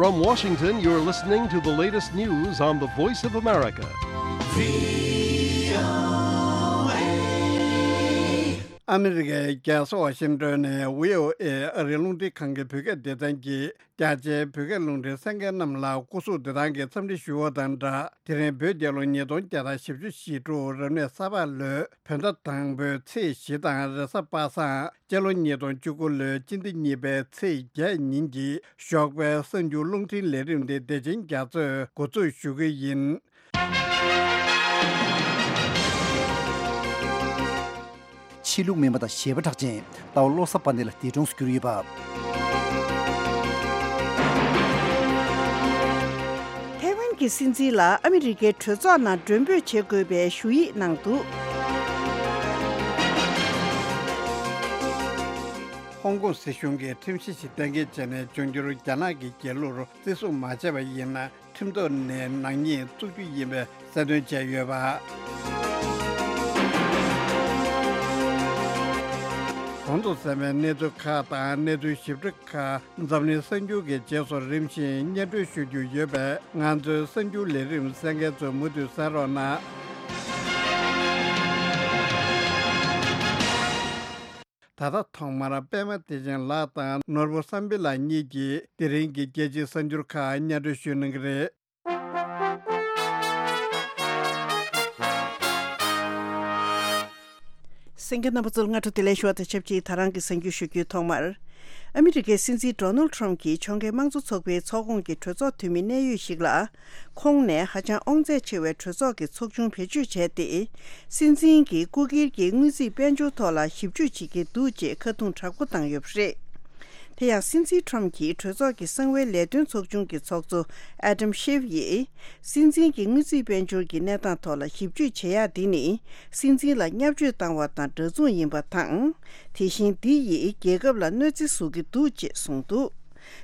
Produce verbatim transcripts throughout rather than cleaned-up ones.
From Washington, you're listening to the latest news on the Voice of America. ཨ་མི་རི་ཀའི་རྒྱལ་ས་ཝ་ཤིང་ཏོན་ནས་བྷི་ཨོ་ཨེ་ཨ་རིའི་རླུང་འཕྲིན་ཁང་གི་བོད་སྐད་སྡེ་ཚན་གྱིས། རྒྱ་ཆེའི་བོད་སྐད་རླུང་འཕྲིན་གསན་མཁན་རྣམས་ལ་སྐུ་གཟུགས་བདེ་ཐང་གི་འཚམས་འདྲི་ཞུ་བ་དང་སྦྲགས། དེ་རིང་བོད་རྒྱལ་ལོ་ཉིས་སྟོང་བརྒྱ་དང་བཞི་བཅུ་ཞེ་དྲུག་རབ་གནས་ས་ཕག་ལོའི་བོད་ཟླ་དང་པོའི་ཚེས་བཞི་དང་རེས་གཟའ་པ་སངས། སྤྱི་ལོ་ཉིས་སྟོང་བཅུ་དགུ་ལོའི་སྤྱི་ཟླ་གཉིས་པའི་ཚེས་བརྒྱད་ཉིན་གྱི་ཞོགས་པའི་གསར་འགྱུར་རླུང་འཕྲིན་ལས་རིམ་དེ་བདེ་ཆེན་རྒྱ་མཚོས་འགོ་འཛུགས་ཞུ་གི་ཡིན། ཆོས་ལུགས་མིན་པ་དང་གཞས་པ་གྲགས་ཅན་ཟླ་བ་བློ་བཟང་དཔལ་ལྡན་ལ་འདས་གྲོངས་སུ་གྱུར་ཡོད་པ། ཐའེ་ཝན་གྱི་སྲིད་འཛིན་ལ་ཨ་མི་རི་ཀའི་གྲོས་ཚོགས་ནང་མགྲོན་འབོད་བྱེད་དགོས་པའི་ཞུ་ཡིག་གནང་འདུག། ཧོང་ཀོང་སྲིད་གཞུང་གིས་ཁྲིམས་གཞི་ཞིག་གཏན་འཁེལ་བྱས་ནས། འབྱུང་འགྱུར་རྒྱ་ནག་གི་རྒྱལ་གླུར་བརྩི་སྲུང་མ་བྱས་པ་ཡིན་ན། ཁྲིམས་ཐོག་ནས་ནག་ཉེས་བཙུགས་རྒྱུ་ཡིན་པའི་གསལ་སྟོན་བྱས་ཡོད་པ། གོང་དུ་གསན་པའི་གནས་ཚུལ་ཁག་དང་གནས་ཚུལ་ཞིབ་ཕྲ་ཁག་འཛམ་གླིང་གསར་འགྱུར་གྱི་རྗེས་སུ་རིམ་བཞིན་སྙན་སྒྲོན་ཞུ་རྒྱུ་ཡོད་པས། ང་ཚོའི་གསར་འགྱུར་ལས་རིམ་གསན་མཁན་ཚོས་མུ་མཐུད་གསན་རོགས་གནང་། ད་ལྟ་ཐོག་མར་པད་མ་བདེ་ཆེན་ལགས་དང་ནོར་བུ་བསམ་འཕེལ་ལགས་གཉིས་ཀྱིས་དེ་རིང་གི་རྒྱལ་སྤྱིའི་གསར་འགྱུར་ཁག་སྙན་སྒྲོན་ཞུ་གནང་གི་རེད། གསན་མཁན་རྣམ་པ་ཚོར་སྔ་དྲོ་བདེ་ལེགས་ཞུ་བ་དང་ཆབས་ཅིག་ད་རང་གི་གསར་འགྱུར་ཞུ་རྒྱུའི་ཐོག་མར། ཨ་མི་རི་ཀའི་སྲིད་འཛིན་ཌོ་ནལ་ཊམ་གྱིས་ཕྱོགས་འགལ་དམངས་གཙོ་ཚོགས་པའི་ཚོགས་ཁོངས་ཀྱི་གྲོས་ཚོགས་འཐུས་མི་གནད་ཡོད་ཞིག་ལ། ཁོང་ནས་ཧ་ཅང་དབང་ཚད་ཆེ་བའི་གྲོས་ཚོགས་ཀྱི་ཚོགས་ཆུང་བེད་སྤྱོད་བྱས་ཏེ། སྲིད་འཛིན་གྱི་སྐུ་སྒེར་གྱི་དངུལ་རྩིས་དཔལ་འབྱོར་ཐོག་ལ་ཞིབ་འཇུག་བྱེད་ཀྱི་འདུག་ཅེས་ཁ་རྡུང་དྲག་པོ་བཏང་ཡོད་པ་རེད། དེ་ཡང་སྲིད་འཛིན་ཊམ་གྱིས་གྲོས་ཚོགས་ཀྱི་གསང་བའི་ལས་དོན་ཚོགས་ཆུང་གི་ཚོགས་གཙོ་ཨ་ཌམ་ཤེབ་ཡིས། སྲིད་འཛིན་གྱི་དངུལ་རྩིས་དཔལ་འབྱོར་གྱི་གནས་སྟངས་ཐོག་ལ་ཞིབ་འཇུག་བྱེད་ཡག་འདི་ནི། སྲིད་འཛིན་ལ་བརྙས་བཅོས་བཏང་བ་དང་འདྲ་མཚུངས་ཡིན་པ་དང་། དེ་བཞིན་འདི་ཡིས་རྒྱལ་ཁབ་ལ་གནོད་འཚེ་བཟོ་གི་འདུག་ཅེས་གསུངས་འདུག།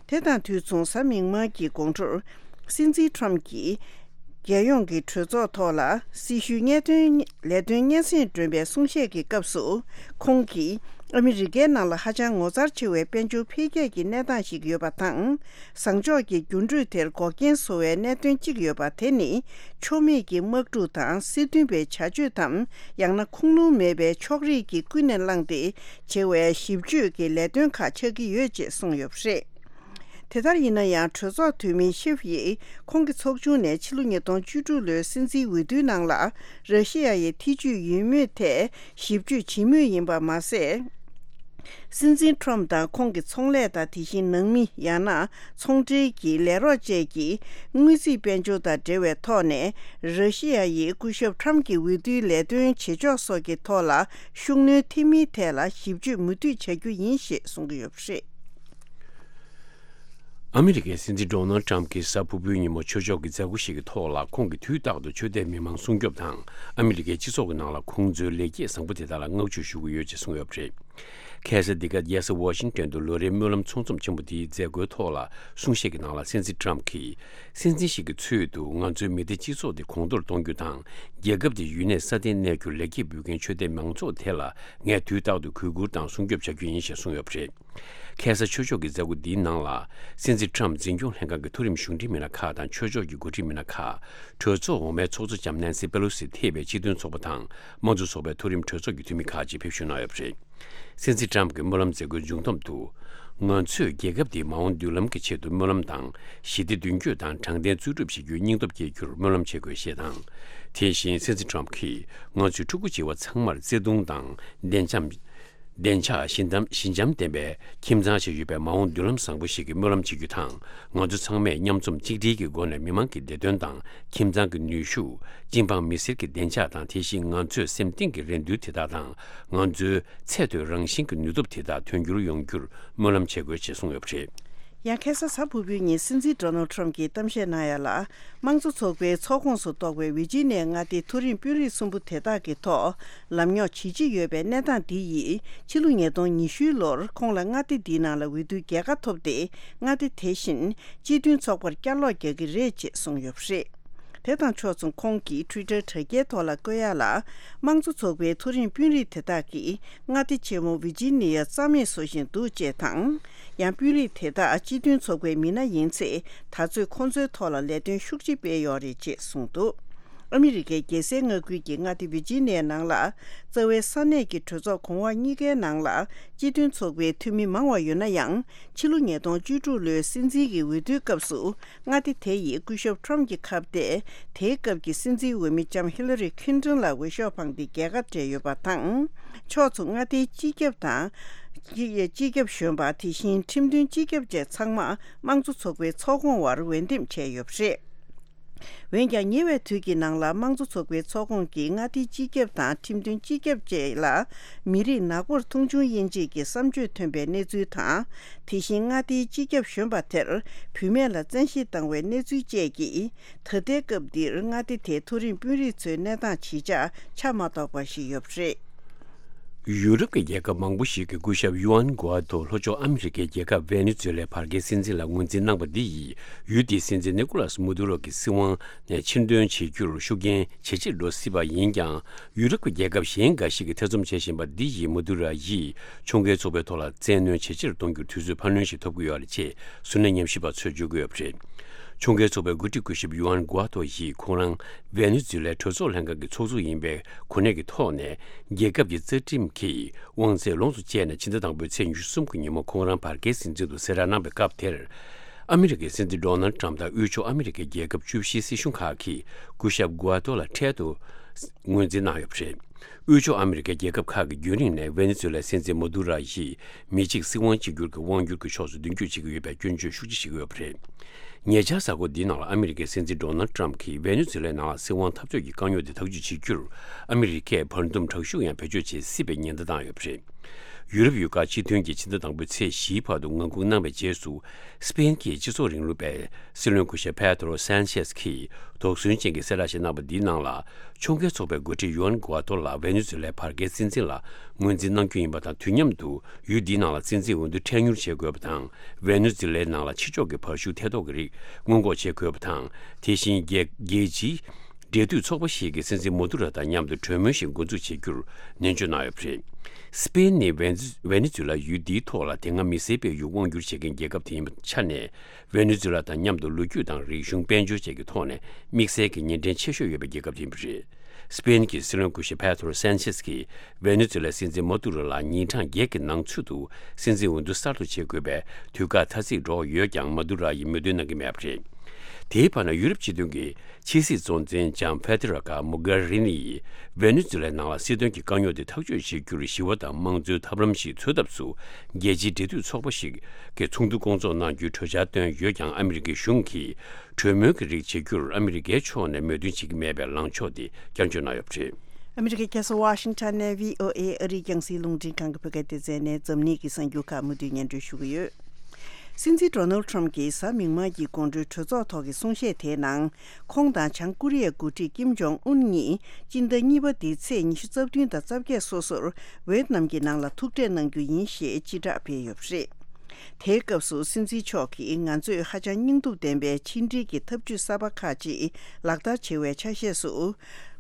དེ་དང་དུས་མཚུངས་གཟའ་མིག་དམར་གྱི་དགོང་དྲོར། སྲིད་འཛིན་ཊམ་གྱིས། རྒྱལ་ཡོངས་ཀྱི་གྲོས་ཚོགས་ཐོག་ལ་སྲི་ཞུའི་ངེས་སྟོན་ལས་དོན་སྙན་སེང་སྒྲོན་པའི་གསུང་བཤད་ཀྱི་སྐབས་སུ། ཁོང་གིས་ཨ་མི་རི་ཀའི་ནང་ལ་ཧ་ཅང་ངོ་མཚར་ཆེ་བའི་དཔལ་འབྱོར་འཕེལ་རྒྱས་ཀྱི་གནས་སྟངས་ཤིག་ཡོད་པ་དང་། བཟང་ཕྱོགས་ཀྱི་འགྱུར་འགྲོས་དེར་འགོག་རྐྱེན་བཟོ་བའི་གནད་དོན་གཅིག་ཡོད་པ། དེ་ནི་ཕྱོགས་མེད་ཀྱི་དམག་འཁྲུག་དང་སྲིད་དོན་པའི་བྱ་སྤྱོད་དམ། ཡང་ན་ཁུངས་ལུང་མེད་པའི་ཕྱོགས་རིས་ཀྱིས་ཀུན་ནས་བསླངས་ཏེ་བྱེད་པའི་ཞིབ་དཔྱོད་ཀྱི་ལས་དོན་ཁག་ཆགས་ཀྱི་ཡོད་ཅེས་གསུངས་ཡོད་པ་རེད། དེ་ལྟར་ཡིན་ན་ཡང་། གྲོས་ཚོགས་འཐུས་མི་ཤེབ་ཡིས་ཁོང་གི་ཚོགས་ཆུང་ནས་ཕྱི་ལོ་ཉིས་སྟོང་བཅུ་དྲུག་ལོའི་སྲིད་འཛིན་འོས་བསྡུའི་ནང་ལ་ར་ཤི་ཡ་ཡི་ཐེ་ཇུས་ཡོད་མེད་ཐད་ཞིབ་དཔྱོད་བྱེད་མུས་ཡིན་པ་མ་ཟད། སྲིད་འཛིན་ཊམ་དང་ཁོང་གི་ཚོང་ལས་དང་། དེ་བཞིན་ནང་མི། ཡང་ན་ཚོང་འབྲེལ་གྱི་ལས་རོགས་བཅས་ཀྱི་དངུལ་རྩིས་དཔལ་འབྱོར་དང་འབྲེལ་བའི་ཐོག་ནས། ར་ཤི་ཡ་ཡིས་སྐུ་ཞབས་ཊམ་གྱི་འོས་བསྡུའི་ལས་དོན་བྱེད་ཕྱོགས་སོགས་ཀྱི་ཐོག་ལ་ཤུགས་སྣོན་ཐེབས་མིན་ཐད་ལ་ཞིབ་དཔྱོད་མུ་མཐུད་བྱ་རྒྱུ་ཡིན་ཞེས་གསུང་གི་ཡོད་པ་རེད། ཨ་མི་རི་ཀའི་སྲིད་འཛིན་ཌོ་ནལ་ཊམ་གྱིས་གཟའ་ཕུར་བུའི་ཉིན་མོ་ཆོས་ཕྱོགས་ཀྱི་མཛད་སྒོ་ཞིག་གི་ཐོག་ལ། ཁོང་གིས་དུས་རྟག་ཏུ་ཆོས་དད་མི་མང་སྲུང་སྐྱོབ་དང་། ཨ་མི་རི་ཀའི་སྤྱི་ཚོགས་ཀྱི་ནང་ལ་ཁོང་ཚོའི་ལེགས་སྐྱེས་བཟང་པོ་དེ་དག་ལ་བསྔགས་བརྗོད་ཞུ་གི་ཡོད་ཅེས་གསུངས་ཡོད་པ་རེད། ཁ་སང་འདི་ག་རྒྱལ་ས་ཝ་ཤིང་ཊོན་དུ་ལོ་རེའི་སྨོན་ལམ་ཚོགས་འཛོམས་ཆེན་པོ་དེའི་མཛད་སྒོའི་ཐོག་ལ། གསུང་བཤད་ཀྱི་ནང་ལ་སྲིད་འཛིན་ཊམ་གྱིས། སྲིད་འཛིན་ཞིག་གི་ཚུལ་དུ་ང་ཚོའི་མི་སྡེ་སྤྱི་ཚོགས་དེ་གོང་མཐོར་གཏོང་རྒྱུ་དང་། རྒྱལ་ཁབ་དེ་ཡུན་གནས་སྲ་བརྟན་གནས་རྒྱུར་ལེགས་སྐྱེས་འབུལ་མཁན་ཆོས་དད་མང་ཚོགས་དེ་ལ་ངས་དུས་རྟག་ཏུ་གུས་བཀུར་དང་སྲུང་སྐྱོབ་བྱ་རྒྱུ་ཡིན་ཞེས་གསུངས་ཡོད་པ་རེད། ཁ་སང་ཆོས་ཕྱོགས་ཀྱི་མཛད་སྒོ་འདིའི་ནང་ལ། སྲིད་འཛིན་ཊམ་འཛིན་སྐྱོང་ལྷན་ཁང་གི་མཐོ་རིམ་གཞུང་འབྲེལ་མི་སྣ་ཁག་དང་ཆོས་ཕྱོགས་ཀྱི་འགོ་ཁྲིད་མི་སྣ་ཁག་གྲོས་ཚོགས་འོག་མའི་ཚོགས་གཙོ་ལྕམ་ནན་སི་པེ་ལོ་སི་ཐེ་བའི་སྤྱི་མཐུན་ཚོགས་པ་དང་། དམངས་གཙོ་ཚོགས་པའི་མཐོ་རིམ་གྲོས་ཚོགས་ཀྱི་འཐུས་མི་ཁག་ཅིག་ཕེབས་ཞུགས་གནང་ཡོད་པ་རེད། སྲིད་འཛིན་ཊམ་གྱི་སྨོན་ལམ་མཛད་སྒོའི་མཇུག་བསྡོམས་དུ། ང་ཚོས་རྒྱལ་ཁབ་འདིའི་མ་འོངས་མདུན་ལམ་གྱི་ཆེད་དུ་སྨོན་ལམ་དང་། ཞི་བདེ་མདུན་སྐྱོད་དང་དྲང་བདེན་འཛུགས་སྐྲུན་བྱེད་རྒྱུའི་སྙིང་སྟོབས་སྐྱེད་རྒྱུར་སྨོན་ལམ་བྱེད་དགོས་ཞེས་དང་། དེ་བཞིན་སྲིད་འཛིན་ཊམ་གྱིས། ང་ཚོའི་ཕྲུ་གུ་བྱིས་པ་ཚང་མར་བརྩེ་དུང་དང་བདེ་འཇགས། བདེ་འཇགས་ཞི་འཇམ་ཞི་འཇམ་ལྡན་པའི་ཁྱིམ་ཚང་ཞིག་ཡོད་པའི་མ་འོངས་མདུན་ལམ་བཟང་པོ་ཞིག་གི་སྨོན་ལམ་བྱེད་རྒྱུ་དང་། ང་ཚོ་ཚང་མས་མཉམ་འཛོམས་གཅིག་སྒྲིལ་གྱི་སྒོ་ནས་མི་མང་གི་བདེ་དོན་དང་། ཁྱིམ་ཚང་གི་ནུས་ཤུགས། སྤྱི་འབངས་མི་སེར་གྱི་བདེ་འཇགས་དང་། དེ་བཞིན་ང་ཚོའི་སེམས་གཏིང་གི་རེ་འདུན་དེ་དག་དང་། ང་ཚོའི་ཚད་མཐོའི་རང་བཞིན་གྱི་ནུས་སྟོབས་དེ་དག་དོན་འགྱུར་ཡོང་རྒྱུར་སྨོན་ལམ་བྱེད་དགོས་ཞེས་གསུངས་ཡོད་པ་རེད། ཡང་ཁ་སང་གཟའ་ཕུར་བུའི་ཉིན་སྲིད་འཛིན་ཌོ་ནལ་ཊམ་གྱིས་གཏམ་བཤད་གནང་ཡ་ལ། དམངས་གཙོ་ཚོགས་པའི་ཚོགས་ཁོངས་སུ་གཏོགས་པའི་ཝི་ཇི་ནི་ཡ་མངའ་སྡེའི་མཐོ་རིམ་དཔོན་རིགས་གསུམ་པོ་དེ་དག་གི་ཐོག་ལམ་རྙོག་ཇི་ཆེ་ཡོད་པའི་གནས་སྟངས་འདི་ཡིས་ཕྱི་ལོ་ཉིས་སྟོང་ཉི་ཤུའི་ལོར་ཁོང་ལ་མངའ་སྡེ་འདིའི་ནང་ལ་འོས་བསྡུའི་རྒྱལ་ཁ་ཐོབ་སྟེ། མངའ་སྡེ་དེ་བཞིན་སྤྱི་མཐུན་ཚོགས་པར་བསྐྱར་ལོག་རྒྱག་གི་རེད་ཅེས་གསུངས་ཡོད་པ་རེད། དེ་དང་ཕྱོགས་མཚུངས་ཁོང་གིས་ཊུའི་ཊར་དྲ་རྒྱའི་ཐོག་ལ་བཀོད་ཡ་ལ། དམངས་གཙོ་ཚོགས་པའི་མཐོ་རིམ་དཔོན་རིགས་དེ་དག་གིས་མངའ་སྡེ་ཆེན་མོ་ཝི་ཇི་ནི་ཡ་རྩ་མེད་བཟོ་བཞིན་འདུག་ཅེས་དང་། ཡང་དཔོན་རིགས་དེ་དག་སྤྱི་མཐུན་ཚོགས་པའི་མི་སྣ་ཡིན་ཚེ། ད་ཚོད་ཁོང་ཚོའི་ཐོག་ལ་ལས་དོན་ཤུགས་ཆེ་སྤེལ་ཡོད་རེད་ཅེས་གསུངས་འདུག་ཨ་མི་རི་ཀའི་རྒྱལ་སའི་མངའ་ཁུལ་གྱི་མངའ་སྡེ་ཝི་ཇི་ནི་ཡའི་ནང་ལ། རྩ་བའི་ས་གནས་ཀྱི་གྲོས་ཚོགས་གོང་འོག་གཉིས་ཀའི་ནང་ལ། སྤྱི་མཐུན་ཚོགས་པའི་འཐུས་མི་མང་བ་ཡོད་ན་ཡང་། ཕྱི་ལོ་ཉིས་སྟོང་བཅུ་དྲུག་ལོའི་སྲིད་འཛིན་གྱི་འོས་བསྡུའི་སྐབས་སུ། མངའ་སྡེ་དེ་ཡིས་སྐུ་ཞབས་ཁྲོམ་གྱི་ཁ་གཏད། དེའི་སྐབས་ཀྱི་སྲིད་འཛིན་འོས་མི་ལྕམ་ཧི་ལ་རི་ཁིན་ཏོན་ལ་འོས་ཤོག་འཕངས་ཏེ་རྒྱལ་ཁ་སྤྲད་ཡོད་པ་དང་། ཕྱོགས་མཚུངས་མངའ་སྡེའི་སྤྱི་ཁྱབ་དང་། སྤྱི་སྤྱི་ཁྱབ་གཞོན་པ། དེ་བཞིན་ཁྲིམས་དོན་སྤྱི་ཁྱབ་བཅས་ཚང་མ་དམངས་གཙོ་ཚོགས་པའི་ཚོགས་ཁོངས་བར་འོས་འདེམས་བྱས་ཡོད་པ་རེད། འོན་ཀྱང་ཉེ་བའི་དུས་ཀྱི་ནང་ལ་དམངས་གཙོ་ཚོགས་པའི་ཚོགས་ཁོངས་ཀྱི་མངའ་སྡེའི་སྤྱི་ཁྱབ་དང་ཁྲིམས་དོན་སྤྱི་ཁྱབ་བཅས་ལ་མི་རིགས་ནག་པོར་མཐོང་ཆུང་དབྱེ་འབྱེད་ཀྱི་བསམ་སྤྱོད་ཐོན་པའི་གནས་ཚུལ་དང་། དེ་བཞིན་མངའ་སྡེའི་སྤྱི་ཁྱབ་གཞོན་པ་དེར་བུད་མེད་ལ་བཙན་ཤེད་བཏང་བའི་གནས་ཚུལ་བཅས་ཀྱིས། ད་ལྟའི་སྐབས་འདིར་མངའ་སྡེ་དེའི་མཐོ་རིམ་དཔོན་རིགས་ཚོའི་གནས་སྟངས་ཇི་ཆགས་ཆ་མ་རྟོགས་པ་ཞིག་ཡོད་པ་རེད། ཡུ་རོབ་ཀྱི་རྒྱལ་ཁབ་མང་པོ་ཞིག་གི་སྐུ་ཞབས་ཡུ་ཨན་གོ་ཨ་ཏོ་ལྷོ་ཕྱོགས་ཨ་མི་རི་ཀའི་རྒྱལ་ཁབ་ཝེ་ནེ་ཛུ་ལའི་བར་བརྒལ་སྲིད་འཛིན་ལ་ངོས་འཛིན་གནང་བ་འདི་ཡིས་ཡུལ་དེའི་སྲིད་འཛིན་ནི་ཀོ་ལཱས་མ་དུ་རོ་གི་སྲིད་དབང་ནས་ཕྱིར་འདོན་བྱེད་རྒྱུར་ཤུགས་རྐྱེན་ཇེ་ཆེར་འགྲོ་སྲིད་པ་ཡིན་ཀྱང་། ཡུ་རོབ་ཀྱི་རྒྱལ་ཁབ་གཞན་འགའ་ཞིག་གིས་ཐེ་ཚོམ་བྱེད་བཞིན་པ་འདི་ཡིས་མ་དུ་རོ་ཡིས་ཕྱོགས་འགལ་ཚོགས་པའི་ཐོག་ལ་བཙན་གནོན་ཇེ་ཆེར་གཏོང་རྒྱུར་དུས་ཚོད་འཕར་སྣོན་ཞིག་ཐོབ་ཀྱི་ཡོད་རེད་ཅེས་གཟུར་གནས་ཉམས་ཞིབ་པ་ཚོས་བརྗོད་ཀྱི་ཡོད་པ་རེད། ཕྱོགས་འགལ་ཚོགས་པའི་འགོ་ཁྲིད་སྐུ་ཞབས་ཡུ་ཨན་གོ་ཨ་ཏོ་ཡིས་ཁོང་རང་ཝེ་ནེ་ཛུ་ལའི་གྲོས་ཚོགས་ལྷན་ཁང་གི་ཚོགས་གཙོ་ཡིན་པའི་གོ་གནས་ཀྱི་ཐོག་ནས་རྒྱལ་ཁབ་ཀྱི་རྩ་ཁྲིམས་ཀྱི་དབང་ཚད་ལོངས་སུ་སྤྱད་ནས་ཕྱི་ཟླ་དང་པོའི་ཚེས་ཉི་ཤུ་གསུམ་གྱི་ཉིན་མོ་ཁོང་རང་བར་བརྒལ་སྲིད་འཛིན་དུ་གསལ་བསྒྲགས་གནང་བའི་སྐབས་དེར། ཨ་མི་རི་ཀའི་སྲིད་འཛིན་ཌོ་ནལ་ཏྲམ་དང་དབུས་ཕྱོགས་ཨ་མི་རི་ཀའི་རྒྱལ་ཁབ་བཅུ་བཞིའི་སྲིད་གཞུང་ཁག་གིས་སྐུ་ཞབས་གོ་ཨ་ཏོ་ལ་འཕྲལ་དུ་ངོས་འཛིན་གནང་ཡོད་པ་རེད། དབུས་ཕྱོགས་ཨ་མི་རི་ཀའི་རྒྱལ་ཁབ་ཁག་གིས་རྒྱུན་རིང་ནས་ཝེ་ནེ་ཛུ་ལའི་སྲིད་འཛིན་མ་དུ་ར་ཡིས་མི་གཅིག་སྲིད་དབང་གཅིག་གྱུར་གྱི་དབང་སྒྱུར་གྱི་ཕྱོགས་སུ་མདུན་སྐྱོད་བྱེད་ཀྱི་ཡོད་པའི་སྐྱོན་བརྗོད་ཤུགས་ཆེ་བྱེད་ཀྱི་ཡོད་པ་རེད། ཉེ་ཆར་གཟའ་འཁོར་འདིའི་ནང་ལ་ཨ་མི་རི་ཀའི་སྲིད་འཛིན་ཌོ་ནལ་ཏྲམ་གྱིས་ཝེ་ནེ་ཛུ་ལའི་ནང་ལ་སྲིད་དབང་འཐབ་རྩོད་ཀྱི་དཀའ་རྙོག་དེ་ཐག་གཅོད་བྱེད་རྒྱུར་ཨ་མི་རི་ཀས་བར་འདུམ་དྲག་ཤུགས་ཡང་བེད་སྤྱོད་བྱེད་སྲིད་པའི་ཉེན་བརྡ་བཏང་ཡོད་པ་རེད། ཡུ་རོབ་ཡུལ་ཁག་སྤྱི་མཐུན་གྱིས་ཕྱི་ཟླ་དང་པོའི་ཚེས་བཞིའི་བར་དུ་ངང་སྒུག་གནང་བའི་རྗེས་སུ། སི་པེན་གྱི་སྤྱི་ཚོགས་རིང་ལུགས་པའི་སྲིད་བློན་སྐུ་ཞབས་པེ་ཏྲོ་སན་ཆེས་ཀྱིས་དོགས་ཟོན་ཅན་གྱི་གསལ་བསྒྲགས་ཤིག་གནང་བ་འདིའི་ནང་ལ། ཕྱོགས་འགལ་ཚོགས་པའི་འགོ་ཁྲིད་ཡུ་ཨན་གོ་ཨ་ཏོ་ལ་ཝེ་ནེ་ཛུ་ལའི་བར་བརྒལ་སྲིད་འཛིན་ལ་ངོས་འཛིན་གནང་རྒྱུ་ཡིན་པ་དང་། དུས་མཉམ་དུ་ཡུལ་འདིའི་ནང་ལ་སྲིད་འཛིན་འོས་བསྡུ་འཕྲལ་མྱུར་བྱེད་དགོས་པ་དང་། ཝེ་ནེ་ཛུ་ལའི་ནང་ལ་ཕྱི་ཕྱོགས་ཀྱི་བར་ཤུགས་ཐེ་གཏོགས་ཀྱི་རིགས་སྔོན་འགོག་བྱེད་དགོས་པ་དང་། དེ་བཞིན་རྒྱལ་རྒྱལ་སྤྱིའི་འབྲེལ་མཐུད་ཚོགས་པ་ཞིག་གིས་སྲིད་འཛིན་མ་དུ་ར་དང་མཉམ་དུ་གྲོས་མོལ་ཞིག་འགོ་འཛུགས་བྱེད་རྒྱུར་ནན་བརྗོད་གནང་ཡོད་པ་རེད། སི་པེན་ནི་ཝེ་ནེ་ཛུ་ཝེ་ནེ་ཛུ་ལ་ཡུལ་འདིའི་ཐོག་ལ་དེ་སྔ་མི་སེར་སྤེལ་ཡུལ་དབང་སྒྱུར་བྱེད་མཁན་རྒྱལ་ཁབ་དེ་ཡིན་པའི་ཆ་ནས། ཝེ་ནེ་ཛུ་ལ་དང་མཉམ་དུ་ལོ་རྒྱུས་དང་རིག་གཞུང་དཔལ་འབྱོར་བཅས་ཀྱི་ཐོག་ནས་དམིགས་བསལ་གྱི་ཉེ་འབྲེལ་ཆེ་ཤོས་ཡོད་པའི་རྒྱལ་ཁབ་ཡིན་པ་རེད། སི་པེན་གྱི་སྲིད་བློན་སྐུ་ཞབས་པེ་ཏྲོ་སན་ཆེས་ཀྱིས་ཝེ་ནེ་ཛུ་ལའི་སྲིད་འཛིན་མ་དུ་རོ་ལ་ཉིན་གྲངས་བརྒྱད་ཀྱི་ནང་ཚུད་དུ་སྲིད་འཛིན་འོས་བསྡུ་གསར་གཏོད་བྱེད་དགོས་པའི་དུས་བཀག་ཐ་ཚིག་སྒྲོག་ཡོད་ཀྱང་། མ་དུ་རོ་ཡིས་མོས་མཐུན་གནང་གི་མེད་པ་རེད། དེའི་བར་ན་ཡུ་རོབ་སྤྱི་མཐུན་གྱི་ཕྱི་སྲིད་གཙོ་འཛིན་ལྕམ་ཕེ་ཏི་ར་ཀ་མོ་གྷ་རི་ནི་ཡིས་ཝེ་ནེ་ཛུ་ལའི་ནང་ལ་སྲིད་དོན་གྱི་དཀའ་རྙོག་དེ་ཐག་གཅོད་བྱེད་རྒྱུར་ཞི་བ་དང་དམངས་གཙོའི་ཐབས་ལམ་ཞིག་འཚོལ་ཐབས་སུ། རྒྱལ་སྤྱིའི་འབྲེལ་མཐུད་ཚོགས་པ་ཞིག་གི་ཚོགས་འདུ་སྐོང་ཚོགས་གནང་རྒྱུའི་གྲོས་འཆར་བཏོན་ཡོད་ཀྱང་། ཨ་མི་རི་ཀའི་གཞུང་གིས་གྲོས་མོལ་གྱི་རིགས་བྱེད་རྒྱུར་ཨ་མི་རི་ཀའི་ཕྱོགས་ནས་མོས་མཐུན་བྱེད་ཀྱི་མེད་པའི་ལངས་ཕྱོགས་དེ་བསྐྱར་བརྗོད་གནང་ཡོད་པ་རེད། ཨ་མི་རི་ཀའི་རྒྱལ་ས་ཝ་ཤིང་ཊོན་ནས་བྷི་ཨོ་ཨེ་ཨ་རིའི་རྒྱང་སྲིང་རླུང་འཕྲིན་ཁང་གི་བོད་སྐད་སྡེ་ཚན་ནས་འཛམ་གླིང་གི་གསར་འགྱུར་ཁག་མུ་མཐུད་སྙན་སྒྲོན་ཞུ་གི་ཡོད། སྲིད་འཛིན་ཌོ་ནལ་ཁྲམ་གྱིས་གཟའ་མིག་དམར་གྱི་དགོང་དྲོའི་གྲོས་ཚོགས་ཐོག་གི་གསུང་བཤད་དེའི་ནང་། ཁོང་དང་བྱང་ཀོ་རི་ཡའི་འགོ་ཁྲིད་ཀིམ་ཇོང་ཨུན་གཉིས་སྤྱི་ཟླ་གཉིས་པ་འདིའི་ཚེས་ཉི་ཤུ་རྩ་བདུན་དང་རྩ་བརྒྱད་སོ་སོར་ཝེ་ཏི་ནམ་གྱི་ནང་ལ་ཐུག་འཕྲད་གནང་རྒྱུ་ཡིན་ཞེས་སྤྱི་བསྒྲགས་སྤེལ་ཡོད་པ་རེད། དེའི་སྐབས་སུ་སྲིད་འཛིན་མཆོག་གིས། ང་ཚོས་ཧ་ཅང་སྙིང་སྡུག་ལྡན་པའི་ཕྱི་འབྲེལ་གྱི་ཐབས་ཇུས་གསར་པ་ཁག་ཅིག་ལག་བསྟར་བྱེད་པའི་ཆ་ཤས་སུ།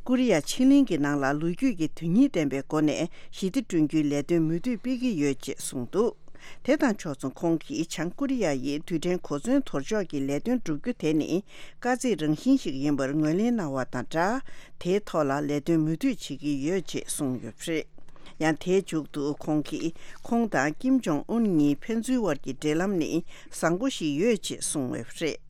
ཀོ་རི་ཡ་ཕྱེད་གླིང་གི་ནང་ལ་ལོ་རྒྱུས་ཀྱི་དོན་སྙིང་ལྡན་པའི་སྒོ་ནས་ཞི་བདེ་བསྐྲུན་རྒྱུའི་ལས་དོན་མུ་མཐུད་སྤེལ་གྱི་ཡོད་ཅེས་གསུངས་འདུག་དེ་དང་ཕྱོགས་མཚུངས་ཁོང་གིས། བྱང་ཀོ་རི་ཡ་ཡིས་རྡུལ་ཕྲན་གོ་མཚོན་དོར་ཕྱོགས་ཀྱི་ལས་དོན་བསྒྲུབ་རྒྱུ་དེ་ནི་དཀའ་ཚེགས་རང་བཞིན་ཞིག་ཡིན་པར་ངོས་ལེན་གནང་བ་དང་སྦྲགས། དེའི་ཐོག་ལ་ལས་དོན་མུ་མཐུད་བྱེད་ཀྱི་ཡོད་ཅེས་གསུངས་ཡོད་པ་རེད། ཡང་དེའི་མཇུག་ཏུ་ཁོང་གིས། ཁོང་དང་ཀིམ་ཇོང་ཨུན་གཉིས་ཕན་ཚུན་དབར་གྱི་འབྲེལ་ལམ་ནི་བཟང་པོ་ཞིག་ཡོད་ཅེས་གསུངས་ཡོད་པ་རེད།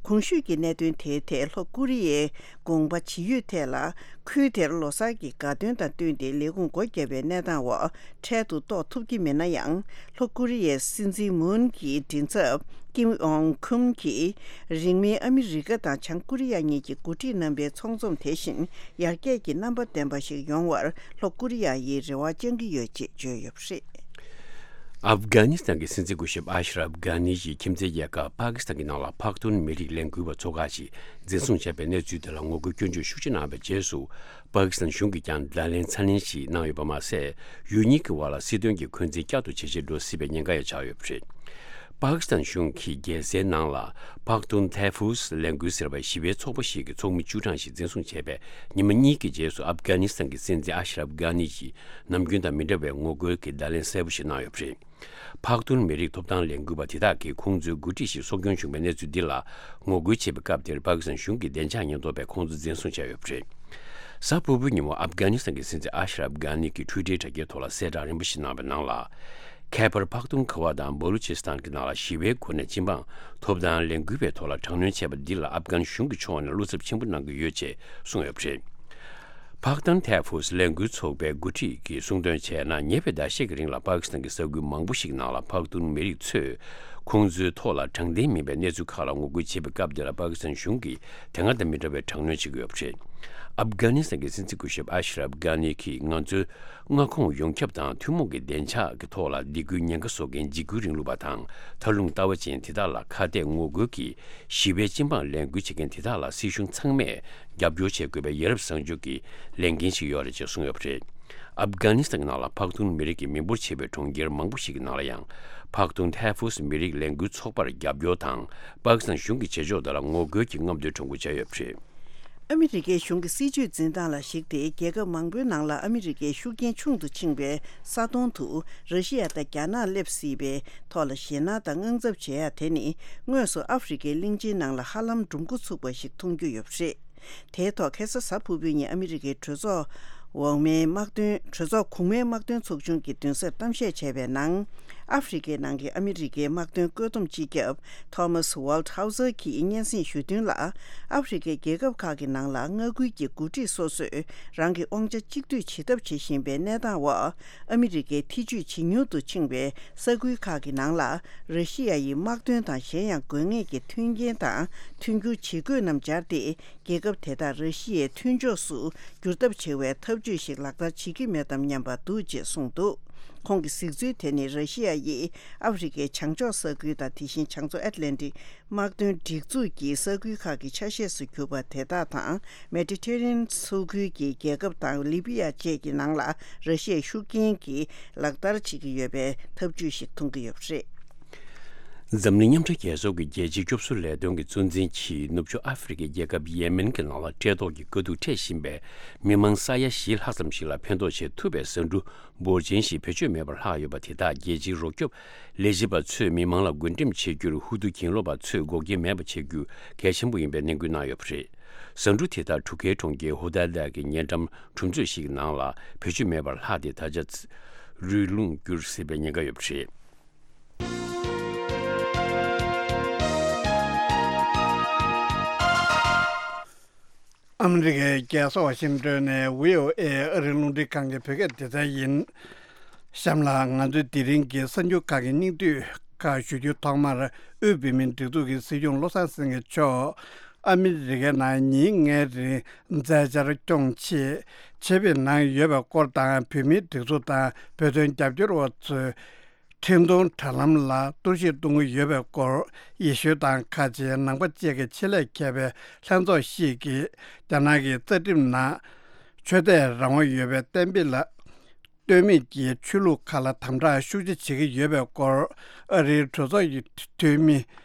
གོང་ཞུས་ཀྱི་གནད་དོན་དེའི་ཐད་ལྷོ་ཀོ་རི་ཡའི་དགོངས་པ་ཇི་ཡོད་ཐད་ལ། ཁུལ་དེར་ལོ་གསར་གྱི་དགའ་སྟོན་དང་བསྟུན་ཏེ་ལས་ཁུངས་སྒོ་བརྒྱབ་པའི་གནས་སྟངས་འོག་འཕྲལ་དུ་གཏོགས་ཐུབ་ཀྱི་མེད་ན་ཡང་། ལྷོ་ཀོ་རི་ཡའི་སྲིད་འཛིན་མུན་གྱི་མགྲིན་ཚབ་ཀིམ་ཡོང་ཁུམ་གྱིས་རིང་མིན་ཨ་མི་རི་ཀ་དང་བྱང་ཀོ་རི་ཡ་གཉིས་ཀྱི་འགོ་ཁྲིད་རྣམ་པའི་ཚོགས་འཛོམས་དེ་བཞིན་ཡར་རྒྱས་ཀྱི་རྣམ་པ་ལྡན་པ་ཞིག་ཡོང་བར་ལྷོ་ཀོ་རི་ཡ་ཡིས་རེ་བ་བཅང་གི་ཡོད་ཅེས་བརྗོད་ཡོད་པ་རེད། ཨབ་གྷ་ནི་སི་ཐན་གྱི་སྲིད་འཛིན་སྐུ་ཞབས་ཨ་ཤ་རབ་གྷ་ནི་ཡིས་ཁྱིམ་མཚེས་རྒྱལ་ཁབ་པ་ཀི་སི་ཐན་གྱི་ནང་ལ་ཕག་ཐོན་མི་རིགས་ལས་འགུལ་བ་ཚོ་ཁག་ཅིག་འཛིན་བཟུང་བྱས་པའི་གནས་ཚུལ་དེ་ལ་ངོ་རྒོལ་སྐྱོན་བརྗོད་ཤུགས་ཆེ་གནང་བའི་རྗེས་སུ། པ་ཀི་སི་ཐན་གཞུང་གིས་ཀྱང་བརྡ་ལན་ཚ་ནན་ཞིག་གནང་ཡོད་པ་མ་ཟད། ཡུལ་གཉིས་ཀྱི་དབར་ལ་སྲིད་དོན་གྱི་འཁོན་འཛིན་བསྐྱར་དུ་ཇེ་ཆེར་འགྲོ་སྲིད་པའི་ཉེན་ཁ་ཡང་ཆགས་ཡོད་པ་རེད། པ་ཀི་སི་ཐན་གཞུང་གིས་རྒྱལ་སའི་ནང་ལ་པག་ཏུན་ཐའི་ཧྥུས་ལས་འགུལ་ཟེར་བའི་ཞི་བའི་ཚོགས་པ་ཞིག་གི་ཚོགས་མི་བཅུ་གྲངས་ཤིག་འཛིན་བཟུང་བྱས་པའི་ཉི་མ་གཉིས་ཀྱི་རྗེས་སུ། ཨབ་གྷ་ནི་སི་ཐན་གྱི་སྲིད་འཛིན་ཨ་ཤི་རབ་གྷ་ནི་ཡིས་ནམ་རྒྱུན་དང་མི་འདྲ་བའི་ངོ་རྒོལ་གྱི་བརྡ་ལན་གསལ་པོ་ཞིག་གནང་ཡོད་པ་རེད། པག་ཏུན་མི་རིགས་ཐོབ་ཐང་ལས་འགུལ་བ་དེ་དག་གིས་ཁོང་ཚོའི་འགོ་ཁྲིད་ཞིག་སྲོག་སྐྱོན་བྱུང་བའི་གནས་ཚུལ་འདི་ལ་ངོ་རྒོལ་བྱེད་པའི་སྐབས་དེར། པ་ཀི་སི་ཐན་གཞུང་གི་བདེ་འཇགས་ཉེན་རྟོག་པས་ཁོང་ཚོ་འཛིན་བཟུང་བྱས་ཡོད་པ་རེད། གཟའ་ཕུར་བུའི་ཉིན་མོ་ཨབ་གྷ་ནི་སི་ཐན་གྱི་སྲིད་འཛིན་ཨ་ཤི་རབ་གྷ་ནི་གིས་ཊུའི་ཊར་དྲ་རྒྱའི་ཐོག་ལ་གསལ་བསྒྲགས་རིམ་པ་ཞིག་གནང་བའི་ནང་ལ། ཁེ་པར་པག་ཏུན་ཁ་བ་དང་བ་ལུ་ཆི་སི་ཐན་གྱི་ནང་ལ་ཞི་བའི་སྒོ་ནས་སྤྱི་འབངས་ཐོབ་ཐང་ལས་འགུལ་བའི་ཐོག་ལ་དྲག་གནོན་བྱས་པ་འདི་ལ་ཨབ་གྷན་གཞུང་གི་ཕྱོགས་ནས་བློ་འཚབ་ཆེན་པོ་གནང་གི་ཡོད་ཅེས་གསུངས་ཡོད་པ་རེད། པག་ཏུན་ཐའི་ཧྥུས་ལས་འགུལ་ཚོགས་པའི་འགོ་ཁྲིད་ཀྱིས་གསུངས་དོན་བྱས་ན། ཉེ་བའི་ཟླ་ཤས་ཀྱི་རིང་ལ་པ་ཀི་སི་ཐན་གྱི་ས་ཁུལ་མང་པོ་ཞིག་ནང་ལ་པག་ཏུན་མི་རིགས་ཚོས་ཁོང་ཚོའི་ཐོག་ལ་དྲང་བདེན་མིན་པའི་གནས་ཚུལ་ཁག་ལ་ངོ་རྒོལ་བྱེད་པའི་སྐབས་དེ་ལ། པ་ཀི་སི་ཐན་གཞུང་གིས་དེ་སྔ་དང་མི་འདྲ་བའི་དྲག་གནོན་བྱེད་ཀྱི་ཡོད་པ་རེད། ཨབ་གྷ་ནི་སི་ཐན་གྱི་སྲིད་འཛིན་སྐུ་ཞབས་ཨ་ཤི་རབ་གྷ་ནི་གིས། ང་ཚོའི་མངའ་ཁོངས་ཡོངས་ཁྱབ་དང་ཐུན་མོང་གི་བདེ་འཇགས་ཀྱི་ཐོག་ལ་སྡིགས་སྐུལ་ཉེན་ཁ་བཟོ་མཁན་འཇིགས་སྐུལ་རིང་ལུགས་པ་དང་། མཐར་ལུང་ལྟ་བ་ཅན་དེ་དག་ལ་ཁ་གཏད་ངོ་རྒོལ་གྱིས་ཞི་བའི་སྤྱི་འབངས་ལས་འགུལ་བྱེད་མཁན་དེ་དག་ལ་སྲིད་གཞུང་ཚང་མས་རྒྱབ་སྐྱོར་བྱེད་དགོས་པའི་ཡ་རབས་བཟང་སྤྱོད་ཀྱི་ལས་འགན་ཞིག་ཡོད་རེད་ཅེས་གསུངས་ཡོད་པ་རེད། ཨབ་གྷ་ནི་སི་ཐན་གྱི་ནང་ལ་པག་ཏུན་མི་རིགས་ཀྱི་མི་འབོར་ཆེ་བའི་གྲོང་ཁྱེར་མང་པོ་ཞིག་གི་ནང་ལ་ཡང་། པག་ཏུན་ཐའི་ཧྥུས་མི་རིགས་ལས་འགུལ་ཚོགས་པར་རྒྱབ་སྐྱོར་དང་། པ་ཀི་སི་ཐན་གཞུང་གི་བྱེད་ཕྱོགས་དེ་ལ་ངོ་རྒོལ་གྱིས་རྔམ་སྟོན་ཁྲོམ་སྐོར་བྱས་ཡོད་པ་རེད། ཨ་མི་རི་ཀའི་གཞུང་གི་སྲིད་ཇུས་འཛིན་སྟངས་ལ་གཞིགས་ཏེ། རྒྱལ་ཁབ་མང་པོའི་ནང་ལ་ཨ་མི་རི་ཀའི་ཤུགས་རྐྱེན་ཆུང་དུ་ཕྱིན་པའི་ས་དོང་དུ་ར་ཤི་ཡ་དང་རྒྱ་ནག་སླེབས་སྲིད་པའི་ཐོག་ལ་ཞེད་སྣང་དང་དངངས་འཚབ་བྱེད་ཡ་དེ་ནི། དངོས་སུ་ཨ་ཧྥེ་རི་ཁའི་གླིང་ཆེན་ནང་ལ་ཧ་ལམ་འགྲོ་མགོ་ཚུགས་པ་ཞིག་མཐོང་རྒྱུ་ཡོད་པ་རེད། དེའི་ཐོག་ཁ་སང་གཟའ་ཕུར་བུའི་ཉིན་ཨ་མི་རི་ཀའི་གྲོས་ཚོགས་འོག་མའི་དམག་དོན། གྲོས་ཚོགས་གོང་མའི་དམག་དོན་ཚོགས་ཆུང་གི་མདུན་སར་གཏམ་བཤད་བྱས་པའི་ནང་། ཨ་ཧྥེ་རི་ཁའི་ནང་གི་ཨ་མི་རི་ཀའི་དམག་དོན་བཀོད་འདོམས་སྤྱི་ཁྱབ་Thomas Waldhauser གྱིས་སྙན་སེང་ཞུས་དོན་ལ། ཨ་ཧྥེ་རི་ཁའི་རྒྱལ་ཁབ་ཁག་གི་ནང་ལ་མངའ་ཁུལ་གྱི་འགོ་ཁྲིད་སོ་སོས་རང་གི་དབང་ཆ་གཅིག་སྡུད་བྱེད་ཐབས་བྱེད་བཞིན་པའི་གནས་སྟངས་འོག་ཨ་མི་རི་ཀའི་ཐེ་ཇུས་ཇེ་ཉུང་དུ་ཕྱིན་པའི་ས་ཁུལ་ཁག་གི་ནང་ལ། ར་ཤི་ཡ་ཡི་དམག་དོན་དང་གཞན་ཡང་དགོས་ངེས་ཀྱི་མཐུན་རྐྱེན་དང་མཐུན་འགྱུར་ཇི་དགོས་རྣམས་སྦྱར་ཏེ། རྒྱལ་ཁབ་དེ་དག་ར་ཤི་ཡའི་མཐུན་ཕྱོགས་སུ་བསྒྱུར་ཐབས་བྱེད་པའི་ཐབས་ཇུས་ཤིག་ལག་བསྟར་བྱེད་ཀྱི་མེད་དམ་སྙམ་པ་འདུག་ཅེས་གསུངས་འདུག་ཁོང་གི་གཟིགས་ཚུལ་དེ་ནི། ར་ཤི་ཡ་ཡིས་ཨ་ཧྥེ་རི་ཁའི་བྱང་ཕྱོགས་ས་ཁུལ་དང་། དེ་བཞིན་བྱང་མཚོ་ཨེཊ་ལན་ཊིག་དམག་དོན་སྒྲིག་འཛུགས་ཀྱི་ས་ཁུལ་ཁག་གི་ཆ་ཤས་སུ་གྱུར་པ་དེ་དག་དང་། མེ་ཌི་ཊེ་རི་ཡན་མཚོ་ཁུལ་གྱི་རྒྱལ་ཁབ་དང་ལི་བི་ཡ་བཅས་ཀྱི་ནང་ལ་ར་ཤི་ཡའི་ཤུགས་རྐྱེན་གྱིས་ལག་བསྟར་བྱེད་ཀྱི་ཡོད་པའི་ཐབས་ཇུས་ཤིག་མཐོང་གི་ཡོད་པ་རེད། འཛམ་གླིང་མཉམ་འབྲེལ་རྒྱལ་ཚོགས་ཀྱི་རྒྱལ་སྤྱིའི་སྐྱོབ་གསོ་ལས་དོན་གྱི་གཙོ་འཛིན་གྱིས། ནུབ་ཕྱོགས་ཨ་ཧྥེ་རི་ཁའི་རྒྱལ་ཁབ་ཡེ་མེན་གྱི་ནང་ལ་བཀྲེས་ལྟོགས་ཀྱི་དཀའ་སྡུག་འཕྲད་བཞིན་པའི་མི་མང་ས་ཡ་བཞི་ལྷག་ཙམ་ཞིག་ལ་ཕན་ཐོགས་བྱེད་ཐུབ་པའི་ཟ་འབྲུ་འབོར་ཆེན་ཞིག་བེད་སྤྱོད་མེད་པར་ལྷག་ཡོད་པ་དེ་དག་རྒྱལ་སྤྱིའི་རོགས་སྐྱོབ་ལས་བྱེད་པ་ཚོས་མི་མང་ལ་བགོ་འགྲེམས་བྱེད་རྒྱུར། ཧུ་ཏུ་གྱེན་ལོག་པ་ཚོས་འགོག་རྐྱེན་མེད་པ་བྱེད་རྒྱུ་གལ་ཆེན་པོ་ཡིན་པའི་གནད་སྐུལ་གནང་ཡོད་པ་རེད། ཟ་འབྲུ་དེ་དག་འབྲུག་ཁའི་གྲོང་ཁྱེར་ཧུ་ཏཱ་ཏཱ་གི་ཉེ་འགྲམ་གྲོང་ཚོ་ཞིག་ནང་ལ་བེད་སྤྱོད་མེད་པར་ལྷག་སྟེ། ད་ཆ་རུལ་རླུང་འགྱུར་སྲིད་པའི་ཉེན་ཁ་ཡོད་པ་རེད། ཨ་མི་རི་ཀའི་རྒྱལ་ས་ཝ་ཤིང་ཏོན་ནས་བྷི་ཨོ་ཨེ་ཨ་རིའི་རླུང་འཕྲིན་ཁང་གི་བོད་སྐད་སྡེ་ཚན་ཡིན། གཤམ་ལ་ང་ཚོས་དེ་རིང་གི་གསར་འགྱུར་ཁག་གི་སྙིང་བསྡུས་ཁག་ཞུ་རྒྱུའི་ཐོག་མར། དབུས་བོད་མིའི་སྒྲིག་འཛུགས་ཀྱི་སྲིད་སྐྱོང་བློ་བཟང་སེང་གེ་མཆོག་ཨ་མི་རི་ཀའི་ནང་ཉིན་ལྔའི་རིང་མཛད་འཆར་སྐྱོང་ཆེད་ཆེད་ཕེབས་གནང་ཡོད་པའི་སྐོར་དང་། བོད་མིའི་སྒྲིག་འཛུགས་དང་བོད་དོན་རྒྱབ་སྐྱོར་བ་ཚོས། འཕྲིན་གཏོང་དྲ་ལམ་ལ་གཏོར་བཤིག་གཏོང་གི་ཡོད་པའི་སྐོར། ཡེ་ཤུ་དང་ཁ་ཆེའི་ནང་པ་བཅས་ཀྱི་ཆེད་ལས་མཁས་པའི་ལྷན་ཚོགས་ཤིག་གིས་རྒྱ་ནག་གི་རྩ་ཁྲིམས་ནང་ཆོས་དད་རང་དབང་ཡོད་པའི་གཏན་འབེབས་ལ་ལྟོས་མེད་ཀྱིས་ཆོས་ལུགས་ཁག་ལ་དམ་དྲག་ཤུགས་ཆེ་བྱེད་ཀྱི་ཡོད་པའི་སྐོར། ཨ་རིའི་གྲོས་ཚོགས་ཀྱི་འཐུས་མི་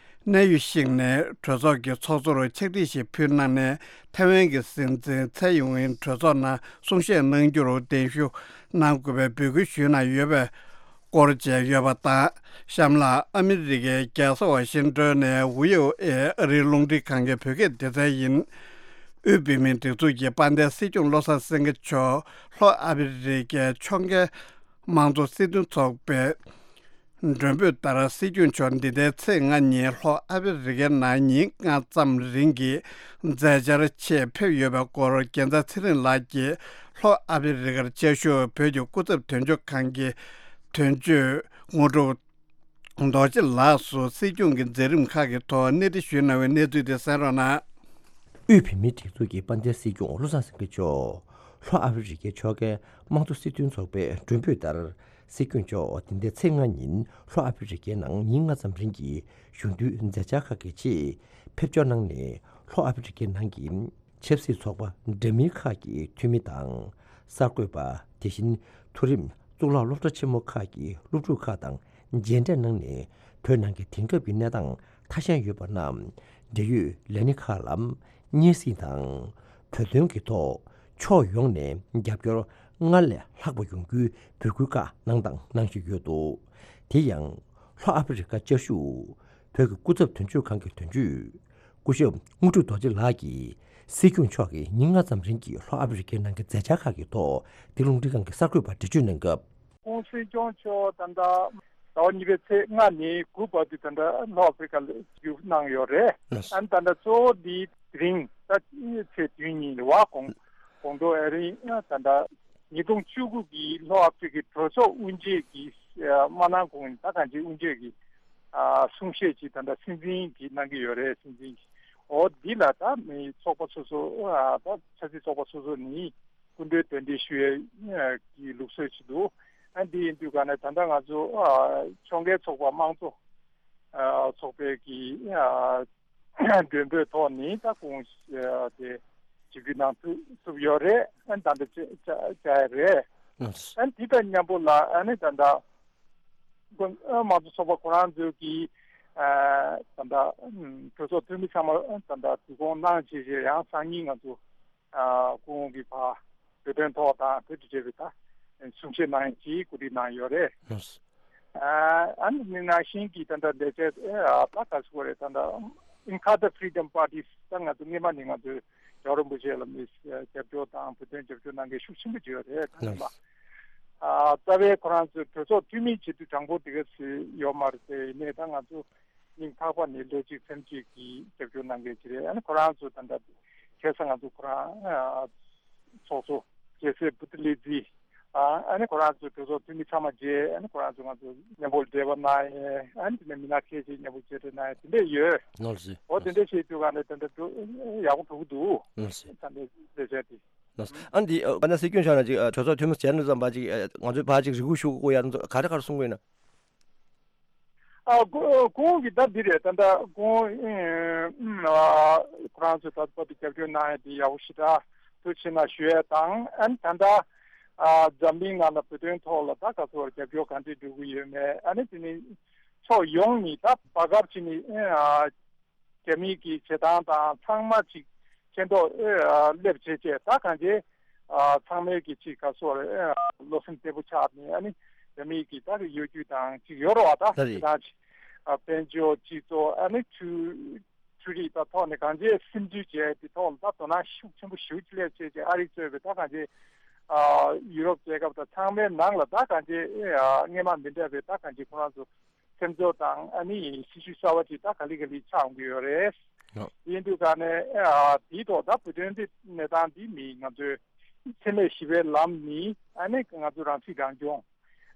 གནས་ཡུལ་ཤིག་ནས་གྲོས་ཚོགས་ཀྱི་ཚོགས་གཙོར་ཕྱག་བྲིས་ཤིག་ཕུལ་གནང་ནས། ཐའེ་ཝན་གྱི་སྲིད་འཛིན་ཚའེ་ཡིན་ཝེན་གྲོས་ཚོགས་ནང་གསུང་བཤད་གནང་རྒྱུར་གདན་ཞུ་གནང་དགོས་པའི་འབོད་སྐུལ་ཞུས་གནང་ཡོད་པའི་སྐོར་བཅས་ཡོད་པ་དང་། གཤམ་ལ་ཨ་མི་རི་ཀའི་རྒྱལ་ས་ཝ་ཤིང་ཏོན་ནས་བྷི་ཨོ་ཨེ་ཨ་རིའི་རླུང་འཕྲིན་ཁང་གི་བོད་སྐད་སྡེ་ཚན་ཡིན། དབུས་བོད་མིའི་སྒྲིག་འཛུགས་ཀྱི་དཔལ་ལྡན་སྲིད་སྐྱོང་བློ་བཟང་སེང་གེ་མཆོག་ལྷོ་ཨ་ཕི་རི་ཀའི་ཕྱོགས་འགལ་དམངས་གཙོ་སྲིད་དོན་ཚོགས་པའི་མགྲོན་འབོད་ལྟར། སྲིད་སྐྱོང་མཆོག་འདི་ཟླའི་ཚེས་ལྔ་ཉིན་ལྷོ་ཨ་ཕི་རི་ཀའི་ནང་ཉིན་ལྔ་ཙམ་རིང་གི་མཛད་འཆར་ཆེད་ཕེབས་ཡོད་པའི་སྐོར། རྒྱལ་མཚན་ཚེ་རིང་ལགས་ཀྱིས་ལྷོ་ཨ་ཕི་རི་ཀར་བཅའ་བཞུགས་བོད་ཀྱི་སྐུ་ཚབ་དོན་གཅོད་ཁང་གི་དོན་གཅོད་དངོས་གྲུབ་རྡོ་རྗེ་ལགས་སུ་སྲིད་སྐྱོང་གི་མཛད་རིམ་ཁག་གི་ཐོག་གནས་འདྲི་ཞུས་གནང་བའི་གནས་ཚུལ་དེ་གསན་རོགས་གནང་། དབུས་བོད་མིའི་སྒྲིག་འཛུགས་ཀྱི་དཔལ་ལྡན་སྲིད་སྐྱོང་བློ་བཟང་སེང་གེ་མཆོག་ལྷོ་ཨ་ཕི་རི་ཀའི་ཕྱོགས་འགལ་དམངས་གཙོ་སྲིད་དོན་ཚོགས་པའི་མགྲོན་འབོད་ལྟར། སྲིད་སྐྱོང་མཆོག་འདི་ཟླའི་ཚེས་ལྔ་ཉིན་ལྷོ་ཨ་ཕི་རི་ཀའི་ནང་ཉིན་ལྔ་ཙམ་རིང་གི་གཞུང་འབྲེལ་མཛད་འཆར་ཁག་གི་ཆེད་ཕེབས་འབྱོར་གནང་ནས། ལྷོ་ཨ་ཕི་རི་ཀའི་ནང་གི་ཆབ་སྲིད་ཚོགས་པ་འདྲ་མིན་ཁག་གི་འཐུས་མི་དང་། གསར་འགོད་པ། དེ་བཞིན་མཐོ་རིམ་གཙུག་ལག་སློབ་གྲྭ་ཆེན་མོ་ཁག་གི་སློབ་ཕྲུག་ཁག་དང་མཇལ་འཕྲད་གནང་ནས། བོད་ནང་གི་དེང་སྐབས་ཀྱི་གནས་སྟངས་ཐ་ཤལ་ཡོད་པ་རྣམས་འབྲེལ་ཡོད་ལས་སྣེ་ཁག་ལ་སྙན་སེང་དང་། བོད་དོན་གྱི་ཐོག་ཕྱོགས་ཡོངས་ནས་རྒྱབ་སྐྱོར་སྔར་ལས་ལྷག་པ་ཡོང་རྒྱུའི་འབོད་སྐུལ་ཁག་གནང་དང་གནང་བཞིན་ཡོད་འདུག་དེ་ཡང་ལྷོ་ཨ་ཧྥེ་རི་ཁ་བཅའ་བཞུགས་བོད་ཀྱི་སྐུ་ཚབ་དོན་གཅོད་ཁང་གི་དོན་གཅོད་སྐུ་ཞབས་དངོས་གྲུབ་རྡོ་རྗེ་ལགས་ཀྱིས་སྲིད་སྐྱོང་མཆོག་གིས་ཉིན་ལྔ་ཙམ་རིང་གི་ལྷོ་ཨ་ཧྥེ་རི་ཁའི་ནང་གི་མཛད་འཆར་ཁག་གི་ཐོག་འདི་རླུང་འཕྲིན་ཁང་གི་གསར་འགོད་པར་འགྲེལ་བརྗོད་གནང་སྐབས། ཁོང་སྲིད་སྐྱོང་མཆོག་ད་ལྟ་ཟླ་བ་གཉིས་པའི་ཚེས་ལྔ་ནས་དགུ་བར་དུ་ད་ལྟ་ལྷོ་ཨ་ཧྥེ་རི་ཁ་ལ་བཞུགས་གནང་ཡོད་རེད། ལགས། ཨ་ནི་ད་ལྟ་གཙོ་བོ་འདི་དེ་རིང་ད་ཚེས་བདུན་ཉིན་རེད་བ། དགོང་དགོང་དྲོ་ཨ་རིང་ད་ལྟ་ཉིས་སྟོང་བཅུ་དགུ་གི་ལྷོ་ཨ་ཧྥེ་རི་ཁའི་གྲོས་ཚོགས་དབུ་འབྱེད་ཀྱི་ཨ་མ་གནང་གོང་ད་གང་ཅི་དབུ་འབྱེད་ཀྱི་ཨ་གསུང་བཤད་ཅིག་ད་ལྟ་སྲིད་འཛིན་གྱིས་གནང་གི་ཡོད་རེད། སྲིད་འཛིན་གྱིས། འོ་འདི་ལ་ད་མི་ཚོགས་པ་སོ་སོ་ཨ་ད་ཆབ་སྲིད་ཚོགས་པ་སོ་སོ་ནས་སྐུ་མགྲོན་གདན་འདྲེན་ཞུ་ཡས་ཀྱི་ལུགས་སྲོལ་ཞིག་འདུག་ཨ་འདི་ཡིན་དུས་ག་ནས་ད་ལྟ་ང་ཚོ་ཨ་ཕྱོགས་འགལ་ཚོགས་པ་དམངས་གཙོ་ཨ་ཚོགས་པའི་གི་ཨ་མགྲོན་འབོད་ཐོག་ནས་ད་ཁོང་ཨ་དེ་ཆིབས་བསྒྱུར་གནང་ཐུབ་ཐུབ་ཡོད་རེད། ཨ་ད་ལྟ་བཅར་བཅར་བཅར་ཡས་རེད། ཨ་འདི་དང་མཉམ་པོ་ལ་ཨ་ནི་ད་ལྟ་དམངས་གཙོ་ཚོགས་པ་ཁོ་རང་ཚོས་ཀྱི་ཨ་ད་ལྟ་གྲོས་ཚོགས་འཐུས་མི་ཚང་མ་ད་ལྟ་འདུ་སྐོང་གནང་བྱས་རྗེས་ཡང་སང་ཉིན་ང་ཚོ་ཨ་སྐུ་ངོ་གི་ཕར་བོད་དོན་ཐོག་དང་བོད་དུ་བྱས་པའི་ད་གསུང་བཤད་གནང་ཡས་ཀྱི་གོ་སྒྲིག་གནང་ཡོད་རེད། ཨ་ཨ་ནི་ནང་བཞིན་གྱི་ད་ལྟ་ལས་བྱེད་ཨ་ད་ག་ཟེར་དགོས་རེད། ད་ལྟ་ཨིན་ཁ་ད་ཕི་རི་ཌམ་པར་ཊི་ད་ང་ཚོ་སྔས་མ་ནས་ང་ཚོའི་རྒྱལ་བ་རིན་པོ་ཆེ་ལ་མི་རྒྱབ་སྐྱོར་དང་བོད་དོན་རྒྱབ་སྐྱོར་གནང་མཁན་ཤུགས་ཆེན་པོ་ཅིག་ཡོད་རེད། ད་ནི་མ་ཨ་རྩ་བའི་ཁོ་རང་ཚོའི་གྲོས་ཚོགས་འཐུས་མི་བྱེད་དུས་དྲང་པོ་དེ་ག་ཚོད་ཡོད་མ་རེད་དེ། ཡིན་ནའི་ད་ང་ཚོ་སྙིང་ཐག་པ་ནས་བློ་གཅིག་སེམས་གཅིག་གིས་རྒྱབ་སྐྱོར་གནང་མཁན་ཅིག་རེད། ཨ་ནི་ཁོ་རང་ཚོ་ད་ལྟ་ཁ་སང་ང་ཚོ་ཁོ་རང་ཨ་ཚོགས་གཙོ་རྒྱལ་སྲས་བུ་ཏི་ལི་ཛི་ཨ་ཨ་ནི་ཁོ་རང་ཚོའི་གྲོས་ཚོགས་འཐུས་མི་ཚང་མ་མཇལ། ཨ་ནི་ཁོ་རང་ཚོ་ང་ཚོ་མཉམ་པོ་འབྲེལ་བ་གནང་ཡས། ཨ་ནི་དེ་ནས་མི་སྣ་ཁག་ཅིག་མཉམ་པོ་མཇལ་འཕྲད་གནང་ཡས་དེ་འདྲས་ཡོད། ནོར་སི། འོ་དེ་འདྲས་བྱེད་དུས་ག་ནས་དེ་འདྲ་འགྲོ་ཡག་པོ་འགྲོ་གི་འདུག་ནོར་སི། ད་ནས་ལས་བྱས་ཏེ། ནོར་སི། ཨ་འདི་ཨ་ན་སྲིད་སྐྱོང་མཆོག་ནས་ཅིག་ཨ་གྲོས་ཚོགས་འཐུས་མི་མཇལ་ནས་ཙམ་པ་ཅིག་ཨ་ང་ཚོའི་ཕར་ཅིག་རེ་སྐུལ་ཞུ་དགོས་ཡ་ཚོ་ག་རེ་ག་རེ་གསུང་གི་ཡོད་ན། ཨ་ཁོ་ཁོང་གིས་ད་འདི་རེད། ད་ལྟ་ཁོང་ཨ་ཁོ་རང་ཚོས་ད་བར་དུ་རྒྱབ་སྐྱོར་གནང་ཡ་དེ་ཡག་པོ་ཞེ་དྲག་ཐུགས་ཆེ་གནང་ཞུ་ཡ་དང་། ཨ་ནི་ད་ལྟ་ཨ་འཛམ་གླིང་ནང་ལ་བོད་དོན་ཐོག་ལ་ད་ག་ཚོད་རྒྱབ་སྐྱོར་གང་འདྲས་འགྲོ་གི་ཡོད་མེད། ཨ་ནི་དེ་ནི་ཕྱོགས་ཡོངས་ནས་ད་བར་སྐབས་ཅིག་ནས་ཨ་རྒྱ་མི་གི་བྱེད་སྟངས་དང་ཚང་མ་ཅིག་མཁྱེན་རྟོགས་ཨ་སླེབས་བྱས་བྱས་ད་གང་བྱས་ཨ་ཚང་མས་ཀྱི་ཅིག་ག་སོགས་རེད། ཨ་བློ་སེམས་བདེ་པོ་ཆགས་ནས་ཨ་ནི་རྒྱ་མི་གི་ད་གི་གཡོ་སྒྱུ་དང་ཅིག་ཡོད་རེད་བ། ད་ལ་རེད། དེ་དང་ཅིག་ཨ་དཔལ་འབྱོར་སྤྱི་ཚོགས་ཨ་ནི་འཕྲུལ་འཕྲུལ་རིག་ད་ཐོག་ནས་གང་བྱས་སིམ་འཛུལ་བྱས་དེ་ཐོག་ལ་ད་དོ་སྣང་ཤུགས་ཆེན་པོ་ཞེ་པོ་ཅིག་སླེབས་བྱས་བྱས་ཨ་རི་གཙོས་པའི་ད་གང་བྱས་ཨ་ཡུ་རོབ་རྒྱལ་ཁབ་དང་ཚང་མའི་ནང་ལ་ད་གང་བྱས་ཨ་སྔས་མ་མི་འདྲ་བའི་ད་གང་བྱས་ཁོ་རང་ཚོ་སེམས་ཚོར་དང་ཨ་ནི་སྲི་ཞུ་གསར་བ་ཅིག་ད་ག་ལེ་ག་ལེ་ཆགས་འོང་གི་ཡོད་རེད། ཡོད། ཡིན་དུས་ག་ནས་ཨ་དེའི་ཐོག་ད་བོད་དོན་འདི་གནས་སྟངས་འདི་མི་ང་ཚོའི་འཚེ་མེད་ཞི་བའི་ལམ་ནི་ཨ་ནི་ང་ཚོ་རང་སྲིད་རང་སྐྱོང་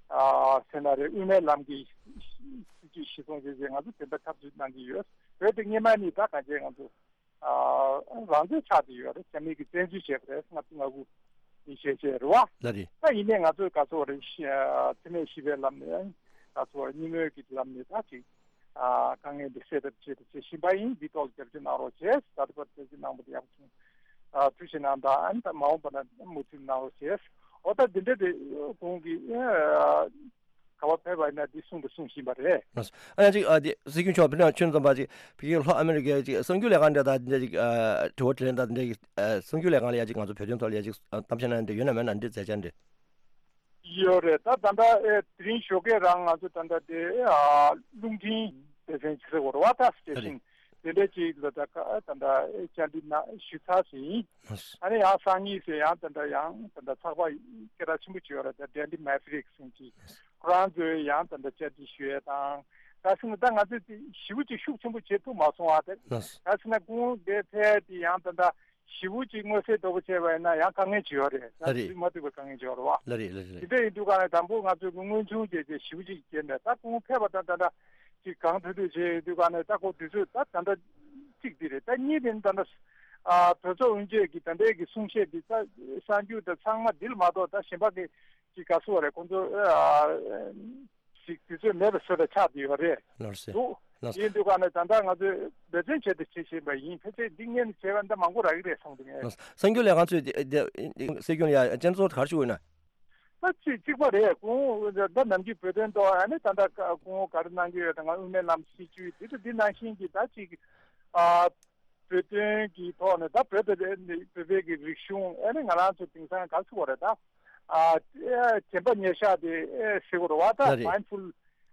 ཨ་ཟེར་ན་རེད། དབུ་མའི་ལམ་གྱི་སྲིད་ཇུས་གཞི་བཟུང་བྱས་བྱས་ང་ཚོ་དེ་འདྲ་འཐབ་རྩོད་གནང་གི་ཡོད། བོད་དེ་སྔས་མ་ནི་ད་ག་བྱས་ང་ཚོ་ཨ་རང་བཙན་ཆགས་བསྡད་ཡོད་རེད། རྒྱ་མི་གིས་བཙན་འཛུལ་བྱས་པ་རེད། ལྔ་བཅུ་ང་དགུ་ནས་བྱས་བྱས་རེད་བ། ལ་རེད། ད་ཡིན་ནའི་ང་ཚོས་ག་ཚོད་རེད་ཤི་ཨ་འཚེ་མེད་ཞི་བའི་ལམ་ནས་ག་ཚོད་རེད་གཉིས་མོས་ཀྱི་ལམ་ནས་ད་ཅིག་ཨ་དཀའ་ངལ་འདི་སེལ་ཐབས་བྱེད་དུ་བྱེད་བཞིན་པ་ཡིན། འདི་ཐོག་ལ་རྒྱབ་སྐྱོར་གནང་རོགས་བྱས། ད་ལྟ་བར་རྒྱབ་སྐྱོར་གནང་བ་དེ་ཡག་པོ་བྱུང་། ཨ་ཐུགས་རྗེ་གནང་དང་། ཨ་ནི་ད་མ་འོངས་པ་ན་མུ་མཐུད་གནང་རོགས་བྱས། འོ་ད་འདི་འདྲ་རེད། ཁོང་གིས་ཨ་ག་པར་ཕེབས་པ་ཡིན་ན་འདི་གསུང་དང་གསུང་བཞིན་པ་རེད། ཨ་ཡང་ཅིག་ཨ་དེ་སྲིད་སྐྱོང་མཆོག་ཕེབས་ན་ཁྱོད་ཙམ་པ་ཅིག་ཕ་གིའི་ལྷོ་ཨ་མེ་རི་ཀའི་ཅིག་གསར་འགྱུར་ལས་ཁང་འདྲ་དང་འདི་འདྲ་ཅིག་ཨ་དྲི་བ་དྲིས་ལན་དང་འདི་འདྲ་ཅིག་ཨ་གསར་འགྱུར་ལས་ཁང་ལ་ཡང་ཅིག་ང་ཚོ་བོད་དོན་ཐོག་ལ་ཡང་ཅིག་ཨ་གཏམ་བཤད་གནང་འདི་ཡོད་ན་མེད་ན་འདི་མཛད་འཆར་འདི། ཡོད་རེད། ད་ད་ལྟ་ཨེ་དེ་རིང་ཞོགས་ཀས་རང་ང་ཚོ་ད་ལྟ་དེ་ཨ་རླུང་འཕྲིན་སྡེ་ཚན་ཆེ་ས་གོ་ར་བ་ད་སི་ཊེ་ཤིན་དེ་འདྲ་ཅིག་ལ་ད་ད་ལྟ་བཅར་འདྲི་ན་ཞུས་ཚར་ཟིན། ཨ་ནི་ཡང་སང་ཉིན་ཟེར་ཡང་ད་ལྟ་ཡང་ད་ལྟ་ཚགས་པར་སྐད་གྲགས་ཆེན་པོ་ཅིག་ཡོད་རེད། ད་ཌེ་ལི་མེ་ཕི་རིག་ཟེར་གྱི་ཁོ་རང་ཚོས་ཡང་ད་ལྟ་བཅར་འདྲི་ཞུ་ཡས་དང་། ད་སེམས་ད་ང་ཚོས་དེ་ཞེ་པོ་ཅིག་ཤུགས་ཆེན་པོ་བྱེད་ཐུབ་མ་སོང་བ། དེ་ད་སེམས་ན་ཁོང་དེ་ཕེབས་དེ་ཡང་ད་ལྟ་ཞེ་པོ་ཅིག་མངོན་གསལ་དོད་པོ་བྱས་པ་ཡིན་ན་ཡང་དཀའ་ངལ་ཅིག་ཡོད་རེད། ད་ལ་རེད། དུས་མ་ཐུག་པའི་དཀའ་ངལ་ཅིག་ཡོད་རེད་བ། ལ་རེད་ལ་རེད། དེ་འདྲ་ཡིན་དུས་ག་ནས་དང་པོ་ང་ཚོས་མངོན་ཆུང་བྱས་བྱས་ཞེ་པོ་ཅིག་བྱས་ནས་ད་ཁོང་ཕེབས་པ་དང་ད་ལྟ་ཅིག་གང་ཐུབ་ཐུབ་བྱས་ཡོད་དུས་ག་ནས་ད་ཁོ་དུས་ཚོད་ད་ད་ལྟ་གཅིག་འདི་རེད། ད་གཉིས་དེ་ནི་ད་ལྟ་ཨ་གྲོས་ཚོགས་དབུ་འབྱེད་ཀྱི་ད་ལྟའི་གི་གསུང་བཤད་འདི་ད་གསར་འགྱུར་དང་ཚང་མ་འདི་ལ་མ་གཏོགས་ད་གཞན་པ་གི་ཅིག་ག་སུ་བ་རེད། ཁོང་ཚོ་ཨ་ཞིག་དུས་ཚོད་མེད་པའི་བཟོ་འདྲ་ཆགས་བསྡད་ཡོད་རེད། ལགས་སེ། འདུག་ལགས་སེ། ཡིན་དུས་ག་ནས་ད་ལྟ་ང་ཚོས་འབད་བརྩོན་བྱས་ཏེ་བྱེད་བཞིན་པ་ཡིན། ཕལ་ཆེར་འདི་སྔོན་ནས་བྱས་པ་འདི་མང་པོ་རག་གི་རེད་བསམ་འདུག་ངས། ལགས་སེ། གསར་འགྱུར་ལས་ཁང་ཚོས་འདི་འདི་སྲིད་སྐྱོང་ལ་ཡ་སྤྱན་གཙོ་ག་རེ་ཞུ་དགོས་ན། ད་ཅིག་གཅིག་པ་རེད། ཁོང་ད་ནམ་རྒྱུན་བོད་དོན་ཐོག་ཨ་ནི་ད་ལྟ་ཁོང་ག་རེ་གནང་གི་ཡོད་དང་དབུ་མའི་ལམ་སྲིད་བྱུས་འདི་དང་འདི་ནང་བཞིན་གྱི་ད་ཅིག་ཨ་བོད་དོན་གྱི་ཐོག་ནས་ད་བོད་དེ་ནི་བོད་པའི་གི་རིག་གཞུང་ཨ་ནི་ང་རང་ཚོ་དེང་སང་ག་ཚོད་བ་རེད་ད། ཨ་དྲན་པ་ཉེར་བཞག་དེ་ཨེ་ཟེར་དགོས་རེད་བ། ད་ལ་རེད། Mindful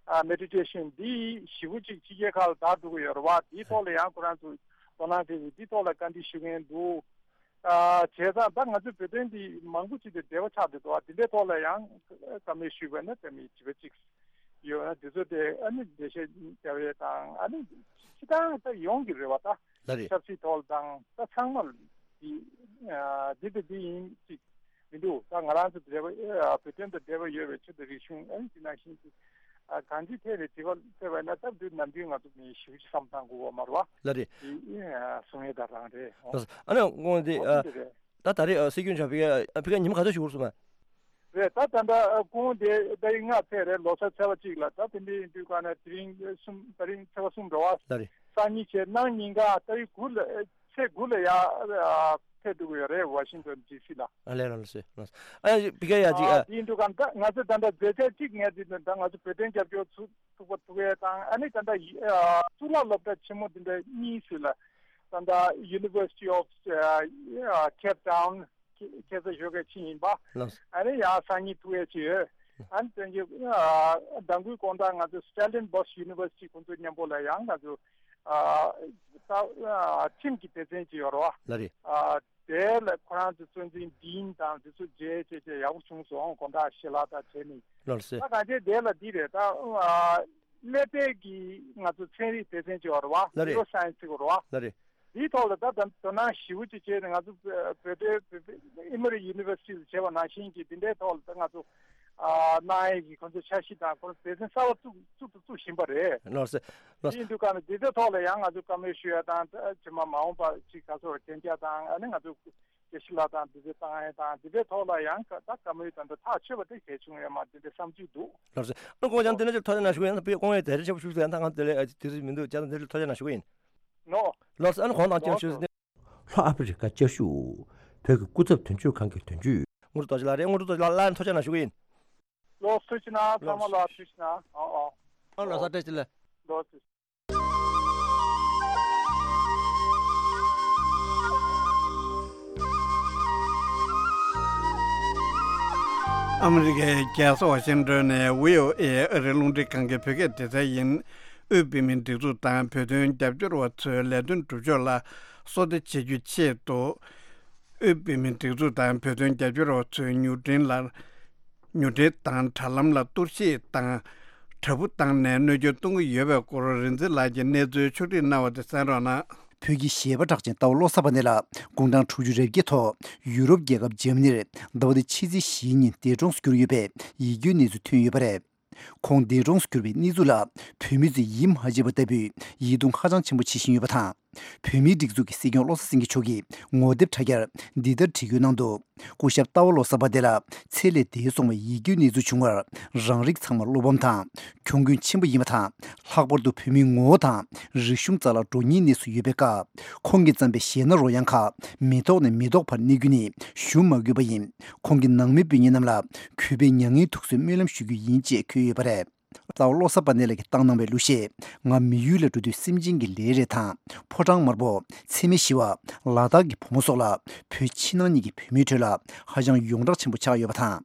ཨ་Meditation འདི་ཞེ་པོ་ཅིག་ཕྱི་རྒྱལ་ཁག་ལ་དར་འགྲོ་གི་ཡོད་རེད་བ། དེའི་ཐོག་ལ་ཡང་ཁོ་རང་ཚོ་དོ་སྣང་བྱེད་ཀྱི་འདིའི་ཐོག་ལ་བཀའ་འདྲི་ཞུ་མཁན་འདུག་ཨ་བྱས་ཙང་ད་ང་ཚོའི་བོད་དོན་འདི་མང་པོ་ཅིག་དེ་འབྲེལ་བ་ཆགས་བསྡད་འདུག་ཨ་དེ་འདྲའི་ཐོག་ལ་ཡང་བཀའ་མོལ་ཞུས་པ་ན་དེ་མི་བྱིས་པ་ཅིག་ཡོད་ན་དེ་ཚོ་དེ་ཨ་ནི་འགྲེལ་བཤད་རྒྱབ་ཡས་དང་ཨ་ནི་སྤྱི་བཏང་ད་ཡོང་གི་རེད་བ། ད་ལ་རེད། ཆབ་སྲིད་ཐོག་ལ་དང་ད་ཚང་མ་ལ་འདི་ཨ་འདི་དང་འདི་ཡིན་ཅིག་མི་འདུག་ད་ང་རང་ཚོ་འབྲེལ་བ་ཨ་བོད་དོན་དང་འབྲེལ་བ་ཡོད་པའི་ཆོས་དང་རིག་གཞུང་ཨ་ནི་འདི་ནང་བཞིན་གྱི་ཨ་གང་ཅིའི་ཐད་ནས་དྲི་བ་འཕྲད་པ་ན་སྟབས་བདེ་ནམ་རྒྱུན་ང་ཚོ་མི་ཞིབ་ཅིག་བསམ་བཏང་དགོས་པ་མ་རེད་བ། ལ་རེད། དེ་ཨ་གསུང་ཡས་ད་རང་རེད། ཨ་ནི་དངོས་འདི་ཨ་ད་ད་རེས་ཨ་སྲིད་སྐྱོང་ཆགས་ཕ་གིར་ཨ་ཕ་གིར་ཉི་མ་ག་ཚོད་ཞིག་འགོར་སོང་ན། རེད། ད་ད་ལྟ་ཨ་ཁོང་དེ་ད་རིང་ལྔ་ཚེས་རེད། ལོ་གསར་ཚེས་པ་གཅིག་ལ་ད་དེ་འདྲ་ཡིན་དུས་ག་ནས་དེ་རིང་གསུམ་ད་རིང་ཚེས་པ་གསུམ་རེད་བ། ལ་རེད། སང་ཉིན་བྱས་གནངས་ཉིན་ག་ད་རིང་དགུ་ལ་ཚེས་དགུ་ལ་ཡ་ཨ་ཕེབས་འགྲོ་གི་ཡོད་རེད། ཝ་ཤིང་ཏོན་ཌི་སི་ལ། ཨ་ལས་ལ་ལ་སོས་ལ་སོས། ཨ་ཡ་ཕ་གིར་ཡ་ཅིག་ཨ་ཨ་དེ་ཡིན་དུས་ག་ད་ང་ཚོ་ད་ལྟ་མཛད་འཆར་གཅིག་ངས་དེ་ད་ང་ཚོ་བོད་དོན་རྒྱབ་སྐྱོར་ཚུགས་ཐུབ་པ་ཐུབ་ཡས་དང་ཨ་ནི་ད་ལྟ་ཡི་ཨ་གཙུག་ལག་སློབ་གྲྭ་ཆེན་མོ་འདི་འདྲ་གཉིས་ཟེར་ལ་ད་ལྟ་University of ཨ་Cape Town ཁྱེད་ཚོ་ཞོགས་ཀས་ཕྱིན་ཡིན་པ། ལགས་སོ། ཨ་ནི་ཡང་སང་ཉིན་ཐུག་ཡས་ཅིག་ཡོད། ཨ་ནི་དོན་གྱི་ཨ་ཟླ་འགོའི་དགོང་དག་ང་ཚོ་Stellenbosch University ཁོང་ཚོ་མཉམ་པོ་ལ་ཡང་ང་ཚོ་ཨ་ད་ཨ་ཁྲིམས་ཀྱི་སྡེ་ཚན་ཅིག་ཡོད་རེད་བ། ལ་རེད། ཨ་དེ་ལ་ཁོ་རང་ཚོ་གཙོ་འཛིན་ཌིན་དང་དེ་ཚོ་མཇལ་བྱས་བྱས་ཡག་པོ་བྱུང་སོང་། དགོང་དག་ཞལ་ལག་དང་བྱས་ནས། ལགས་སོ། ད་གང་ཅི་དེ་ལ་འདི་རེད་ད། ཨ་ཀླད་པའི་གི་ང་ཚོ་ཚན་རིག་སྡེ་ཚན་ཅིག་ཡོད་རེད་བ། ལ་རེད། Neuroscience ཟེར་གྱི་རེད་བ། ལ་རེད། དེའི་ཐོག་ལ་ད་ད་དོ་སྣང་ཞེ་པོ་ཅིག་བྱས་ནས་ང་ཚོ་བོད་དོན་Emory University ལ་བྱས་པ་ནང་བཞིན་གྱི་དེ་འདྲའི་ཐོག་ལ་ད་ང་ཚོ་ཨ་གནང་ཡས་ཀྱི་ཁོང་ཚོ་འཆར་གཞི་དང་ཁོང་ཚོ་སྡེ་ཚན་གསར་པ་བཙུགས་བཙུགས་དང་བཙུགས་བཞིན་པ་རེད། ལགས་སོ། ལགས་སོ། དེ་ཡིན་དུས་ག་ནས་དེ་ཚོའི་ཐོག་ལ་ཡང་ང་ཚོ་བཀའ་མོལ་ཞུ་ཡ་དང་ད་ཕྱི་མ་མ་འོངས་པ་ཅིག་ག་ཚོར་གན་རྒྱ་དང་ཨ་ནི་ང་ཚོ་དགེ་བཤེས་ལགས་དང་དེ་ཚོ་བཏང་ཡས་དང་དེ་འདྲའི་ཐོག་ལ་ཡང་ད་བཀའ་མོལ་དང་ད་ཐག་ཆོད་པ་དེ་གལ་བྱུང་ཡོད་མ་དེ་འདྲའི་བསམ་ཚུལ་འདུག་ལགས་སོ། ཨ་ཁོང་ཅང་དེ་འདྲ་ཅིག་ཐག་ཆོད་ན་ཞུ་གི་ཡིན། ད་དཔེ་དགོངས་ཡས་དེ་རེ་ཆེ་པོ་ཞུ་གི་ཡིན། ད་ང་དེ་ལས་དུས་ཚོད་མི་འདུག་ཅང་དེ་འདྲ་ཐག་ཆོད་ན་ཞུ་གི་ཡིན། ནོ། ལགས་སོ། ཨ་ནི་ཁོང་དང་ཅང་ཞུ་ལྷོ་ཨ་ཕི་རི་ཀ་བཅའ་བཞུགས་བོད་ཀྱི་སྐུ་ཚབ་དོན་གཅོད་ཁང་གི་དོན་གཅོད། དངོས་གྲུབ་རྡོ་རྗེ་ལགས་རེད། དངོས་གྲུབ་རྡོ་རྗེ་ལགས་ལ་ནི་ཐུགས་རྗེ་ཆེ་གནང་ཞུ་གི་ཡིན། ལོ་ཐུགས་རྗེ་གནང་། ཚང་མ་ལ་ཐུགས་རྗེ་གནང་། ཨོ་ཨོ། ཨ་ལོ་གསར་བཀྲ་ཤིས་བདེ་ལེགས། ལོ་ཐུགས་རྗེ་ཆེ། ཨ་མི་རི་ཀའི་རྒྱལ་ས་ཝ་ཤིང་ཏོན་ནས་བྷི་ཨོ་ཨེ་ཨ་རིའི་རླུང་འཕྲིན་ཁང་གི་བོད་སྐད་སྡེ་ཚན་ཡིན། དབུས་བོད་མིའི་སྒྲིག་འཛུགས་དང་བོད་དོན་རྒྱབ་སྐྱོར་བ་ཚོའི་ལས་དོན་སྒྲུབ་ཕྱོགས་ལ་བསོད་བདེ་བྱེད་རྒྱུའི་ཆེད་དུ། དབུས་བོད་མིའི་སྒྲིག་འཛུགས་དང་བོད་དོན་རྒྱབ་སྐྱོར་བ་ཚོའི་མྱུར་འཕྲིན་ལ། མྱུར་འཕྲིན་དང་དྲ་ལམ་ལ་གཏོར་བཤིག་དང་། དྲ་འབུ་བཏང་ནས་གནོད་སྐྱོན་གཏོང་གི་ཡོད་པའི་སྐོར་རིག་འཛིན་ལགས་ཀྱིས་གནས་ཚུལ་ཕྱོགས་སྒྲིག་གནང་བ་དེ་གསན་རོགས་གནང་། བོད་ཀྱི་གཞས་པ་གྲགས་ཅན་རྟ་བ་བློ་བཟང་དཔལ་ལྡན་ལགས་དགུང་གྲངས་དྲུག་ཅུ་རེ་བརྒྱད་ཐོག་ཡུ་རོབ་རྒྱལ་ཁབ་འཇར་མ་ནིར་ཟླ་བ་འདིའི་ཕྱི་ཚེས་བཞིའི་ཉིན་འདས་གྲོངས་སུ་གྱུར་ཡོད་པའི་ཡིད་སྐྱོའི་གནས་ཚུལ་ཐོན་ཡོད་པ་རེད། ཁོང་འདས་གྲོངས་སུ་གྱུར་པའི་གནས་ཚུལ་ལ་བོད་མི་ཚོས་ཡིད་མ་ཆེས་པ་ལྟ་བུའི་ཡིད་གདུང་ཧ་ཅང་ཆེན་པོ་བྱེད་བཞིན་ཡོད་པ་དང་། བོད་མིའི་སྒྲིག་འཛུགས་ཀྱི་སྲིད་སྐྱོང་བློ་བཟང་སེང་གེ་མཆོག་གིས་ངོ་དེབ་དྲ་རྒྱར་འདི་ལྟར་བྲིས་བཀོད་གནང་འདུག་སྐུ་ཞབས་རྟ་བ་བློ་བཟང་དཔལ་ལྡན་ལགས་ཚེ་ལས་འདས་སོང་བའི་ཡིད་སྐྱོའི་གནས་ཚུལ་བྱུང་བར་རང་རིགས་ཚང་མར་བློ་ཕམ་དང་གྱོང་གུན་ཆེན་པོ་ཡིན་པ་དང་། ལྷག་པར་དུ་བོད་མིའི་ངོ་བོ་དང་རིག་གཞུང་རྩ་བརླག་འགྲོ་ཉེན་གནས་སུ་ཡོད་པའི་སྐབས། ཁོང་གིས་བརྩམས་པའི་གཞས་སྣ་རོལ་དབྱངས་ཁག་མི་ཐོག་ནས་མི་ཐོག་བར་གནས་རྒྱུ་ནི་ཞུ་མ་དགོས་པ་ཡིན། ཁོང་གི་ནང་མི་སྤུན་ཉེ་རྣམས་ལ་གུས་པས་མྱ་ངན་ཐུགས་གསོའི་སྨོན་ལམ་ཞུ་རྒྱུ་ཡིན་ཅེས་འཁོད་ཡོད་པ་རེད། རྩ་བ་བློ་བཟང་དཔལ་ལྡན་ལགས་ཀྱིས་བཏང་གནང་བའི་གླུ་གཞས་ང་མི་ཡུལ་ལ་འགྲོ་དུས་སེམས་ཅན་གྱི་ལས་རེད་དང་། ཕོ་བྲང་དམར་པོ། འཚེ་མེད་ཞི་བ། ལ་དྭགས་ཀྱི་བུ་མོ་སོགས་ལ་བོད་ཕྱི་ནང་གཉིས་ཀྱི་བོད་མིའི་ཁྲོད་ལ་ཧ་ཅང་ཡོངས་གྲགས་ཆེན་པོ་ཆགས་ཡོད་པ་དང་།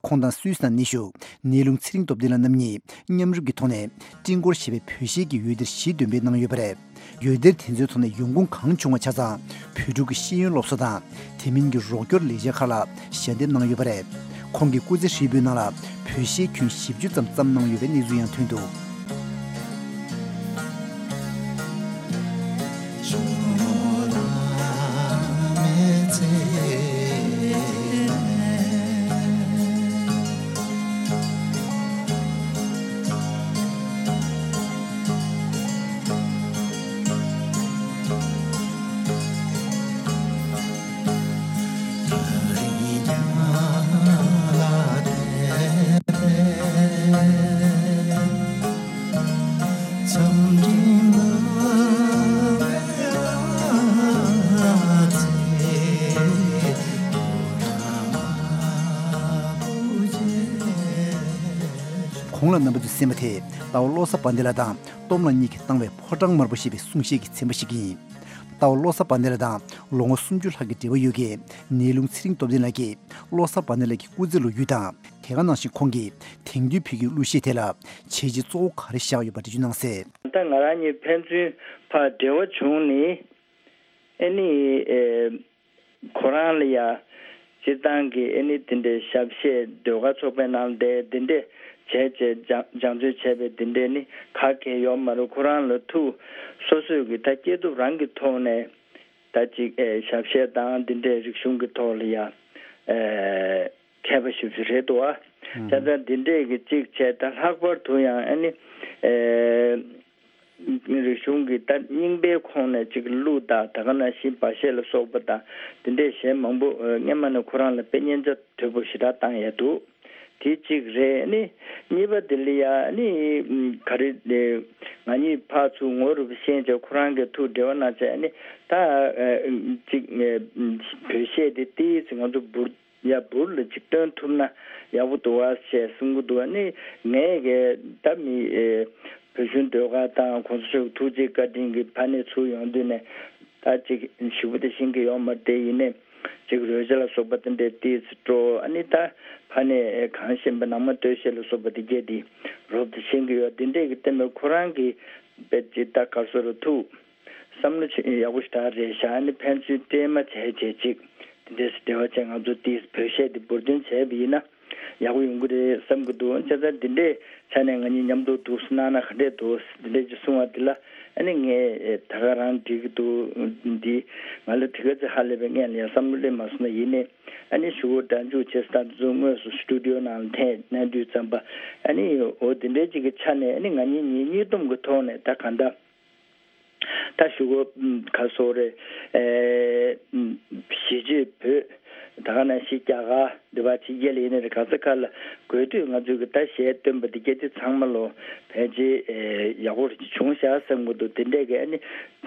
ཁོང་དང་སུད་སི་ནང་གནས་བཞུགས་ནེའུ་ལུང་ཚེ་རིང་སྟོབས་ལྡན་ལགས་རྣམ་གཉིས་མཉམ་རུབ་ཀྱི་ཐོག་ནས་སྤྲིན་འཁོར་ཞེས་པའི་བོད་གཞས་ཀྱི་འོད་སྡེར་གཞི་འདོན་སྤེལ་གནང་ཡོད་པ་རེད། འོད་སྡེར་དེ་ཚོའི་ཐོག་ནས་ཡོང་ཁུངས་གང་བྱུང་བ་ཆ་ཚང་བོད་ཕྲུག་གི་ཤེས་ཡོན་སློབ་གསོ་དང་དེ་མིན་གྱི་རོགས་སྐྱོར་ལས་འཆར་ཁག་ལ་ཞལ་འདེབས་གནང་ཡོད་པ་རེད། ཁོང་གི་སྐུ་ཚེ་ཧྲིལ་པོའི་ནང་ལ་བོད་གཞས་ཁྱོན་བཞི་བཅུ་ཙམ་བརྩམས་གནང་ཡོད་པའི་གནས་ཚུལ་ཡང་ཐོན་འདུག་རྣམ་པ་ཚོས་གསན་པ་དེ་ལྟ་བ་བློ་བཟང་བན་དེ་ལགས་དང་སྟོབས་ལགས་གཉིས་ཀྱིས་བཏང་བའི་ཕོ་བྲང་དམར་པོ་ཞེས་པའི་གསུང་བཤད་ཀྱི་ཚན་པ་ཞིག་ཡིན། ལྟ་བ་བློ་བཟང་བན་དེ་ལགས་དང་ལོ་ངོ་སུམ་ཅུ་ལྷག་གི་འབྲེལ་བ་ཡོད་མཁན་ནེའུ་ལུང་ཚེ་རིང་སྟོབས་ལྡན་ལགས་ཀྱིས་བློ་བཟང་བན་དེ་ལགས་ཀྱི་སྐུ་ཚེ་ལོ་རྒྱུས་དང་དེ་ག་ནང་བཞིན་ཁོང་གིས་དེང་དུས་བོད་ཀྱི་གླུ་གཞས་དེ་ལ་བྱས་རྗེས་གཙོ་བོ་ག་རེ་བཞག་ཡོད་པ་འགྲེལ་བརྗོད་གནང་གསལ། ད་ང་རང་གཉིས་ཕན་ཚུན་ཕར་འབྲེལ་བ་བྱུང་ནི་ཨེ་ནི་ཨེ། ཁོ་རང་ལ་ཡ། སྤྱིར་བཏང་གི་ཨེ་ནི་དེ་འདྲའི་ཞབས་གཞས་ཟློས་གར་ཚོགས་པའི་ནང་བསྡད་དེ་འདྲས་བྱས་བྱས་སྦྱང་སྦྱང་བརྩོན་བྱས་པའི་དེ་འདྲས་ནི་ག་གེ་ཡོད་མ་རེད། ཁོ་རང་ལ་ཐུགས་སོ་སོས་གི་ད་སྐྱེས་ཐོབ་རང་གི་ཐོག་ནས་ད་ཅིག་ཨེ་ཞབས་གཞས་དང་དེ་འདྲས་རིག་གཞུང་གི་ཐོག་ལ་ཡ་ཨེ་མཁས་པ་ཞེ་པོ་ཅིག་རེད་འདུག་ཨ། ཨང་། བྱས་ཙང་དེ་འདྲས་གི་ཅིག་བྱས་ད་ལྷག་པར་དུ་ཡང་ཨེ་ནི་ཨེ། རིག་གཞུང་གི་ད་རྙིང་པའི་ཁོངས་ནས་ཅིག་གླུ་དང་ད་ག་ནང་བཞིན་བ་ཤད་ལ་སོགས་པ་དང་དེ་འདྲའི་གཞས་མང་པོ་ཨ་སྔན་མ་ནས་ཁོ་རང་ལ་དཔེ་སྙན་ཆ་དོད་པོ་ཞེ་དྲག་བཏང་ཡ་འདུག་དེ་གཅིག་རེད། ཨ་ནི་གཉིས་པ་དེ་ལ་ཡ་ཨ་ནི་ག་རེ་ང་གཉིས་ཕར་ཚུར་ངོ་རུབ་ཤེས་བྱས་ཁོ་རང་གིས་ཐུགས་འབྲེལ་བ་གནང་བྱས་ཨ་ནི་ད་ཨ་ཅིག་བོད་གཞས་དེ་ཏོག་ཙམ་ང་ཚོ་འབུར། ཡ་འབུར་ལ་ཅིག་སྟོན་ཐུབ་ན་ཡག་པོ་འདུག་བ་ཞེས་གསུང་གི་འདུག་ཨ་ནི་ངས་གི་ད་མི་ཨེ་བོད་གཞུང་ཟློས་གར་དང་གོང་ས་མཆོག་གི་ཐུགས་རྗེ་བཀའ་དྲིན་གྱི་ཕ་ནས་ཚུར་ཡོང་དུས་ནས་ད་ཅིག་ཞེ་པོ་དེ་ཤེས་ཀྱི་ཡོད་མ་རེད། དེ་ཡིན་ནའི་ཅིག་རོལ་ཆ་ལ་སོགས་པ་དེ་འདྲའི་ཏོག་ཙམ་སྤྲོ་ཨ་ནི་ད་ཕ་ནས་ཨེ་གངས་ཤེས་པ་ནང་མ་སྟོད་གཞས་ལ་སོགས་པ་དེ་གས་དེ་རོབ་ཏུ་ཤེས་ཀྱི་ཡོད། དེ་འདྲས་ཀྱི་བསྟན་པའི་ཁོ་རང་གི་དཔེ་ཅིག་ད་གར་སོ་རུ་ཐུགས། བསམ་བློ་ཆེ་ཡག་པོ་ཞེ་དྲག་རེད་བཞག་ཨ་ནི་ཕན་ཚུན་སྤྲད་མ་བྱས་བྱས་ཅིག་དེ་འདྲས་སེ་འབྲེལ་བ་བྱས་ང་ཚོ་དེ་བོད་གཞས་དེ་འབུར་འདོན་བྱས་པ་ཡིན་ན་ཡག་པོ་ཡོང་གི་རེད་བསམ་གི་འདུག་བྱས་ཙང་དེ་འདྲས་ཆ་ནས་ང་གཉིས་མཉམ་དུ་འདུག་སེ་གནང་ན་ག་འདྲས་འདུག་དེ་འདྲས་ཅིག་གསུང་བ་དེ་ལ་ཨ་ནི་ངས་ད་ག་རང་འགྲིག་གི་འདུག་འདི་ང་ལ་དེ་ག་ཚོད་ཧ་ལས་པའི་སྔོན་ལ་ཡང་བསམ་བློ་སླེབས་མ་སོང་ན་ཡིན་ནའི་ཨ་ནི་ཞུ་བོ་སྒྲ་འཇུག་བྱས་སྟངས་དེ་ཚོ་དངོས་སུ་སི་ཊུ་ཌི་ཡོ་ནང་ལ་འཐེན་གནང་དུས་ཙམ་པ་ཨ་ནི་འོ་དེ་འདྲས་ཅིག་གི་ཆ་ནས་ཨ་ནི་ང་གཉིས་གཉིས་གཉིས་སྡོམ་གི་ཐོག་ནས་ད་གང་ལྟར། ད་ཞུ་གོ་ག་སོགས་རེད། ཨེ་གཞིས་བྱེས་བོད་ད་ག་ནང་བཞིན་རྒྱ་གར་འདི་བ་ཕྱི་རྒྱལ་ལ་ཡིན་ནའི་རེད། ག་ས་ག་ལ་དགོས་དུས་ང་ཚོས་གི་ད་གཞས་སྟོན་པ་འདི་སྐད་དེ་ཚང་མ་ལོ་ཕལ་ཆེར་ཨེ་ཡག་པོ་རེ་བྱུང་ཤག་བསམ་གི་འདུག་དེ་འདྲས་གི་ཨ་ནི་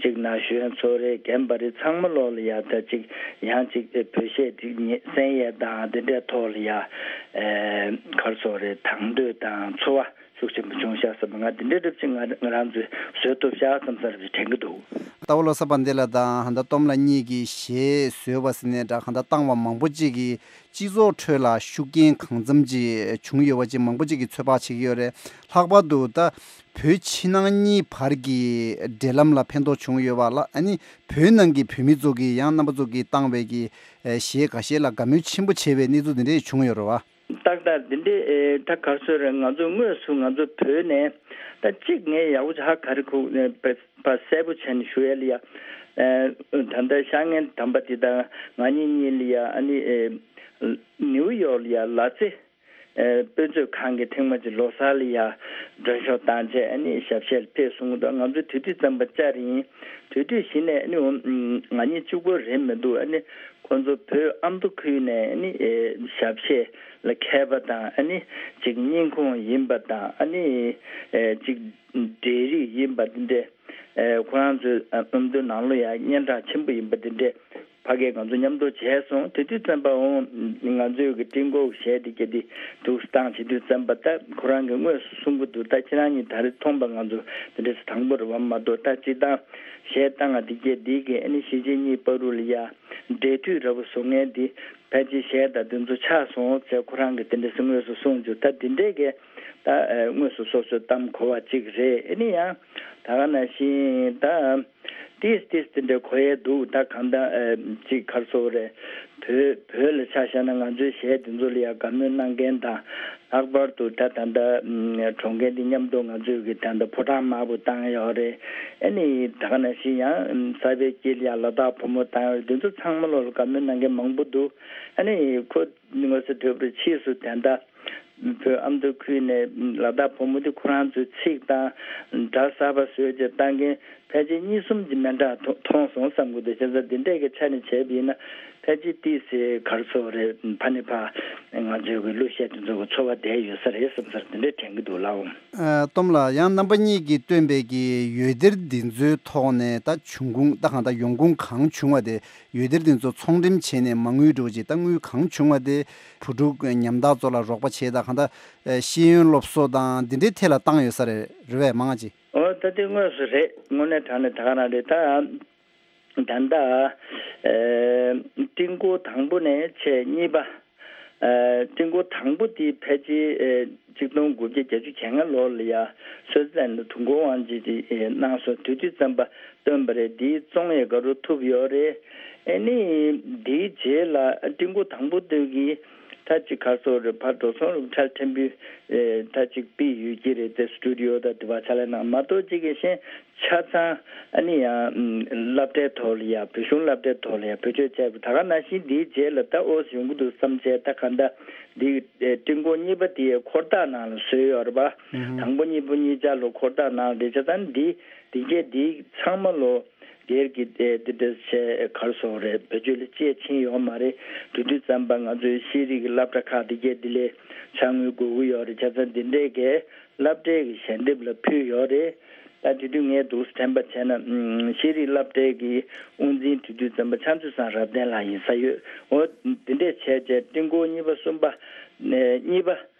གཅིག་ན་གཞོན་ཚོ་རེད། རྒན་པ་རེད། ཚང་མ་ལོ་ལ་ཡ་ད་གཅིག་ཡང་གཅིག་ཨེ་བོད་གཞས་འདི་ཉན་གསན་ཡས་དང་དེ་འདྲས་ཐོག་ལ་ཡ་ཨེ་ག་སོགས་རེད། དང་དོད་དང་ཚོར་བ། ཤུགས་ཆེན་པོ་བྱུང་ཤག་བསམ་པ་ང་འདི་འདྲའི་རབ་ཅིག་ང་ང་རང་ཚོས་བཟོས་ཐུབ་ཤག་བསམ་ས་རབ་ཅིག་དྲན་གྱི་འདུག་རྟ་བ་བློ་བཟང་བན་དེ་ལགས་དང་ཧན་ད་སྟོབས་ལགས་གཉིས་ཀྱིས་གཞས་བཟོས་པ་ཟེར་ནས་འདྲ་ཧན་ད་བཏང་བ་མང་པོ་ཅིག་གིས་སྤྱི་ཚོགས་ཁྲོད་ལ་ཤུགས་རྐྱེན་གང་འཚམ་ཅིག་བྱུང་ཡོད་པ་ཅིག་མང་པོ་ཅིག་གིས་ཚོད་དཔག་བྱེད་ཀྱི་ཡོད་རེད། ལྷག་པར་དུ་ད་བོད་ཕྱི་ནང་གཉིས་བར་གྱི་འབྲེལ་ལམ་ལ་ཕན་ཐོགས་བྱུང་ཡོད་པ་ལ་ཨ་ནི་བོད་ནང་གི་བོད་མི་ཚོ་གིས་ཡང་རྣམ་པ་ཚོ་གིས་བཏང་བའི་གི་གཞས་འགའ་ཤས་ལ་དགའ་མོས་ཆེན་པོ་བྱས་པའི་གནས་ཚུལ་འདི་འདྲས་བྱུང་ཡོད་རེད་བ། ཏག་ཏག་འདི་འདྲའི་ཨེ་ད་ག་སོ་རེད། ང་ཚོ་དངོས་སུ་ང་ཚོ་བོད་ནས་ད་གཅིག་ངས་ཡག་པོ་ཧ་ག་རེ་ཁུག་ནས་ཕ་གསལ་པོ་བྱས་ནས་ཞུ་ཡ་ལ་ཡ། ཨེ་ད་ལྟ་ཤར་ངན་དམ་པ་དེ་དང་ང་གཉིས་གཉིས་ལ་ཡ་ཨ་ནི་ཨེ་ནིའུ་ཡོག་ལ་ཡ་ལ་རྩེ་ཨེ་དཔེ་མཛོད་ཁང་གི་ཐེངས་མ་གཅིག་ལོ་གསར་ལ་ཡ་མགྲོན་ཤོག་བཏང་བྱས་ཨ་ནི་ཞབས་གཞས་ལ་ཕེབས་སོང་གི་འདུག་ང་ཚོ་དེ་དུས་ཙམ་པ་བཅར་ཡིན། དེ་དུས་གཞི་ནས་ཨ་ནི་ང་གཉིས་གཅིག་པོ་རེད་མི་འདུག་ཨ་ནི། ཁོ་ཚོ་བོད་ཨ་མདོ་ཁུལ་ནས་ནི་ཨེ་ཞབས་གཞས་ལ་མཁས་པ་དང་ཨ་ནི་ཅིག་སྙིང་ཁོང་ཡིན་པ་དང་ཨ་ནི་ཨེ་ཅིག་འབྲེལ་རིགས་ཡིན་པ་འདི་འདྲས་ཨེ་ཁོ་རང་ཚོའི་ཨ་མདོའི་ནང་ལོ་ཡང་སྙན་གྲགས་ཆེན་པོ་ཡིན་པ་འདི་འདྲས་ཕ་གིར་ང་ཚོ་མཉམ་དུ་བྱས་སོང་། དེ་དུས་ཙམ་པ་འོང་ང་ཚོའི་གི་ཀྲིན་ཀོ་གཞས་འདི་སྐད་འདི་འདུག་སེ་བཏང་བྱེད་དུས་ཙམ་པ་ད་ཁོ་རང་གིས་དངོས་སུ་གསུང་གི་འདུག་ད་ཁྱེད་རང་གཉིས་ད་རེས་མཐོང་པ་ང་ཚོ་འདི་འདྲས་སེ་དང་པོ་རེད་བ་མ་གཏོགས་ད་སྤྱིར་བཏང་གཞས་བཏང་ང་འདི་སྐད་འདི་གི་ཨ་ནི་གཞིས་བྱེས་གཉིས་བར་དུ་ལ་ཡ། འབྲེལ་མཐུད་འདྲ་པོ་བཟོ་མཁན་འདི་ཕལ་ཆེར་གཞས་དང་འདི་ཚོ་ཆགས་སོང་ཟེར་ཁོ་རང་གིས་དེ་འདྲ་ཟེར་དངོས་སུ་གསུངས་བྱུང་། ད་འདི་འདྲས་ཀྱི་ད་ཨ་དངོས་སུ་སོ་སོའི་གཏམ་གོ་བ་གཅིག་རེད། ཨ་ནི་ཡང་ད་ག་ནང་བཞིན་ད་ཏིས་ཏིས་དེ་འདྲ་གོ་ཡས་འདུག་ད་གང་ལྟར་ཨ་གཅིག་ག་རེ་ཟེར་དགོས་རེད། བོད་བོད་ལ་ཆ་བཞག་ན་ང་ཚོའི་གཞས་འདི་ཚོ་ལ་ཡང་དགའ་མོས་གནང་མཁན་དང་། ལྷག་པར་དུ་ད་ད་ལྟ་གྲོངས་མཁན་འདི་མཉམ་དུ་ང་ཚོས་ཀྱི་ད་ལྟ་ཕོ་བྲང་དམར་པོ་བཏང་ཡོད་རེད། ཨ་ནི་ད་ག་ནང་བཞིན་ཡང་གསར་པའི་དཀྱིལ་ཡང་ལ་དྭགས་བུ་མོ་བཏང་ཡོད་རེད། འདི་ཚོ་ཚང་མ་ལོ་ལ་དགའ་མོས་གནང་མཁན་མང་པོ་འདུག་ཨ་ནི་ཁོ་དངོས་སུ་ཐོས་པར་ཕྱིས་སུ་ད་ལྟ་བོད་ཨ་མདོ་ཁུལ་ནས་ལ་དྭགས་བུ་མོ་འདི་ཁོ་རང་ཚོའི་ཚིག་དང་སྒྲ་གསར་པ་བཟོས་བྱས་བཏང་མཁན་ཕལ་ཆེར་གཉིས་གསུམ་གྱི་མི་འདྲ་མཐོང་སོང་བསམ་གྱི་འདུག་བྱས་ཙང་འདི་འདྲས་ཀྱི་ཆ་ནས་བྱས་པ་ཡིན་ན། ཕལ་ཆེར་ཏོག་ཙམ་ག་རེ་ཟེར་དགོས་རེད། ཕ་ནས་ཕ་ང་ཚོའི་གི་གླུ་གཞས་དེ་ཚོ་གི་ཚོར་བ་བསྡད་ཡོད་ས་རེད་བསམ་ས་དེ་འདྲས་དྲན་གྱི་འདུག་ལགས། ཨ། སྟོབས་ལགས། ཡང་རྣམ་པ་གཉིས་ཀྱིས་བཏོན་པའི་གི་འོད་སྡེར་འདི་ཚོའི་ཐོག་ནས་ད་འབྱུང་ཁུངས་ད་གང་ལྟར་ཡོང་ཁུངས་གང་བྱུང་བ་དེ། འོད་སྡེར་འདི་ཚོ་ཚོང་འགྲེམས་བྱས་ནས་མ་དངུལ་འགྲོ་ཅིག་ད་དངུལ་གང་བྱུང་བ་དེ་བུ་ཕྲུག་ཉམ་ཐག་ཚོ་ལ་རོགས་པ་བྱས། ད་གང་ལྟར་ཤེས་ཡོན་སློབ་གསོ་དང་འདི་འདྲའི་ཐད་ལ་བཏང་ཡོད་ས་རེད། རེད་པས་མང་ང་ཅིག་ཨོ། ད་དེ་དངོས་སུ་རེད། དངོས་གནས་དྲང་གནས་ད་ག་རང་རེད། ད་ད་ལྟ་ཨེ་ཀྲིན་ཀོ་དང་པོ་ནས་བྱས་གཉིས་པ། ཨེ་ཀྲིན་ཀོ་དང་པོ་དེ་ཕལ་ཆེར་ཨེ་གཅིག་སྟོང་དགུ་བརྒྱ་བརྒྱད་ཅུ་གྱ་ལྔ་ལོ་ལ་ཡ་སུའི་ཙི་ལན་དུ་ཀྲུང་གོ་དབང་ཆེན་དེ་ཨེ་གནང་སོང་། དེ་དུས་ཙམ་པ་བཏོན་པ་རེད། དེའི་བཙོང་ཡས་ག་རུ་ཐུབ་ཡོད་རེད། ཨེ་ནི་དེའི་རྗེས་ལ་ཀྲིན་ཀོ་དང་པོ་དེ་གི་ད་ཅིག་ག་རེ་ཟེར་དགོས་རེད། ཕར་འགྲོ་སོང་རུ་ཁྲལ་ཕྲན་བུ་ཨེ་ད་ཅིག་ཕུད་ཡོད་ཀྱི་རེད་དེ། སི་ཊུ་ཌི་ཡོ་དང་དེ་བ་ཕྱག་ལས་གནང་མ་གཏོགས་ཅིག་གི་ཤེས། ཆ་ཚང་ཨ་ནི་ཡང་སློབ་གྲྭའི་ཐོག་ལ་ཡ། བོད་གཞུང་སློབ་གྲྭའི་ཐོག་ལ་ཡ་བེད་སྤྱོད་བྱས་པ། ད་ག་ནང་བཞིན་འདིའི་རྗེས་ལ་ད་ཨོ་ཡོང་གི་འདུག་བསམ་བྱས། ད་ག་འདྲ་འདི་ཀྲིན་ཀོ་གཉིས་པ་དེ་འཁོར་ཐག་ནང་ལ་བཟོས་ཡོད་རེད་པ། དང་པོ་གཉིས་པ་གཉིས་ཆ་ལ་འཁོར་ཐག་ནང་ལ་བསྡད་ཆ་ཚང་འདི་འདི་གས་འདི་ཚང་མ་ལོ་སྒེར་གྱི་དེ་འདྲ་བྱས་ག་རེ་ཟེར་དགོས་རེད། བེད་སྤྱོད་ལ་སྤྱད་ཕྱིན་ཡོད་མ་རེད། དེ་དུས་ཙམ་པ་ང་ཚོའི་ཤེས་རིག་གི་སློབ་གྲྭ་ཁག་འདི་གས་འདི་ལས་ཕྱག་དངུལ་དགོས་ཀྱི་ཡོད་རེད། ཆ་ཚང་འདི་འདྲས་གས་སློབ་གྲྭའི་གི་ཞལ་འདེབས་ལ་ཕུལ་ཡོད་རེད། ད་དེ་དུས་ངས་འདུག་དྲན་པ་བྱས་ན་ཤེས་རིག་སློབ་གྲྭའི་གི་དབུ་འཛིན་དེ་དུས་ཙམ་པ་ཕྱག་མཛོད་བཟང་རབ་བརྟན་ལགས་ཡིན་ས་ཡོད། འོ་དེ་འདྲས་བྱས་བྱས་ཀྲིན་ཀོ་གཉིས་པ་གསུམ་པ་ནས་གཉིས་པ་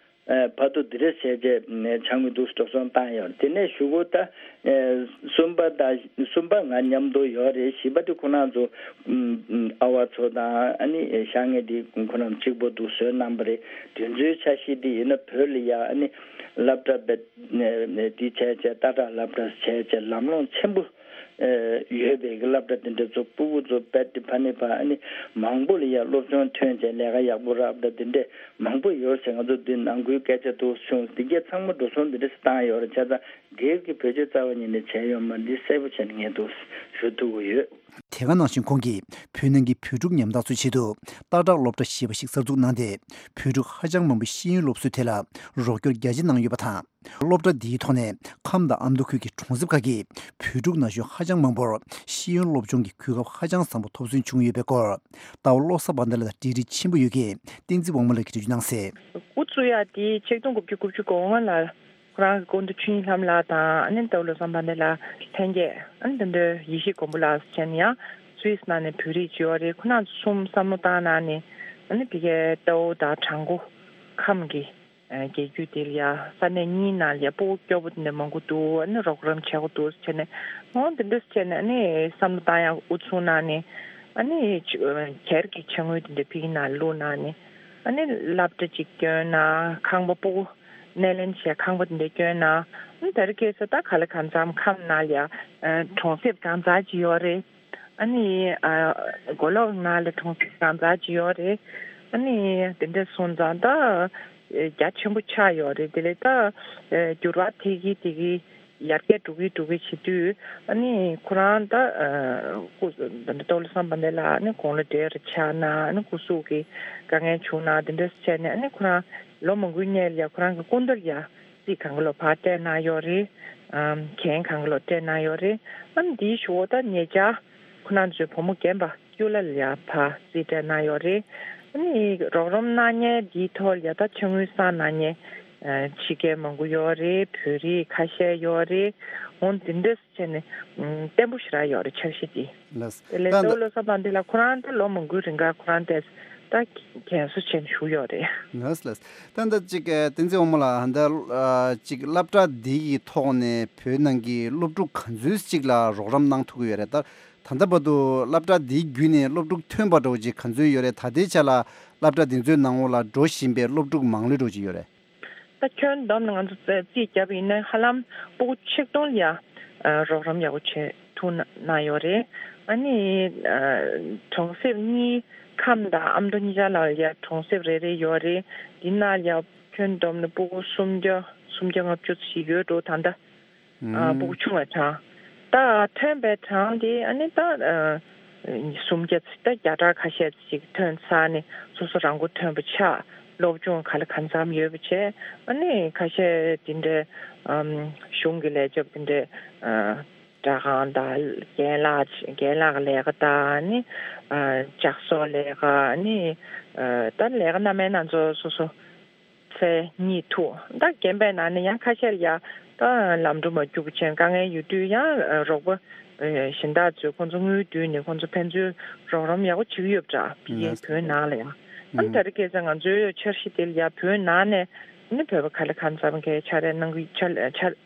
ཨ་བར་དུ་འདི་འདྲས་བྱས་བྱས་ཕྱག་དངུལ་འདུག་སེ་འགྲོ་སོང་བཏང་ཡོད། དེ་ནས་གཞུག་གུ་ད་ཨ་གསུམ་པ་དང་གསུམ་པ་ང་མཉམ་དུ་ཡོད་རེད། བཞི་པ་དེ་ཁོ་རང་ཚོ་ཨ་ཨ་བ་ཚོ་དང་ཨ་ནི་ཤ་ངེ་དེ་ཁོ་རང་གཅིག་པོ་འདུག་བཟོས་གནང་པ་རེད། དེ་ཚོའི་ཆ་ཤས་དེ་ཡིན་ན་བོད་ལ་ཡ་ཨ་ནི་སློབ་གྲྭ་བེད་དེ་བྱས་བྱས་ལྟ་གྲགས་སློབ་གྲྭ་བྱས་བྱས་ལམ་ལྷོང་ཆེན་པོ་ཡོད་པའི་གི་སློབ་གྲྭ་དེ་འདྲ་ཚོ་སྤུ་གུ་ཚོ་རྦད་དེ་ཕ་ནས་ཕ་ཨ་ནི་མང་པོ་ལ་ཡ་སློབ་སྦྱོང་ཐོན་བྱས་ལས་ཀ་ཡག་པོ་རག་པ་དེ་འདྲས་མང་པོ་ཡོད་ཟེར། ང་ཚོ་འདི་ནང་ཁུལ་སྐད་ཆ་འདུག་བྱུང་། འདི་གས་ཚང་མ་འགྲོ་སོང་འདི་འདྲས་བཏང་ཡོད་རེད། བྱས་ཙང་སྒེར་གྱི་བེད་སྤྱོད་རྩ་བ་ཉིད་ནས་བྱས་ཡོད་མ་རེད། འདི་གསལ་པོ་བྱས་ནས་ངས་འདུག་ཞུ་ཐུབ་ཀྱི་ཡོད། དེ་ག་ནང་བཞིན་ཁོང་གིས་བོད་ནང་གི་བོད་ཕྲུག་ཉམ་ཐག་ཚོའི་ཆེད་དུ་ཏག་ཏག་སློབ་གྲྭ་ཞེས་པ་ཞིག་གསར་འཛུགས་གནང་སྟེ། བོད་ཕྲུག་ཧ་ཅང་མང་པོའི་ཤེས་ཡོན་སློབ་གསོའི་ཐད་ལ་རོགས་སྐྱོར་རྒྱ་ཆེ་གནང་ཡོད་པ་དང་། སློབ་གྲྭ་འདིའི་ཐོག་ནས་ཁམས་དང་ཨ་མདོ་ཁུལ་གྱི་གྲོང་གསེབ་ཁག་གི་བོད་ཕྲུག་ན་གཞོན་ཧ་ཅང་མང་པོར་ཤེས་ཡོན་སློབ་སྦྱོང་གི་གོ་སྐབས་ཧ་ཅང་བཟང་པོ་ཐོབ་སོན་བྱུང་ཡོད་པའི་སྐོར། རྟ་བ་བློ་བཟང་དཔལ་ལྡན་ལགས་དང་འབྲེལ་འདྲིས་ཆེན་པོ་ཡོད་མཁན་བསྟན་འཛིན་དབང་མོ་ལགས་ཀྱིས་འགྲེལ་བརྗོད་གནང་གསལ། འགོ་བཙུགས་ཡག་དེ་ཆིག་སྟོང་དགུ་བརྒྱ་དགུ་བཅུ་གོ་ལྔ་ལ་ཁོ་རང་གི་སྐུ་མདུན་ཆོས་དབྱིངས་ལྷ་མོ་ལགས་དང་ཨ་ནི་རྟ་བ་བློ་བཟང་དཔལ་ལྡན་ལགས་ལྷན་རྒྱས། ཨ་ནི་དེ་འདྲའི་ཡེ་ཤེས་མགོན་པོ་ལགས་བྱས་ནས་ཡང་སུད་སི་ནང་ནས་བོད་རིགས་ཅིག་ཡོད་རེད། ཁོ་རང་ཚོ་གསུམ་བསམ་བློ་བཏང་གནང་ནས་ཨ་ནི་ཕ་གིའི་རྟའུ་དང་བྲག་འགོ་ཁམས་ཀྱི་རྒྱལ་རྒྱུད་དེ་ལ་ཡ་ས་གནས་གཉིས་ནང་ལ་ཡ་སྤུ་གུ་སྐྱོ་པོ་དེ་འདྲ་མང་པོ་འདུག་ཨ་ནི་རོགས་རམ་བྱེད་དགོས་འདུག་ཟེར་ནས། འོ་འདི་འདྲ་བྱས་ནས་ཨ་ནི་བསམ་བློ་བཏང་ཡག་དབུ་བཟུང་གནང་ནས། ཨ་ནི་སྒེར་གྱི་ཕྱག་དངུལ་དེ་འདྲ་ཕ་གི་ནང་བླུགས་གནང་ནས། ཨ་ནི་སློབ་གྲྭ་གཅིག་བསྐྱོན་གནང་། ཁང་པ་སྤུ་གུ་སྣེ་ལེན་བྱས་ཁང་པ་དེ་འདྲ་བསྐྱོན་གནང་། ཨ་ནི་ད་རེས་ཁ་སང་ད་ག་ལེ་གང་འཚམ་ཁམས་ནང་ལ་ཡ་གྲོང་གསེབ་གང་ཙམ་ཅིག་ཡོད་རེད། ཨ་ནི་ཨ་མགོ་ལོག་ནང་ལ་གྲོང་གསེབ་གང་ཙམ་ཅིག་ཡོད་རེད། ཨ་ནི་དེ་འདྲ་སོང་ཙང་ད་རྒྱ་ཆེན་པོ་ཆགས་ཡོད་རེད། དེ་ལས་ད་འགྱུར་བ་ཐེབས་ཀྱི་ཐེབས་ཀྱི་ཡར་རྒྱས་འགྲོ་གི་འགྲོ་གི་བྱེད་དུས། ཨ་ནི་ཁོ་རང་ད་སྐུ་ད་ལྟ་རྟ་བ་བློ་བཟང་དཔལ་ལྡན་ལགས་ཨ་ནི་དགུང་ལོ་བགྲེས་རུ་ཆགས་ན། ཨ་ནི་སྐུ་གཟུགས་ཀྱི་དཀའ་ངལ་བྱུང་ན་དེ་འདྲ་བྱས་ནས། ཨ་ནི་ཁོ་རང་ལོ་མང་པོའི་སྔོན་ལ་ཡ་ཁོ་རང་གི་སྐུ་མདུན་ལ་ཡ་རྩིས་གང་ག་ལོ་ཕར་སྤྲད་གནང་ཡོད་རེད། ཨམ་གྱེན་གང་ག་ལོ་སྤྲད་གནང་ཡོད་རེད། ཨ་ནི་དེའི་གཞུག་གུ་ད་ཉེ་ཆར་ཁོ་རང་ཚོའི་བུ་མོ་རྒན་པ་ཀུ་ལ་ལ་ཡ་ཕར་རྩིས་སྤྲད་གནང་ཡོད་རེད། ཨ་ནི་རོགས་རམ་གནང་མཁན་དེའི་ཐོག་ལ་ཡ་ད་ཕྱག་དངུལ་བསགས་གནང་མཁན་ཨ་ཕྱི་རྒྱལ་མང་པོ་ཡོད་རེད། བོད་རིགས་ཁ་ཤས་ཡོད་རེད། འོ་འདི་འདྲ་བྱས་ནས་ཨམ་བརྟན་པོ་ཞེ་དྲག་ཡོད་རེད། འཆར་གཞི་འདི། ལགས། དེ་ལས་ད་རྟ་བ་བློ་བཟང་དཔལ་ལྡན་ལགས་ཁོ་རང་ད་ལོ་མང་པོའི་རིང་ག་ཁོ་རང་དེ་ད་རྒན་གསོ་བྱས་ནས་བཞུགས་ཡོད་རེད། ལགས་ལགས། ད་ལྟ་ཅིག་ཨ་བསྟན་འཛིན་དབང་མོ་ལགས། ད་ལྟ་ཨ་ཅིག་སློབ་གྲྭ་འདི་ཡི་ཐོག་ནས་བོད་ནང་གི་སློབ་ཕྲུག་ག་ཚོད་ཅིག་ལ་རོགས་རམ་གནང་ཐུབ་ཀྱི་ཡོད་རེད། ད་ད་ལྟ་བར་དུ་སློབ་གྲྭ་འདི་བརྒྱུད་ནས་སློབ་ཕྲུག་ཐོན་པ་འདྲ་བོ་ཅིག་ག་ཚོད་ཡོད་རེད། ད་ལྟའི་ཆ་ལ་སློབ་གྲྭ་འདི་ཚོའི་ནང་ལོགས་ལ་འགྲོ་བཞིན་པའི་སློབ་ཕྲུག་མང་ལོས་འདྲ་བོ་ཅིག་ཡོད་རེད། ད་ཁྱོན་བསྡོམས་ནས་ང་ཚོ་རྩིས་རྩིས་བརྒྱབ་པ་ཡིན་ན་ཧ་ལམ་སྤུ་གུ་ཆིག་སྟོང་ལ་ཡ་ཨ་རོགས་རམ་ཡག་པོ་བྱེད་ཐུབ་གནང་ཡོད་རེད། ཨ་ནི་ཨ་གྲོང་གསེབ་གཉིས་ཁམས་དང་ཨ་མདོ་གཉིས་ཆ་ལ་ཡ་གྲོང་གསེབ་རེ་རེ་ཡོད་རེད། འདི་ནང་ལ་ཡ་ཁྱོན་བསྡོམས་ནས་སྤུ་གུ་སུམ་བརྒྱ་སུམ་བརྒྱ་ལྔ་བཅུ་ཞིག་ཡོད་འགྲོ་ད་ལྟ། ཨ་སྤུ་གུ་ཆུང་བའི་གྲངས། ད་ཐོན་པའི་གྲངས་དེ་ཨ་ནི་ད་ཨ་སུམ་བརྒྱ་ཙམ། ད་བརྒྱ་ཕྲག་ཁ་ཤས་ཅིག་ཐོན་ཚར་ནས་སོ་སོ་རང་མགོ་ཐོན་པ་ཆགས། སློབ་སྦྱོང་ག་ལ་གང་འཚམ་ཡོད་པ་བྱས། ཨ་ནི་ཁ་ཤས་དེ་འདྲའི་ཨམ་གཞུང་གི་ལས་བྱེད་པ་དེ་འདྲའི་ཨ་ སྒྲ་ཁང་དང་རྒན་ལགས་རྒན་ལགས་ཀྱི་ལས་ཀ་དང་ནི་ཨ་ལྕགས་བཟོ་ལས་ཀ་ནི་ཨ་ད་ལས་ཀ་སྣ་མིན་སྣ་ཚོགས་སོ་སོ་ཚེ་གཉིས་ཐུག་ད་རྒན་པའི་ནང་ནས་ཡང་ཁ་ཤས་ཡ་ད་ལམ་འགྲོ་མ་རྒྱུག་པ་ཆེན་དཀའ་ངལ་ཡོད་དུས་ཡང་རོགས་པ་གཞན་དག་ཚོས་ཁོང་ཚོ་དངུལ་བསྡུས་ནས་ཁོང་ཚོ་ཕན་ཚུན་རོགས་རམ་ཡག་པོ་བྱེད་ཀྱི་ཡོད་པ་འདྲ་ཕ་གིའི་བོད་ནང་ལ་ཡང་ཨ་ད་རེས་སྐད་ཆ་ང་ཚོའི་འཆར་གཞི་དེ་ལ་ཡ་བོད་ནང་ནས་ནི་བོད་པ་ག་ལེ་གང་འཚམ་གས་ཕྱག་ལས་གནང་གི་ཕྱག་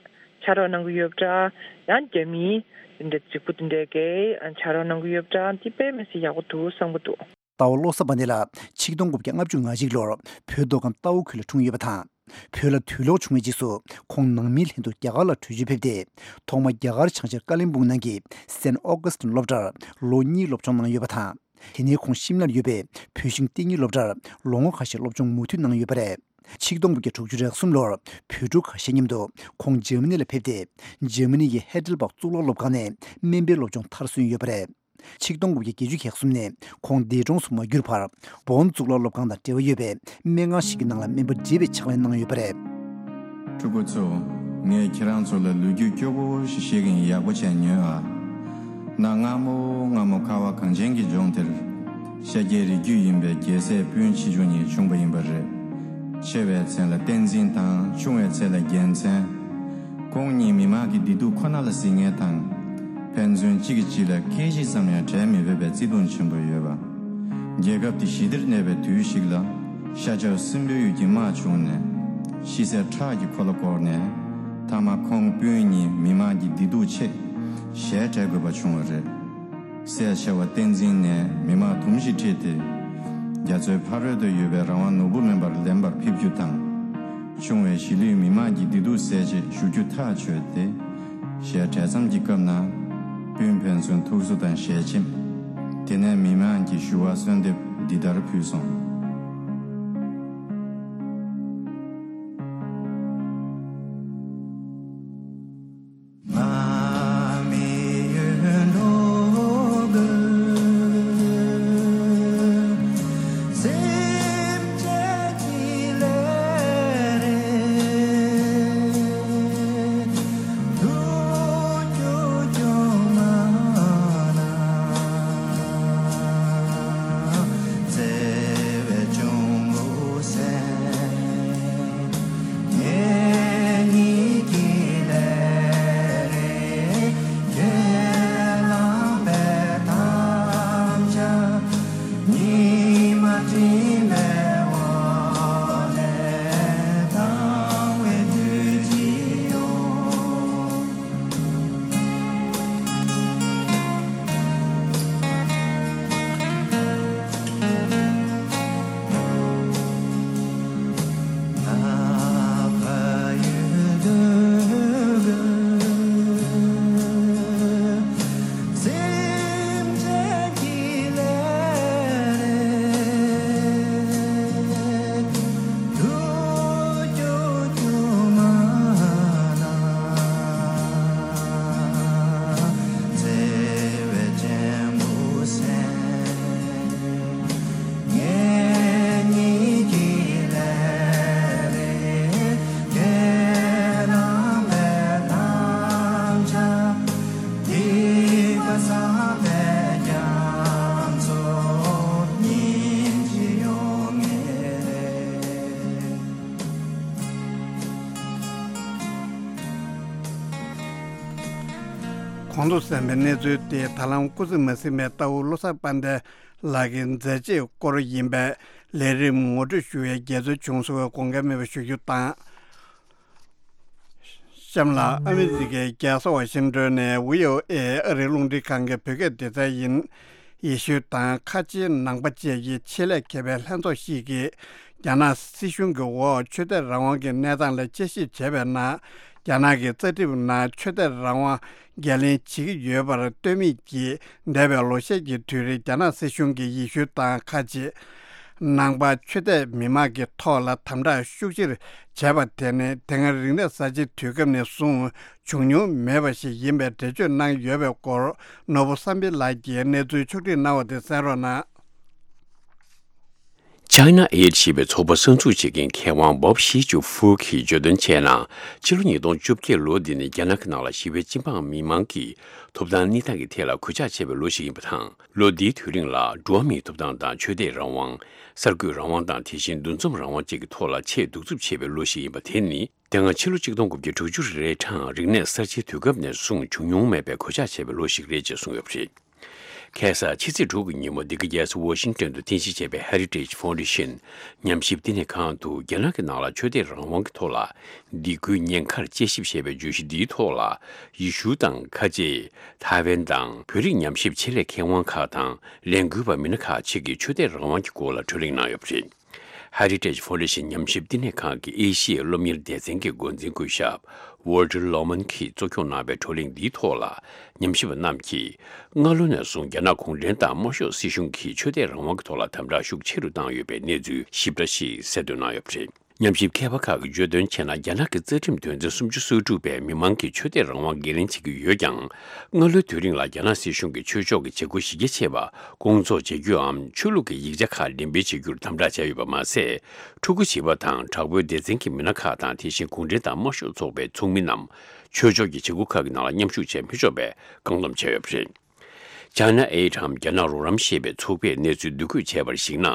ཕྱག་རོགས་གནང་གི་ཡོད་པ་འདྲ་ཡང་རྒྱ་མིའི་འདི་འདྲ་རྫིག་པོ་འདི་འདྲས་གས་ཕྱག་རོགས་གནང་གི་ཡོད་པ་འདྲ་འདི་དཔེ་མི་སྲིད་ཡག་པོ་འདུག་བསམ་གི་འདུག་རྟའུ་བློ་བཟང་པ་འདི་ལ་ཆིག་སྟོང་དགུ་བརྒྱ་ལྔ་བཅུ་ང་གཅིག་ལོར་བོད་མདོ་ཁམས་རྟའུ་ཁུལ་ལ་འཁྲུངས་ཡོད་པ་དང་། བོད་ལ་དུས་ལོག་བྱུང་བའི་རྗེས་སུ་ཁོང་ནང་མིའི་ལྷན་དུ་རྒྱ་གར་ལ་བྲོས་བྱོལ་ཕེབས་ཏེ། ཐོག་མ་རྒྱ་གར་བྱང་ཤར་ཀ་ལིམ་པུང་ནང་གི་སེན་ཨོ་ཀུ་སི་ཏིན་སློབ་གྲྭར་ལོ་གཉིས་སློབ་སྦྱོང་གནང་ཡོད་པ་དང་། དེ་ནས་ཁོང་ཤིམ་ལར་ཡོད་པའི་བོད་ཤིང་ཏིང་ངེ་སློབ་གྲྭར་ལོ་ངོ་ཁ་ཤས་སློབ་སྦྱོང་མུ་མཐུད་གནང་ཡོད་པ་རེད། ཆིག་སྟོང་དགུ་བརྒྱ་དྲུག་ཅུ་རེ་གསུམ་ལོར་བོད་ཕྲུག་ཁ་ཤས་མཉམ་དུ་ཁོང་འཇར་མ་ནི་ལ་ཕེབས་ཏེ། འཇར་མ་ནི་ཡི་ཧེ་ཌེལ་བག་གཙུག་ལག་སློབ་ཁང་ནས་སྨན་པའི་སློབ་སྦྱོང་མཐར་སོན་ཡོད་པ་རེད། ཆིག་སྟོང་དགུ་བརྒྱ་བརྒྱད་ཅུ་གྱ་གསུམ་ནས་ཁོང་འདས་གྲོངས་སུ་མ་གྱུར་བར་བོན་གཙུག་ལག་སློབ་ཁང་དང་འབྲེལ་བ་ཡོད་པའི་སྨན་ཁང་ཞིག་གི་ནང་ལ་སྨན་པ་བགྲེས་པའི་ཕྱག་ལས་གནང་ཡོད་པ་རེད། ཕྲུ་གུ་ཚོ། ངས་ཁྱེད་རང་ཚོ་ལ་ལོ་རྒྱུས་སྐྱོ་པོ་ཞིག་བཤད་ཀྱིན་ཡག་པོ་བྱས་ཉོན་ཨ། གནའ་སྔ་མོ་སྔ་མོ་ཁ་བ་གངས་ཅན་གྱི་ལྗོངས་དེར་ཤཱཀྱའི་རིགས་རྒྱུད་ཡིན་པའི་རྒྱལ་སྲས་སྤུན་མཆེད་ཆུང་གཉིས་བྱུང་བ་ཡིན་པ་རེད། ཆེ་བའི་མཚན་ལ་བསྟན་འཛིན་དང་ཆུང་བའི་མཚན་ལ་རྒྱལ་མཚན། ཁོང་གཉིས་མི་དམངས་ཀྱི་བདེ་སྡུག་ཁོ་ན་ལ་གཟིགས་མཁན་དང་། ཕན་ཚུན་གཅིག་གིས་གཅིག་ལ་སྐད་ཅིག་ཙམ་ཡང་བྲལ་མི་ཕོད་པའི་བརྩེ་དུང་ཆེན་པོ་ཡོད་པ། རྒྱལ་ཁབ་དེ་ཞི་བདེར་གནས་པའི་དུས་ཤིག་ལ་ཤ་ཁྲག་སྲིན་པོའི་ཡུལ་གྱི་དམག་བྱུང་ནས་ཤི་གསོན་ཁྲག་གིས་ཁོ་ལ་བསྐོར་ནས་མཐའ་མ་ཁོང་སྤུན་གཉིས་མི་དམངས་ཀྱི་བདེ་སྡུག་ཆེད་ཞལ་བྲལ་དགོས་པ་བྱུང་བ་རེད། སྲས་ཆེ་བ་བསྟན་འཛིན་ནས་མི་དམངས་དུམ་བཞི་ཁྲིད་དེ། རྒྱ་མཚོའི་ཕ་རོལ་ཏུ་ཡོད་པའི་རང་དབང་ནོར་བུ་མེ་འབར་ལེན་པར་ཕེབས་རྒྱུ་དང་། ཆུང་བའི་གཞིས་ལུས་མི་དམངས་ཀྱི་བདེ་སྡུག་སེལ་ཆེད་བཞུགས་རྒྱུ་ཐག་ཆོད་དེ། ཞལ་བྲལ་མཚམས་ཀྱི་སྐབས་ན། སྤུན་ཕན་ཚུན་ཐུགས་གསོ་དང་ཞལ་ཆེམས། དེ་ནས་མི་དམངས་ཀྱི་ཞུ་བ་གསོལ་འདེབས་འདི་ལྟར་ཕུལ་སོང་། གོང་དུ་གསན་པའི་གནས་ཚུལ་དེ་ད་ལམ་སྐུ་ཚེ་མ་ཟིན་པའི་རྟའུ་བློ་བཟང་དཔལ་ལྡན་ལགས་ཀྱི་མཛད་རྗེས་སྐོར་ཡིན་པས། ལས་རིམ་ངོ་སྤྲོད་ཞུ་བའི་དགེ་ཚུལ་བྱུང་སོང་བའི་དགོངས་འགལ་མེད་པ་ཞུ་རྒྱུ་དང་། གཤམ་ལ་ཨ་མི་རི་ཀའི་རྒྱལ་ས་ཝ་ཤིང་ཏོན་ནས་བྷི་ཨོ་ཨེ་ཨ་རིའི་རླུང་འཕྲིན་ཁང་གི་བོད་སྐད་སྡེ་ཚན་ཡིན། ཡེ་ཤུ་དང་ཁ་ཆེའི་ནང་པ་བཅས་ཀྱི་ཆེད་ལས་མཁས་པའི་ལྷན་ཚོགས་ཤིག་གིས། རྒྱ་ནག་སྲིད་གཞུང་གི་འོག་ཆོས་དད་རང་དབང་གི་གནས་སྟངས་ལ་དཔྱད་ཞིབ་བྱས་པའི་ནང་། རྒྱ་ནག་གི་རྩ་ཁྲིམས་ནང་ཆོས་དད་རང་དབང་འགན་ལེན་བྱེད་ཀྱི་ཡོད་པར་ལྟོས་མེད་ཀྱིས། འདས་པའི་ལོ་ཤས་ཀྱི་དུས་རིང་རྒྱ་ནག་སྲིད་གཞུང་གིས་ཡེ་ཤུ་དང་ཁ་ཆེ་ནང་པ་ཆོས་དད་མི་མང་གི་ཐོག་ལ་དམ་དྲག་ཤུགས་ཆེར་བྱས་པ་དེ་ནི་དེ་སྔ་རིག་གནས་གསར་བརྗེའི་དུས་སྐབས་ནས་བཟུང་བྱུང་མྱོང་མེད་པ་ཞིག་ཡིན་པའི་འགྲེལ་བརྗོད་གནང་ཡོད་པའི་སྐོར། ནོར་བུ་བསམ་འཕེལ་ལགས་ཀྱིས་གནས་ཚུལ་ཕྱོགས་སྒྲིག་གནང་བ་དེ་གསན་རོགས་གནང་། ཆ་ China Aid ཞེས་པའི་ཚོགས་པ་གསར་འཛུགས་བྱེད་མཁན་མཁས་དབང་Bob Shih-Chiu Fu གིས་བརྗོད་དོན་བྱས་ན། ཕྱི་ལོ་ཉིས་སྟོང་བཅོ་བརྒྱད་ལོ་འདི་ནི་རྒྱ་ནག་གི་ནང་ལ་ཞི་བའི་སྤྱི་འབངས་མི་མང་གི་ཐོབ་ཐང་གནས་སྟངས་ཀྱི་ཐད་ལ་གུས་ཕྱག་བྱས་པའི་ལོ་ཞིག་ཡིན་པ་དང་། ལོ་འདིའི་དུས་རིང་ལ་འགྲོ་བ་མིའི་ཐོབ་ཐང་དང་ཆོས་དད་རང་དབང་། གསར་འགོད་རང་དབང་དང་དེ་བཞིན་འདུ་འཛོམས་རང་དབང་བཅས་ཀྱི་ཐོག་ལ་ཆེས་གདུག་རྩུབ་ཆེ་བའི་ལོ་ཞིག་ཡིན་པ་དེ་ནི། དེ་སྔ་ཕྱི་ལོ་ཆིག་སྟོང་དགུ་བརྒྱ་དྲུག་ཅུ་རེ་གྲངས་རིག་གནས་གསར་བརྗེའི་དུས་སྐབས་ནས་བཟུང་བྱུང་མྱོང་མེད་པའི་གུས་ཕྱག་བྱས་པའི་ལོ་ཞིག་རེད་ཅེས་གསུངས་ཡོད་པ་རེད། ཁ་སང་ཕྱི་ཚེས་དྲུག་གི་ཉིན་མོ་འདི་ག་རྒྱལ་ས་ཝ་ཤིང་ཏོན་དུ་རྟེན་གཞི་བྱས་པའི་Heritage Foundation ཉམས་ཞིབ་བསྟི་གནས་ཁང་དུ་རྒྱ་ནག་གི་ནང་ལ་ཆོས་དད་རང་དབང་གི་ཐོག་ལ་སྡིགས་སྐུལ་ཉེན་ཁར་དཔྱད་ཞིབ་ཞེས་པའི་བརྗོད་གཞི་འདིའི་ཐོག་ལ། ཡེ་ཤུ་དང་ཁ་ཆེ། ཐའེ་ཝན་དང་བོད་རིགས་ཉམས་ཞིབ་ཆེད་ལས་མཁས་དབང་ཁག་དང་ལས་འགུལ་བ་མི་སྣ་ཁག་ཅིག་གིས་ཆོས་དད་རང་དབང་གི་སྐོར་ལ་གྲོས་གླེང་གནང་ཡོད་པ་རེད། Heritage Foundation ཉམས་ཞིབ་བསྟི་གནས་ཁང་གི་ཨེ་ཤི་ཡའི་སློབ་གཉེར་སྡེ་ཚན་གྱི་འགོ་འཛིན་སྐུ་ཞབས་Walter Lohman གྱིས་གཙོ་སྐྱོང་གནང་བའི་བགྲོ་གླེང་འདིའི་ཐོག་ལ། ཉམས་ཞིབ་པ་རྣམས་ཀྱིས་སྔ་ལོ་ནས་བཟུང་རྒྱ་ནག་གུང་ཁྲན་ཏང་དམར་ཤོག་སྲིད་གཞུང་གིས་ཆོས་དད་རང་དབང་གི་ཐོག་ལ་དམ་དྲག་ཤུགས་ཆེ་རུ་བཏང་ཡོད་པའི་གནས་ཚུལ་ཞིབ་ཕྲ་ཞིག་གསལ་འདོན་གནང་ཡོད་པ་རེད། ཉམས་ཞིབ་མཁས་པ་ཁག་གིས་བརྗོད་དོན་བྱས་ན། རྒྱ་ནག་གི་རྩ་ཁྲིམས་དོན་ཚན་སུམ་ཅུ་སོ་དྲུག་པས་མི་མང་གིས་ཆོས་དད་རང་དབང་འགན་ལེན་བྱེད་ཀྱི་ཡོད་ཀྱང་། སྔ་ལོའི་དུས་རིང་ལ་རྒྱ་ནག་སྲིད་གཞུང་གིས་ཆོས་ཕྱོགས་ཀྱི་བྱེད་སྒོ་གཞི་རྒྱ་ཆེ་བ་སྐོང་ཚོགས་བྱེད་རྒྱུའམ་ཆོས་ལུགས་ཀྱི་ཡིག་ཆ་ཁག་འགྲེམས་སྤེལ་བྱེད་རྒྱུར་དམ་དྲག་བྱས་ཡོད་པ་མ་ཟད། ཕྲུ་གུ་བྱིས་པ་དང་དྲག་པོའི་སྡེ་ཚན་གྱི་མི་སྣ་ཁག་དང་། དེ་བཞིན་གུང་ཁྲན་ཏང་དམར་ཤོག་ཚོགས་པའི་ཚོགས་མི་རྣམས་ཆོས་ཕྱོགས་ཀྱི་བྱེད་སྒོ་ཁག་གི་ནང་ལ་མཉམ་ཞུགས་བྱེད་མི་ཆོག་པའི་བཀག་སྡོམ་བྱས་ཡོད་པ་རེད། China Aid འམ་རྒྱ་ནག་རོགས་རམ་ཞེས་པའི་ཚོགས་པས་གནས་ཚུལ་བསྡུ་སྐུལ་བྱས་པར་གཞིགས་ན།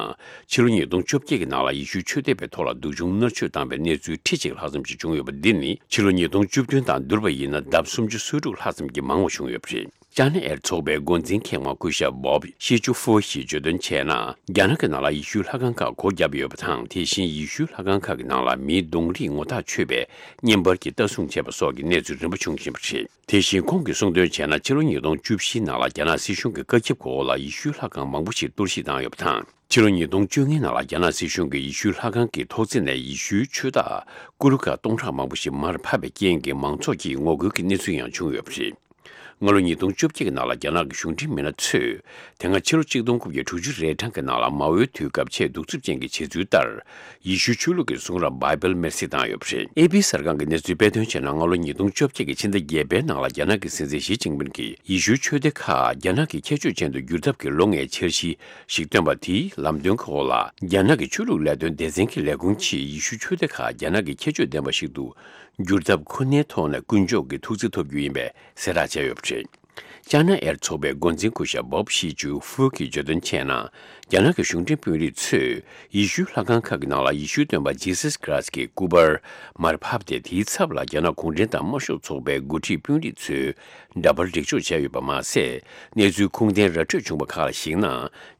ཕྱི་ལོ་ཉིས་སྟོང་བཅོ་བརྒྱད་ཀྱི་ནང་ལ་ཡེ་ཤུའི་ཆོས་དད་པའི་ཐོག་ལ་སྡུག་སྦྱོང་མནར་གཅོད་བཏང་བའི་གནས་ཚུལ་ཁྲི་གཅིག་ལྷག་ཙམ་ཞིག་བྱུང་ཡོད་པ་འདི་ནི། ཕྱི་ལོ་ཉིས་སྟོང་བཅུ་བདུན་དང་བསྡུར་བ་ཡིན་ན་ལྡབ་སུམ་ཅུ་སོ་དྲུག་ལྷག་ཙམ་གྱིས་མང་བ་བྱུང་ཡོད་པ་རེད། China Aid ཚོགས་པའི་འགོ་འཛིན་མཁས་དབང་སྐུ་ཞབས་Bob Shih་Chiu Fu ཡིས་བརྗོད་དོན་བྱས་ན། རྒྱ་ནག་གི་ནང་ལ་ཡེ་ཤུའི་ལྷ་ཁང་ཁག་སྒོ་བརྒྱབ་ཡོད་པ་དང་། དེ་བཞིན་ཡེ་ཤུའི་ལྷ་ཁང་ཁག་གི་ནང་ལ་མིའི་གདོང་རིས་ངོ་ཐག་ཆོད་པའི་བརྙན་པར་གྱིས་ལྟ་སྲུང་བྱས་པ་སོགས་ཀྱི་གནས་ཚུལ་རིམ་པ་བྱུང་བཞིན་པ་རེད། དེ་བཞིན་ཁོང་གིས་གསུངས་དོན་བྱས་ན། ཕྱི་ལོ་ཉིས་སྟོང་བཅུ་བཞིའི་ནང་ལ་རྒྱ་ནག་སྲིད་གཞུང་གི་བཀའ་ཁྱབ་འོག་ལ་ཡེ་ཤུའི་ལྷ་ཁང་མང་པོ་ཞིག་གཏོར་བཤིག་བཏང་ཡོད་པ་དང་། ཕྱི་ལོ་ཉིས་སྟོང་བཅོ་ལྔའི་ནང་ལ་རྒྱ་ནག་སྲིད་གཞུང་གིས་ཡེ་ཤུའི་ལྷ་ཁང་གི་ཐོག་བརྩེགས་ནས་ཡེ་ཤུའི་ཆོས་བདག་ཀུ་རུ་ཀ་སྟོང་ཕྲག་མང་པོ་ཞིག་མར་ཕབ་པའི་རྐྱེན་གྱིས་མང་ཚོགས་ཀྱིས་ངོ་རྒོལ་གྱི་གནས་ཚུལ་ཡང་བྱུང་ཡོད་པ་རེད། སྔ་ལོ་ཉིས་སྟོང་བཅོ་བརྒྱད་ཀྱི་ནང་ལ་རྒྱ་ནག་གི་གཞུང་འབྲེལ་མི་སྣ་ཚོས། དེ་སྔ་ཕྱི་ལོ་ཆིག་སྟོང་དགུ་བརྒྱ་དྲུག་ཅུ་རེ་གྲངས་ཀྱི་ནང་ལ་མའོའི་དུས་སྐབས་ཆེས་གདུག་རྩུབ་ཅན་གྱི་བྱེད་ཚུལ་ལྟར། ཡེ་ཤུའི་ཆོས་ལུགས་ཀྱི་གསུང་རབ་བྷའི་བལ་མེར་སྲེག་བཏང་ཡོད་པ་རེད། ཨེ་པི་གསར་ཁང་གི་གནས་ཚུལ་སྤེལ་དོན་བྱས་ན། སྔ་ལོ་ཉིས་སྟོང་བཅོ་བརྒྱད་ཀྱི་ཕྱི་ཟླ་བརྒྱད་པའི་ནང་ལ་རྒྱ་ནག་གི་སྲིད་འཛིན་ཞི་ཅིན་ཕིན་གྱིས་ཡེ་ཤུའི་ཆོས་སྡེ་ཁག་རྒྱ་ནག་གི་ཁྱད་ཆོས་ཅན་དུ་བསྒྱུར་ཐབས་ཀྱི་ལོ་ལྔའི་འཆར་གཞི་ཞིག་བཏོན་པ་དེའི་ལམ་སྟོན་འོག་ལ། རྒྱ་ནག་གི་ཆོས་ལུགས་ལས་དོན་སྡེ་ཚན་གྱི་ལས་ཁུངས་ཀྱིས་ཡེ་ཤུའི་ཆོས་སྡེ་ཁག་རྒྱ་ནག་གི་ཁྱད་ཆོས་ལྡན་པ་ཞིག་ཏུ་བསྒྱུར་ཐབས་ཁོ་ནའི་ཐོག་ནས་ཀུན་སྤྱོད་ཀྱི་ཐུགས་བརྩེ་ཐོབ་རྒྱུ་ཡིན་པའི་གསལ་བསྒྲགས་བྱས་ཡོད་པ་རེད། ཅཱ་ན་ཨེར་ཚོགས་པའི་འགོ་འཛིན་སྐུ་ཞབས་Bob Shih་Chiu་Fu་གིས་བརྗོད་དོན་བྱས་ན། རྒྱ་ནག་གི་གཞུང་འབྲེལ་དཔོན་རིགས་ཚོས་ཡེ་ཤུའི་ལྷ་ཁང་ཁག་གི་ནང་ལ་ཡེ་ཤུའི་སྟོན་པ་Jesus Christ་གྱི་སྐུ་པར་མར་ཕབ་སྟེ། དེའི་ཚབ་ལ་རྒྱ་ནག་གུང་ཁྲན་ཏང་དམར་ཤོག་ཚོགས་པའི་འགོ་ཁྲིད་དཔོན་རིགས་ཚོས་འདྲ་པར་སྒྲིག་འཇོག་བྱས་ཡོད་པ་མ་ཟད། གནས་ཚུལ་ཁུངས་ལྡན་ར་འཕྲོད་བྱུང་བ་ཁག་ལ་གཞིགས་ན།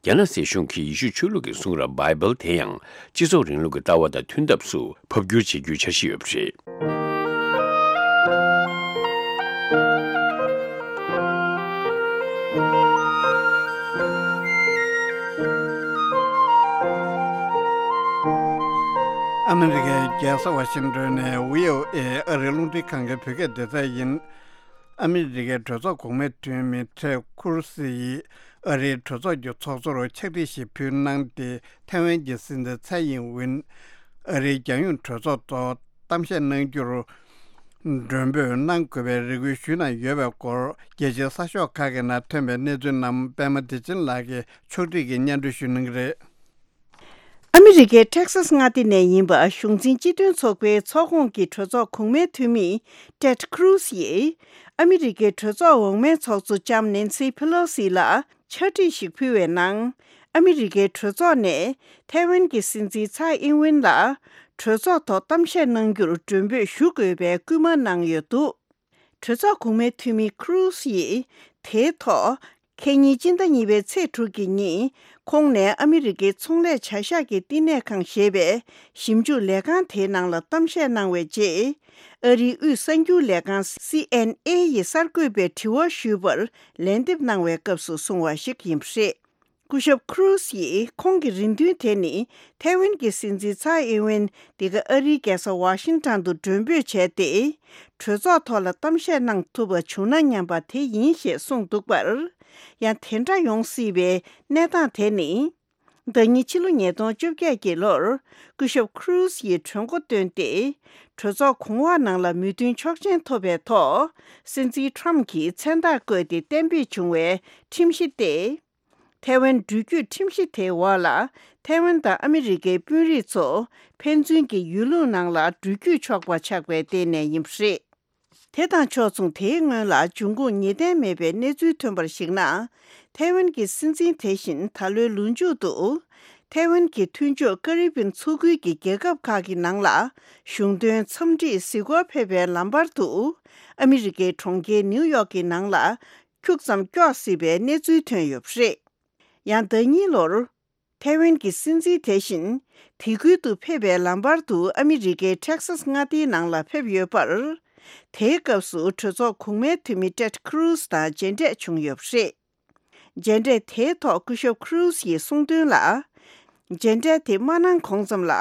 རྒྱ་ནག་སྲིད་གཞུང་གིས་ཡེ་ཤུའི་ཆོས་ལུགས་ཀྱི་གསུང་རབ་བྷའི་བལ་དེ་ཡང་སྤྱི་ཚོགས་རིང་ལུགས་ཀྱི་ལྟ་བ་དང་མཐུན་ཐབས་སུ་ཕབ་བསྒྱུར་བྱེད་རྒྱུའི་འཆར་གཞི་ཡོད་པ་རེད། ཨ་མི་རི་ཀའི་རྒྱལ་ས་ཝ་ཤིང་ཏོན་ནས་བྷི་ཨོ་ཨེ་ཨ་རིའི་རླུང་འཕྲིན་ཁང་གི་བོད་སྐད་སྡེ་ཚན་ཡིན། ཨ་མི་རི་ཀའི་གྲོས་ཚོགས་གོང་མའི་འཐུས་མི་ཊེཌ་ཁུ་རུ་སི་ཡིས་ཨ་རིའི་གྲོས་ཚོགས་ཀྱི་ཚོགས་གཙོར་ཕྱག་བྲིས་ཤིག་ཕུལ་གནང་སྟེ། ཐའེ་ཝན་གྱི་སྲིད་འཛིན་ཚའེ་ཡིན་ཝིན་ཨ་རིའི་རྒྱལ་ཡོངས་གྲོས་ཚོགས་ཐོག་གཏམ་བཤད་གནང་རྒྱུར་མགྲོན་འབོད་གནང་དགོས་པའི་རེ་སྐུལ་ཞུས་གནང་ཡོད་པའི་སྐོར། རྒྱལ་སྤྱིའི་གསར་ཤོག་ཁག་གི་ནང་ཐོན་པའི་གནས་ཚུལ་རྣམས་པད་མ་བདེ་ཆེན་ལགས་ཀྱིས་ཕྱོགས་སྒྲིག་གིས་སྙན་སྒྲོན་ཞུ་གནང་གི་རེད། ཨ་མི་རི་ཀའི་ཊེག་སཱས་མངའ་སྡེ་ནས་ཡིན་པ་གཞུང་འཛིན་སྤྱི་མཐུན་ཚོགས་པའི་ཚོགས་ཁོངས་ཀྱི་གྲོས་ཚོགས་གོང་མའི་འཐུས་མི་ཊེཌ་ཁུ་རུ་སི་ཡིས། ཨ་མི་རི་ཀའི་གྲོས་ཚོགས་འོག་མའི་ཚོགས་གཙོ་ལྕམ་ནེན་སི་ཕེ་ལོ་སི་ལ་ཕྱག་བྲིས་ཤིག་ཕུལ་བའི་ནང་། ཨ་མི་རི་ཀའི་གྲོས་ཚོགས་ནས་ཐའེ་ཝན་གྱི་སྲིད་འཛིན་ཚའེ་ཨིན་ཝིན་ལ་གྲོས་ཚོགས་ཐོག་གཏམ་བཤད་གནང་རྒྱུར་མགྲོན་འབོད་ཞུ་དགོས་པའི་སྐུལ་མ་གནང་ཡོད་འདུག་གྲོས་ཚོགས་གོང་མའི་འཐུས་མི་ཁུ་རུ་སི་ཡིས་དེའི་ཐོག་ཁེ་ཉིན་སྤྱི་ཟླ་གཉིས་པའི་ཚེས་དྲུག་གི་ཉིན། ཁོང་ནས་ཨ་མི་རི་ཀའི་ཚོང་ལས་བྱ་གཞག་གི་བསྟི་གནས་ཁང་ཞེས་པའི་ཞིབ་འཇུག་ལས་ཁང་དེའི་ནང་ལ་གཏམ་བཤད་གནང་བའི་རྗེས། ཨ་རིའི་དབུས་གསར་འགྱུར་ལས་ཁང་སི་ཨེན་ཨེ་ཡིས་གསར་འགོད་པའི་དྲི་བ་ཞུས་པར་ལན་འདེབས་གནང་བའི་སྐབས་སུ་གསུངས་པ་ཞིག་ཡིན་པ་རེད། སྐུ་ཞབས་ཁུ་རུ་སི་ཡིས་ཁོང་གི་རེ་འདུན་དེ་ནི་ཐའེ་ཝན་གྱི་སྲིད་འཛིན་ཚའེ་ཨིན་ཝེན་འདི་ག་ཨ་རིའི་རྒྱལ་ས་ཝ་ཤིང་ཊོན་དུ་མགྲོན་འབོད་བྱས་ཏེ། གྲོས་ཚོགས་ཐོག་ལ་གཏམ་བཤད་གནང་ཐུབ་པ་བྱུང་ན་སྙམ་པ་དེ་ཡིན་ཞེས་གསུངས་འདུག་པར། ཡང་དེ་འདྲ་ཡོང་སྲིད་པའི་གནས་སྟངས་དེ་ནི། ཟླ་ཉིན་ཕྱི་ལོ་ཉིས་སྟོང་བཅོ་བརྒྱད་ཀྱི་ལོར་སྐུ་ཞབས་ཁུ་རུ་སི་ཡིས་གྲོས་འགོ་བཏོན་ཏེ། གྲོས་ཚོགས་གོང་འོག་ནང་ལ་མོས་མཐུན་ཆོག་མཆན་ཐོབ་པའི་ཐོག་སྲིད་འཛིན་ཊྲམ་གྱིས་མཚན་རྟགས་བཀོད་དེ་གཏན་འབེབས་བྱུང་བའི་ཁྲིམས་གཞི་སྟེ། ཐའེ་ཝན་འགྲུལ་སྐྱོད་ཁྲིམས་གཞི་དེའི་འོག་ལ། ཐའེ་ཝན་དང་ཨ་མི་རི་ཀའི་དཔོན་རིགས་ཚོ་ཕན་ཚུན་གྱི་ཡུལ་ལུང་ནང་ལ་འགྲུལ་སྐྱོད་ཆོག་པ་ཆགས་པའི་སྟེང་ནས་ཡིན་པ་རེད། དེ་དང་ཕྱོགས་མཚུངས། དེའི་སྔོན་ལ་འབྱུང་ཁུངས་ངེས་གཏན་མེད་པའི་གནས་ཚུལ་ཐོན་པར་གཞིགས་ན། ཐའེ་ཝན་གྱི་སྲིད་འཛིན་དེ་བཞིན་ད་ལོའི་ལོ་མཇུག་ཏུ། ཐའེ་ཝན་གྱི་མཐུན་ཕྱོགས་ཀ་རི་བིན་མཚོ་ཁུལ་གྱི་རྒྱལ་ཁབ་ཁག་གི་ནང་ལ་གཞུང་དོན་འཚམས་འདྲིར་གཟིགས་སྐོར་ཕེབས་པའི་ལམ་བར་དུ། ཨ་མི་རི་ཀའི་གྲོང་ཁྱེར་ནིའུ་ཡོག་གི་ནང་ལ་ཁྱུག་ཙམ་དཀྱོག་སྲིད་པའི་གནས་ཚུལ་ཐོན་ཡོད་པ་རེད། ཡང་ཟླ་གཉིས་ལོར། ཐའེ་ཝན་གྱི་སྲིད་འཛིན་དེ་བཞིན་དེ་ཁུལ་དུ་ཕེབས་པའི་ལམ་བར་དུ་ཨ་མི་རི་ཀའི་ཊེག་སཱས་མངའ་སྡེའི་ནང་ལ་ཕེབས་ཡོད་པར། དེའི་སྐབས་སུ་གྲོས་ཚོགས་གོང་མའི་འཐུས་མི་ཊེཌ་ཁུ་རུ་ཛི་དང་མཇལ་འཕྲད་བྱུང་ཡོད་པ་རེད། མཇལ་འཕྲད་དེའི་ཐོག་སྐུ་ཞབས་ཁུ་རུ་ཛི་ཡིས་གསུངས་དོན་ལ། མཇལ་འཕྲད་དེ་མ་གནང་གོང་ཙམ་ལ།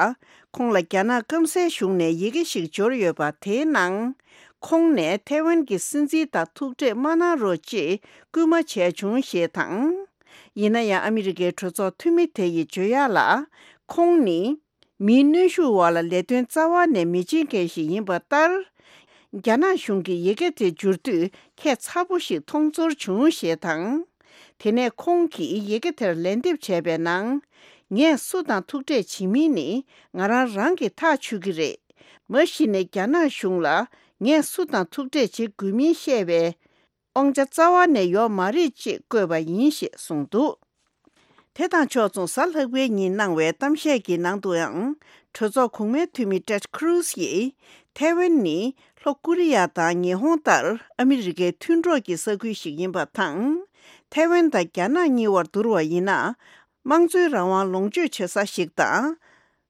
ཁོང་ལ་རྒྱ་ནག་སྐམ་སའི་གཞུང་ནས་ཡི་གེ་ཞིག་འབྱོར་ཡོད་པ། དེའི་ནང་། ཁོང་ནས་ཐའེ་ཝན་གྱི་སྲིད་འཛིན་དང་ཐུག་འཕྲད་མ་གནང་རོགས་ཅེས་སྐུལ་མ་བྱས་བྱུང་ཞེས་དང་། ཡིན་ན་ཡང་ཨ་མི་རི་ཀའི་གྲོས་ཚོགས་འཐུས་མི་དེ་ཡིས་བརྗོད་ཡག་ལ། ཁོང་ནི་མིའི་གནོན་ཤུགས་འོག་ལ་ལས་དོན་རྩ་བ་ནས་མི་བྱེད་མཁན་ཞིག་ཡིན་པ་ལྟར། རྒྱ་ནག་གཞུང་གིས་ཡི་གེ་དེ་བསྒྱུར་དུས་ཁྱད་མཚར་པོ་ཞིག་མཐོང་ཚོར་བྱུང་ཞེས་དང་། དེ་ནས་ཁོང་གིས་ཡི་གེ་དེར་ལན་འདེབས་བྱས་པའི་ནང་། ངས་སུ་དང་ཐུག་འཕྲད་བྱེད་མིན་ནི་ང་རང་རང་གིས་ཐག་ཆོད་ཀྱི་རེད། མ་གཞི་ནས་རྒྱ་ནག་གཞུང་ལ་ངས་སུ་དང་ཐུག་འཕྲད་བྱེད་དགོས་མིན་བཤད་པའི་དབང་ཆ་རྩ་བ་ནས་ཡོད་མ་རེད་ཅེས་བཀོད་པ་ཡིན་ཞེས་གསུངས་འདུག་དེ་དང་ཕྱོགས་མཚུངས། གཟའ་ལྷག་པའི་ཉིན་གནང་བའི་གཏམ་བཤད་ཀྱི་ནང་དུའང་། གྲོས་ཚོགས་གོང་མའི་འཐུས་མི་ཊེཌ་ཁུ་རུ་ཛི་ཡིས། ཐའེ་ཝན་ནི་ལྷོ་ཀོ་རི་ཡ་དང་ཉི་ཧོང་ལྟར་ཨ་མི་རི་ཀའི་མཐུན་གྲོགས་ཀྱི་ས་ཁུལ་ཞིག་ཡིན་པ་དང་། ཐའེ་ཝན་དང་རྒྱ་ནག་གཉིས་བར་བསྡུར་བ་ཡིན་ན། དམངས་གཙོའི་རང་དབང་ལོངས་སྤྱོད་བྱེད་ས་ཞིག་དང་།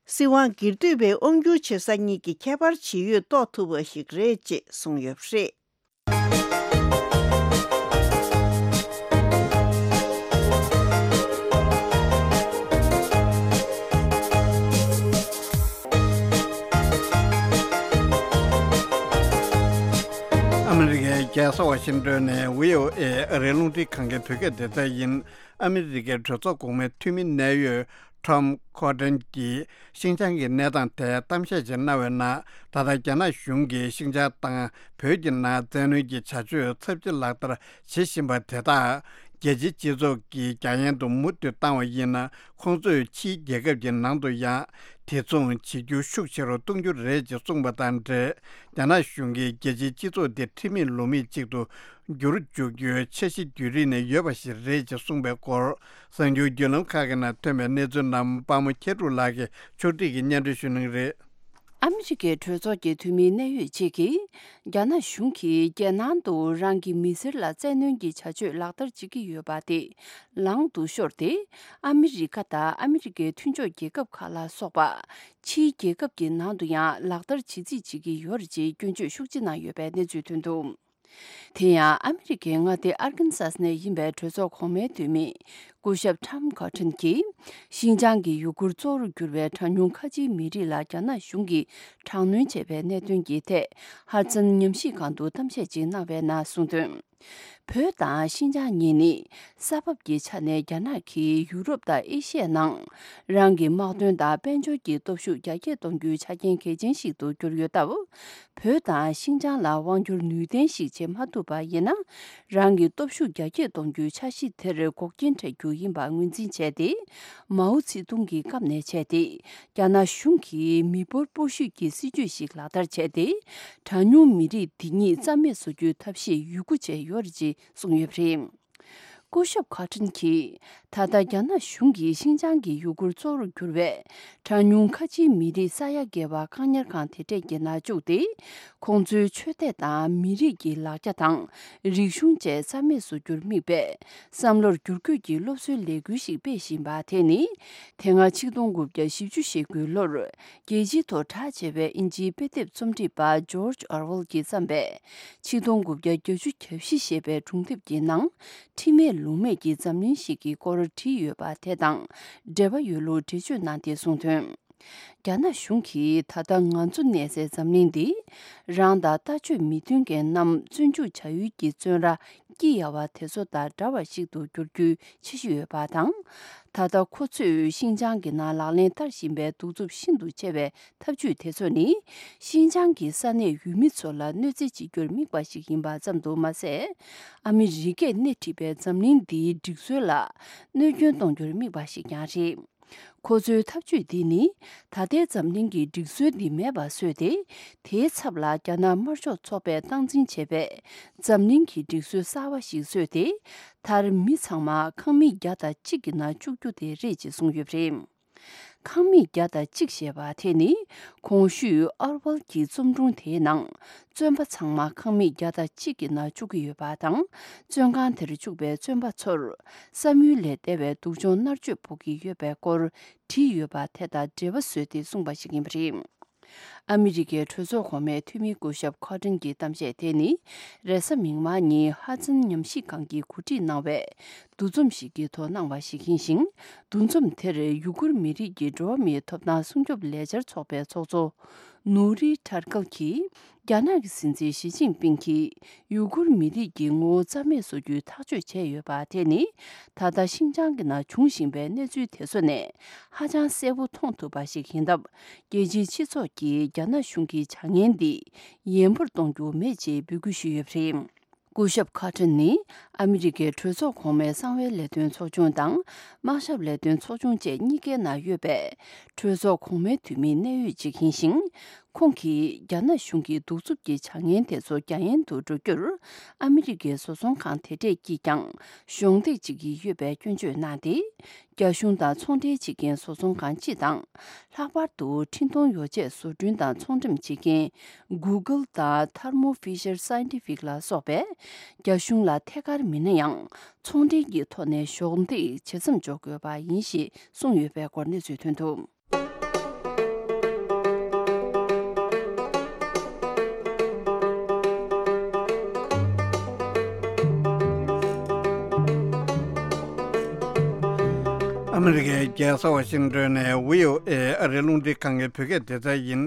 སྲིད་དབང་སྒེར་གཏོད་པའི་དབང་སྒྱུར་བྱེད་ས་གཉིས་ཀྱི་ཁྱད་པར་ཇི་ཡོད་རྟོགས་ཐུབ་པ་ཞིག་རེད་ཅེས་གསུངས་ཡོད་པ་རེད། ཨ་མི་རི་ཀའི་རྒྱལ་ས་ཝ་ཤིང་ཏོན་ནས་བྷི་ཨོ་ཨེ་ཨ་རིའི་རླུང་འཕྲིན་ཁང་གི་བོད་སྐད་སྡེ་ཚན་ཡིན། ཨ་མི་རི་ཀའི་གྲོས་ཚོགས་གོང་མའི་འཐུས་མི་གནད་ཡོད་Tom Cotton་གྱིས་ཤིན་ཅང་གི་གནས་སྟངས་ཐད་གཏམ་བཤད་ཅིག་གནང་བའི་ནང་། ད་ལྟ་རྒྱ་ནག་གཞུང་གིས་ཤིན་ཅང་དང་བོད་ཀྱི་ནང་བཙན་གནོན་གྱི་བྱ་སྤྱོད་ཚབས་ཆེ་ལག་བསྟར་བྱེད་བཞིན་པ་དེ་དག་རྒྱལ་སྤྱིའི་སྤྱི་ཚོགས་ཀྱིས་རྒྱ་ཡན་དུ་མུ་མཐུད་བཏང་བ་ཡིན་ན། ཁོང་ཚོས་ཕྱིའི་རྒྱལ་ཁབ་ཀྱི་ནང་དུ་ཡང་དེ་མཚུངས་བྱེད་རྒྱུ་ཤུགས་ཆེ་རུ་གཏོང་རྒྱུ་རེད་ཅེས་གསུངས་པ་དང་འབྲེལ། རྒྱ་ནག་གཞུང་གིས་རྒྱལ་སྤྱིའི་སྤྱི་ཚོགས་འདི་ཁྲིམས་མེད་ལུགས་མེད་ཅིག་ཏུ་འགྱུར་འཇུག་རྒྱུའི་འཆར་གཞི་རྒྱུན་རིང་ནས་ཡོད་པ་ཞིག་རེད་ཅེས་གསུངས་པའི་སྐོར། གསར་འགྱུར་བརྒྱུད་ལམ་ཁག་གི་ནང་ཐོན་པའི་གནས་ཚུལ་རྣམས་དཔའ་མོ་མཁྱེན་གྲུབ་ལགས་ཀྱིས་ཕྱོགས་སྒྲིག་གིས་སྙན་སྒྲོན་ཞུ་གནང་གི་རེད། ཨ་མི་རི་ཀའི་གྲོས་ཚོགས་ཀྱི་འཐུས་མིའི་གནད་ཡོད་ཅིག་གིས། རྒྱ་ནག་གཞུང་གིས་རྒྱལ་ནང་དུ་རང་གི་མི་སེར་ལ་བཙན་གནོན་གྱི་བྱ་སྤྱོད་ལག་བསྟར་བྱེད་ཀྱི་ཡོད་པ་དེ་ལངས་ཏུ་ཤོར་ཏེ། ཨ་མི་རི་ཀ་དང་ཨ་མི་རི་ཀའི་མཐུན་ཕྱོགས་རྒྱལ་ཁབ་ཁག་ལ་སོགས་པ། ཕྱིའི་རྒྱལ་ཁབ་ཀྱི་ནང་དུ་ཡང་ལག་བསྟར་བྱེད་རྩིས་བྱེད་ཀྱི་ཡོད་རེད་ཅེས་སྐྱོན་བརྗོད་ཤུགས་ཆེ་གནང་ཡོད་པའི་གནས་ཚུལ་ཐོན་འདུག་དེ་ཡང་ཨ་མི་རི་ཀའི་མངའ་སྡེ་ཨར་ཀན་སཱས་ནས་ཡིན་པའི་གྲོས་ཚོགས་གོང་མའི་འཐུས་མི་སྐུ་ཞབས་Tom Cotton་གྱིས། ཤིན་ཅང་གི་ཡུ་གུར་གཙོ་བོར་གྱུར་བའི་གྲངས་ཉུང་ཁ་ཆེའི་མི་རིགས་ལ་རྒྱ་ནག་གཞུང་གིས་དྲག་གནོན་བྱས་པའི་གནད་དོན་གྱི་ཐད། ཧ་ཙན་ཉམས་ཞིབ་ཁང་དུ་གཏམ་བཤད་ཅིག་གནང་བའི་ནང་གསུངས་དོན། བོད་དང་ཤིན་ཅང་གཉིས་ནི་ས་བབ་ཀྱི་ཆ་ནས་རྒྱ་ནག་གིས་ཡུ་རོབ་དང་ཨེ་ཤི་ཡའི་ནང་རང་གི་དམག་དོན་དང་དཔལ་འབྱོར་གྱི་སྟོབས་ཤུགས་རྒྱ་སྐྱེད་གཏོང་རྒྱུའི་ཆ་རྐྱེན་གལ་ཆེན་ཞིག་ཏུ་གྱུར་ཡོད་སྟབས། བོད་དང་ཤིན་ཅང་ལ་དབང་སྒྱུར་ནུས་ལྡན་ཞིག་བྱེད་མ་ཐུབ་པ་ཡིན་ན། རང་གི་སྟོབས་ཤུགས་རྒྱ་སྐྱེད་གཏོང་རྒྱུའི་འཆར་གཞི་དེར་འགོག་རྐྱེན་འཕྲད་རྒྱུ་ཡིན་པ་ངོས་འཛིན་བྱས་ཏེ། མའོ་ཙེ་ཏུང་གི་སྐབས་ནས་བྱས་ཏེ། རྒྱ་ནག་གཞུང་གིས་མི་འབོར་སྤོ་བཤུད་ཀྱི་སྲིད་ཇུས་ཤིག་ལག་བསྟར་བྱས་ཏེ། གྲངས་ཉུང་མི་རིགས་འདི་ཉིད་རྩ་མེད་བཟོ་རྒྱུའི་ཐབས་ཤེས་ཡོད་རྒུ་བྱས་ཡོད་རེད་ཅེས་གསུངས་ཡོད་པ་རེད། སྐུ་ཞབས་ཁ་ཏྲིན་གྱིས། ད་ལྟ་རྒྱ་ནག་གཞུང་གིས་ཤིན་ཅང་གི་ཡུ་གུར་གཙོ་བོར་གྱུར་བའི་གྲངས་ཉུང་ཁ་ཆེའི་མི་རིགས་ས་ཡ་བརྒལ་བ་བཀག་ཉར་ཁང་དེ་གྲས་ཀྱི་ནང་བཅུག་སྟེ། ཁོང་ཚོའི་ཆོས་དད་དང་མི་རིགས་ཀྱི་ལག་ཆ་དང་རིག་གཞུང་བཅས་རྩ་མེད་བཟོ་རྒྱུར་དམིགས་པའི་བསམ་བློར་བསྒྱུར་བཀོད་ཀྱི་སློབ་གསོའི་ལས་འགུལ་ཞིག་སྤེལ་བཞིན་པ་དེ་ནི། དེ་སྔ་ཆིག་སྟོང་དགུ་བརྒྱ་བཞི་བཅུ་ཞེ་དགུའི་ལོར། རྒྱལ་སྤྱིའི་ཐོག་གྲགས་ཆེ་བའི་དབྱིན་ཇིའི་དཔེ་དེབ་རྩོམ་སྒྲིག་པ་ཇོརྗ་ཨོར་ཝེལ་གྱིས་བརྩམས་པའི་ཆིག་སྟོང་དགུ་བརྒྱ་བརྒྱད་ཅུ་གྱ་བཞི་ཞེས་པའི་སྒྲུང་དེབ་ཀྱི་ནང་། ཁྲིམས་མེད་ལུགས་མེད་ཀྱི་འཛམ་གླིང་ཞིག་གི་སྐོར་བྲིས་ཡོད་པ་དེ་དང་འབྲེལ་བ་ཡོད་ལུགས་འགྲེལ་བརྗོད་གནང་སྟེ་གསུངས་དོན། རྒྱ་ནག་གཞུང་གིས་ད་ལྟ་ང་ཚོ་གནས་སའི་འཛམ་གླིང་འདི། རང་དང་ལྟ་སྤྱོད་མི་མཐུན་མཁན་རྣམས་བཙོན་འཇུག་བྱ་ཡུལ་གྱི་བཙོན་ར་སྐྱི་གཡའ་བ་དེ་ཚོ་དང་འདྲ་བ་ཞིག་ཏུ་འགྱུར་རྒྱུའི་འཆར་གཞི་ཡོད་པ་དང་། ད་ལྟ་ཁོ་ཚོས་ཤིན་ཅང་གི་ནང་ལག་ལེན་བསྟར་བཞིན་པའི་གདུག་རྩུབ་ཤིན་ཏུ་ཆེ་བའི་ཐབས་ཇུས་དེ་ཚོ་ནི། ཤིན་ཅང་གི་ས་གནས་ཡུལ་མི་ཚོ་ལ་གནོད་འཚེ་བྱེད་རྒྱུར་དམིགས་པ་ཞིག་ཡིན་པ་ཙམ་དུ་མ་ཟད། ཨ་མི་རི་ཀས་སྣེ་ཁྲིད་པའི་འཛམ་གླིང་འདིའི་སྒྲིག་སྲོལ་ལ་གནོད་སྐྱོན་གཏོང་རྒྱུར་དམིགས་པ་ཞིག་ཀྱང་རེད། ཁོ་ཚོའི་ཐབས་ཇུས་འདི་ནི། ད་ལྟའི་འཛམ་གླིང་གི་སྒྲིག་སྲོལ་འདི་མེད་པ་བཟོས་ཏེ། དེའི་ཚབ་ལ་རྒྱ་ནག་དམར་ཤོག་ཚོགས་པས་སྟངས་འཛིན་བྱས་པའི་འཛམ་གླིང་གི་སྒྲིག་སྲོལ་གསར་བ་ཞིག་བཟོས་ཏེ། མཐར་མི་ཚང་མ་ཁང་མིག་བརྒྱ་དང་གཅིག་གི་ནང་བཅུག་རྒྱུ་དེ་རེད་ཅེས་གསུངས་ཡོད་པ་རེད། ཁང་མིག་བརྒྱ་དང་གཅིག་ཞེས་པ་དེ་ནི། གོང་ཞུས་ཨོར་ཝེལ་གྱི་རྩོམ་སྒྲུང་དེའི་ནང་། བཙོན་པ་ཚང་མ་ཁང་མིག་བརྒྱ་དང་གཅིག་གི་ནང་བཅུག་གི་ཡོད་པ་དང་། བཙོན་ཁང་དེར་བཅུག་པའི་བཙོན་པ་ཚོར། བསམ་ཡུལ་ལས་འདས་པའི་སྡུག་སྦྱོང་མནར་གཅོད་ཕོག་གི་ཡོད་པའི་སྐོར་བྲིས་ཡོད་པ་དེ་དང་འབྲེལ་བ་བཟོས་ཏེ་གསུངས་པ་ཞིག་ཡིན་པ་རེད། ཨ་མི་རི་ཀའི་གྲོས་ཚོགས་གོང་མའི་འཐུས་མི་སྐུ་ཞབས་ཁོ་ཏྲིན་གྱི་གཏམ་བཤད་དེ་ནི། རེས་གཟའ་མིག་དམར་ཉིན་ཧ་ཛན་ཉམས་ཞིབ་ཁང་གིས་གོ་སྒྲིག་གནང་བའི་འདུ་འཛོམས་ཤིག་གི་ཐོག་གནང་བ་ཞིག་ཡིན་ཞིང་། འདུ་འཛོམས་དེར་ཡུ་གུར་མི་རིགས་ཀྱི་འགྲོ་བ་མིའི་ཐོབ་ཐང་སྲུང་སྐྱོབ་ལས་འཆར་ཚོགས་པའི་ཚོགས་གཙོ་ནུ་རི་ཁྲར་ཀལ་གྱིས། རྒྱ་ནག་གི་སྲིད་འཛིན་ཞི་ཅིན་ཕིང་གིས་ཡུ་གུར་མི་རིགས་ཀྱི་ངོ་བོ་རྩ་མེད་བཟོ་རྒྱུའི་ཐག་གཅོད་བྱས་ཡོད་པ་དེ་ནི། ད་ལྟ་ཤིན་ཅང་གི་ནང་འབྱུང་བཞིན་པའི་གནས་ཚུལ་དེ་ཚོ་ནས་ཧ་ཅང་གསལ་པོ་མཐོང་ཐུབ་པ་ཞིག་ཡིན་སྟབས། རྒྱལ་སྤྱིའི་སྤྱི་ཚོགས་ཀྱིས་རྒྱ་ནག་གཞུང་གི་བྱ་ངན་འདི་ཡན་པོར་གཏོང་རྒྱུ་མེད་ཅེས་འབོད་སྐུལ་ཞུས་ཡོད་པ་རེད། སྐུ་ཞབས་ཁ་ཏྲིན་ནི་ཨ་མི་རི་ཀའི་གྲོས་ཚོགས་གོང་མའི་གསང་བའི་ལས་དོན་ཚོགས་ཆུང་དང་། དམག་ཞབས་ལས་དོན་ཚོགས་ཆུང་བཅས་གཉིས་ཀའི་ནང་ཡོད་པའི་གྲོས་ཚོགས་གོང་མའི་འཐུས་མིའི་གནད་ཡོད་ཅིག་ཡིན་ཞིང་། ཁོང་གིས་རྒྱ་ནག་གཞུང་གིས་གདུག་རྩུབ་ཀྱི་བྱ་ངན་དེ་ཚོ་རྒྱ་ཡན་དུ་འགྲོ་རྒྱུར། ཨ་མི་རི་ཀའི་བཟོ་ཚོང་ཁང་དེ་གྲས་ཀྱིས་ཀྱང་གཞོགས་འདེགས་བྱེད་ཀྱི་ཡོད་པའི་སྐྱོན་བརྗོད་གནང་སྟེ། རྒྱ་གཞུང་དང་ཚོང་འབྲེལ་བྱེད་མཁན་བཟོ་ཚོང་ཁང་སྤྱི་དང་། ལྷག་པར་དུ་འཕྲིན་གཏོང་ཡོ་ཆས་བཟོ་སྐྲུན་དང་ཚོང་འགྲེམས་བྱེད་མཁན་Google་དང་Thermo Fisher Scientific་ལ་སོགས་པས། རྒྱ་གཞུང་ལ་ཐད་ཀར་མིན་ན་ཡང་ཚོང་འབྲེལ་གྱི་ཐོག་ནས་གཞོགས་འདེགས་བྱེད་མཚམས་འཇོག་དགོས་པ་ཡིན་ཞེས་གསུངས་ཡོད་པའི་སྐོར་གནས་ཚུལ་ཐོན་འདུག་ཨ་མི་རི་ཀའི་རྒྱལ་ས་ཝ་ཤིང་ཏོན་ནས་བྷི་ཨོ་ཨེ་ཨ་རིའི་རླུང་འཕྲིན་ཁང་གི་བོད་སྐད་སྡེ་ཚན་ཡིན།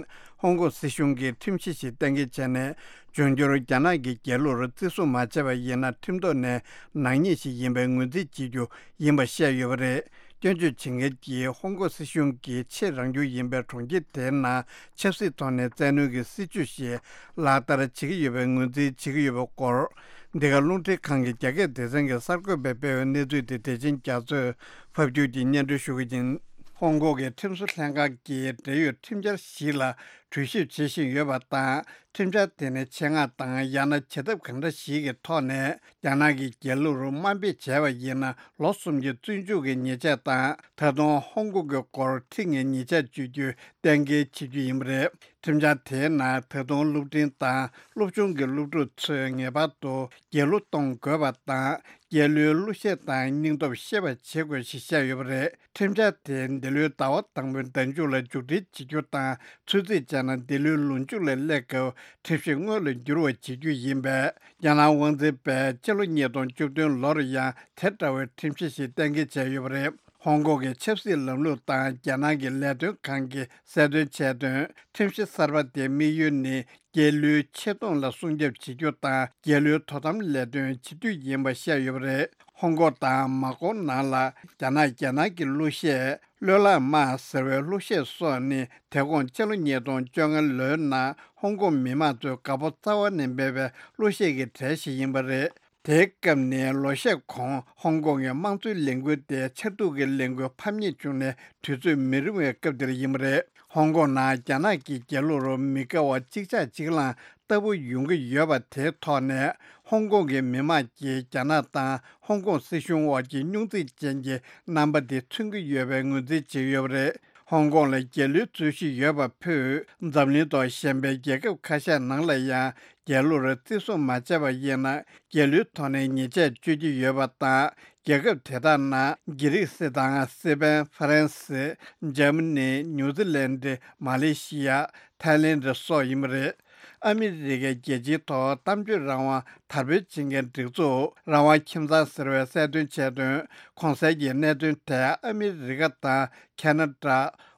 ཧོང་ཀོང་སྲིད་གཞུང་གིས་ཁྲིམས་གཞི་ཞིག་གཏན་འཁེལ་བྱས་ནས། འབྱུང་འགྱུར་རྒྱ་ནག་གི་རྒྱལ་གླུར་བརྩི་སྲུང་མ་བྱས་པ་ཡིན་ན། ཁྲིམས་ཐོག་ནས་ནག་ཉེས་ཤིག་ཡིན་པའི་ངོས་འཛིན་བྱེད་རྒྱུ་ཡིན་པ་བཤད་ཡོད་པ་རེད། སྐྱོན་བརྗོད་བྱེད་མཁན་གྱིས་ཧོང་ཀོང་སྲིད་གཞུང་གིས་ཆེས་རང་འགུལ་ཡིན་པའི་གྲོང་ཁྱེར་དེའི་ནང་ཆབ་སྲིད་ཐོག་ནས་བཙན་གནོན་གྱི་སྲིད་བྱུས་ཤིག་ལག་བསྟར་བྱེད་ཀྱི་ཡོད་པའི་ངོས་འཛིན་བྱེད་ཀྱི་ཡོད་པའི་སྐོར། འདི་ག་རླུང་འཕྲིན་ཁང་གི་རྒྱ་སྐད་སྡེ་ཚན་གྱི་གསར་འགོད་པས་སྤེལ་བའི་གནས་ཚུལ་དེ། བདེ་ཆེན་རྒྱ་མཚོས་ཕབ་སྒྱུར་གྱིས་སྙན་སྒྲོན་ཞུ་གི་ཡིན། ཧོང་ཀོང་གི་ཁྲིམས་བཟོ་ལྷན་ཁང་གིས་འབྲེལ་ཡོད་ཁྲིམས་འཆར་ཞིག་ལ་གྲོས་ཞིབ་བྱེད་བཞིན་ཡོད་པ་དང་། ཁྲིམས་འཆར་དེ་ནི་ཆེད་མངགས་དང་། ཡང་ན་བྱེད་ཐབས་གང་འདྲ་ཞིག་གི་ཐོག་ནས་རྒྱ་ནག་གི་རྒྱལ་གླུར་དམའ་འབེབས་བྱས་པ་ཡིན་ན། ལོ་གསུམ་གྱི་བཙོན་འཇུག་གི་ཉེས་ཆད་དང་། ད་དུང་ཧོང་ཀོང་གི་སྐོར་ཁྲི་ལྔའི་ཉེས་ཆད་གཅོད་རྒྱུ་གཏན་འཁེལ་བྱེད་རྒྱུ་ཡིན་པ་རེད། ཁྲིམས་འཆར་དེའི་ནང་ད་དུང་སློབ་འབྲིང་དང་སློབ་ཆུང་གི་སློབ་ཕྲུག་ཚོས་ངེས་པར་དུ་རྒྱལ་གླུ་གཏོང་དགོས་པ་དང་། རྒྱལ་གླུའི་གླུ་གཞས་དང་སྙིང་སྟོབས་ཤེས་པ་བྱེད་དགོས་ཞེས་བཤད་ཡོད་པ་རེད། ཁྲིམས་འཆར་དེ་འདི་ལོའི་ཟླ་བ་དང་པོའི་ཟླ་མཇུག་ལ་མཇུག་སྒྲིལ་བྱེད་རྒྱུ་དང་། ཚོད་རྩིས་བྱས་ན་འདི་ལོའི་ལོ་མཇུག་ལ་སླེབས་སྐབས་ཁྲིམས་གཞི་དངོས་ལ་འགྱུར་བ་བྱེད་རྒྱུ་ཡིན་པས། རྒྱ་ནག་དབང་འཛིན་པས་ཕྱི་ལོ་ཉིས་སྟོང་བཅུ་བདུན་ལོར་ཡང་དེ་འདྲ་བའི་ཁྲིམས་གཞི་ཞིག་གཏན་འཁེལ་བྱས་ཡོད་པ་རེད། ཧོང་ཀོང་གི་ཆབ་སྲིད་ལམ་ལུགས་དང་རྒྱ་ནག་གི་ལས་དོན་ཁང་གིས་གསལ་སྟོན་བྱས་དོན། ཁྲིམས་གཞི་གསར་པ་དེའི་དམིགས་ཡུལ་ནི། རྒྱལ་གླུའི་ཆེ་མཐོང་ལ་སྲུང་སྐྱོབ་བྱེད་རྒྱུ་དང་། རྒྱལ་གླུའི་དོ་དམ་ལས་དོན་བྱེད་རྒྱུ་ཡིན་པ་བཤད་ཡོད་པ་རེད། ཧོང་ཀོང་དང་མ་ཀོ་ནང་ལ་རྒྱ་ནག་རྒྱ་ནག་གི་གླུ་གཞས། གླུ་ལག་དམར་ཟེར་བའི་གླུ་གཞས་སོགས་ནི། དེ་གོང་ཕྱི་ལོ་ཉིས་སྟོང་བཅོ་ལྔ་ལོའི་ནང་ཧོང་ཀོང་མི་མང་ཚོས་དགའ་པོ་རྩ་བ་ནས་མེད་པའི་གླུ་གཞས་ཀྱི་གྲས་ཤིག་ཡིན་པ་རེད། དེའི་སྐབས་ནི་ལོ་ཤས་གོང་ཧོང་ཀོང་གི་དམངས་གཙོའི་ལས་འགུལ་དེ་ཆར་གདུགས་ཀྱི་ལས་འགུལ་ཕམ་ཉེས་བྱུང་ནས་དུས་ཚོད་མི་རིང་བའི་སྐབས་དེར་ཡིན་པ་རེད། ཧོང་ཀོང་ནང་རྒྱ་ནག་གི་རྒྱལ་གླུ་རུ་མི་དགའ་བ་གཅིག་ཆག་གཅིག་ལངས་ལྟ་བུ་ཡོང་གི་ཡོད་པ་དེའི་ཐོག་ནས། ཧོང་ཀོང་གི་མི་མང་གིས་རྒྱ་ནག་དང་ཧོང་ཀོང་སྲིད་གཞུང་དབར་གྱི་རྙོག་འཛིང་ཅན་གྱི་རྣམ་པ་དེ་མཚོན་གྱི་ཡོད་པའི་ངོས་འཛིན་བྱས་ཡོད་པ་རེད། ཧོང་ཀོང་ལ་རྒྱལ་གླུའི་རྩོད་གཞི་ཡོད་པ་ཕུད། འཛམ་གླིང་ཐོག་གཞན་པའི་རྒྱལ་ཁབ་ཁ་ཤས་ནང་ལ་ཡང་རྒྱལ་གླུར་བརྩི་སྲུང་མ་བྱས་པ་ཡིན་ན། རྒྱལ་གླུའི་ཐོག་ནས་ཉེས་ཆད་གཅོད་ཀྱི་ཡོད་པ་དང་། རྒྱལ་ཁབ་དེ་དག་ནང་། དགེ་རིགས་སི་དང་སི་པན། ཧྥ་རན་སི། འཇར་མ་ནི། ནིའུ་ཛི་ལན་ཌི། མ་ལེ་ཤི་ཡ། ཐའི་ལེན་ཌི་སོགས་ཡིན་པ་རེད། ཨ་མི་རི་ཀའི་རྒྱལ་སྤྱིའི་ཐོག་གཏམ་བརྗོད་རང་དབང་དར་སྤེལ་བྱེད་མཁན་སྒྲིག་འཛུགས་རང་དབང་ཁྱིམ་ཚང་ཟེར་བས་གསལ་སྟོན་བྱས་དོན། གོང་གསལ་གྱི་གནད་དོན་དེ་ཨ་མི་རི་ཀ་དང་ཁེ་ན་ཌ།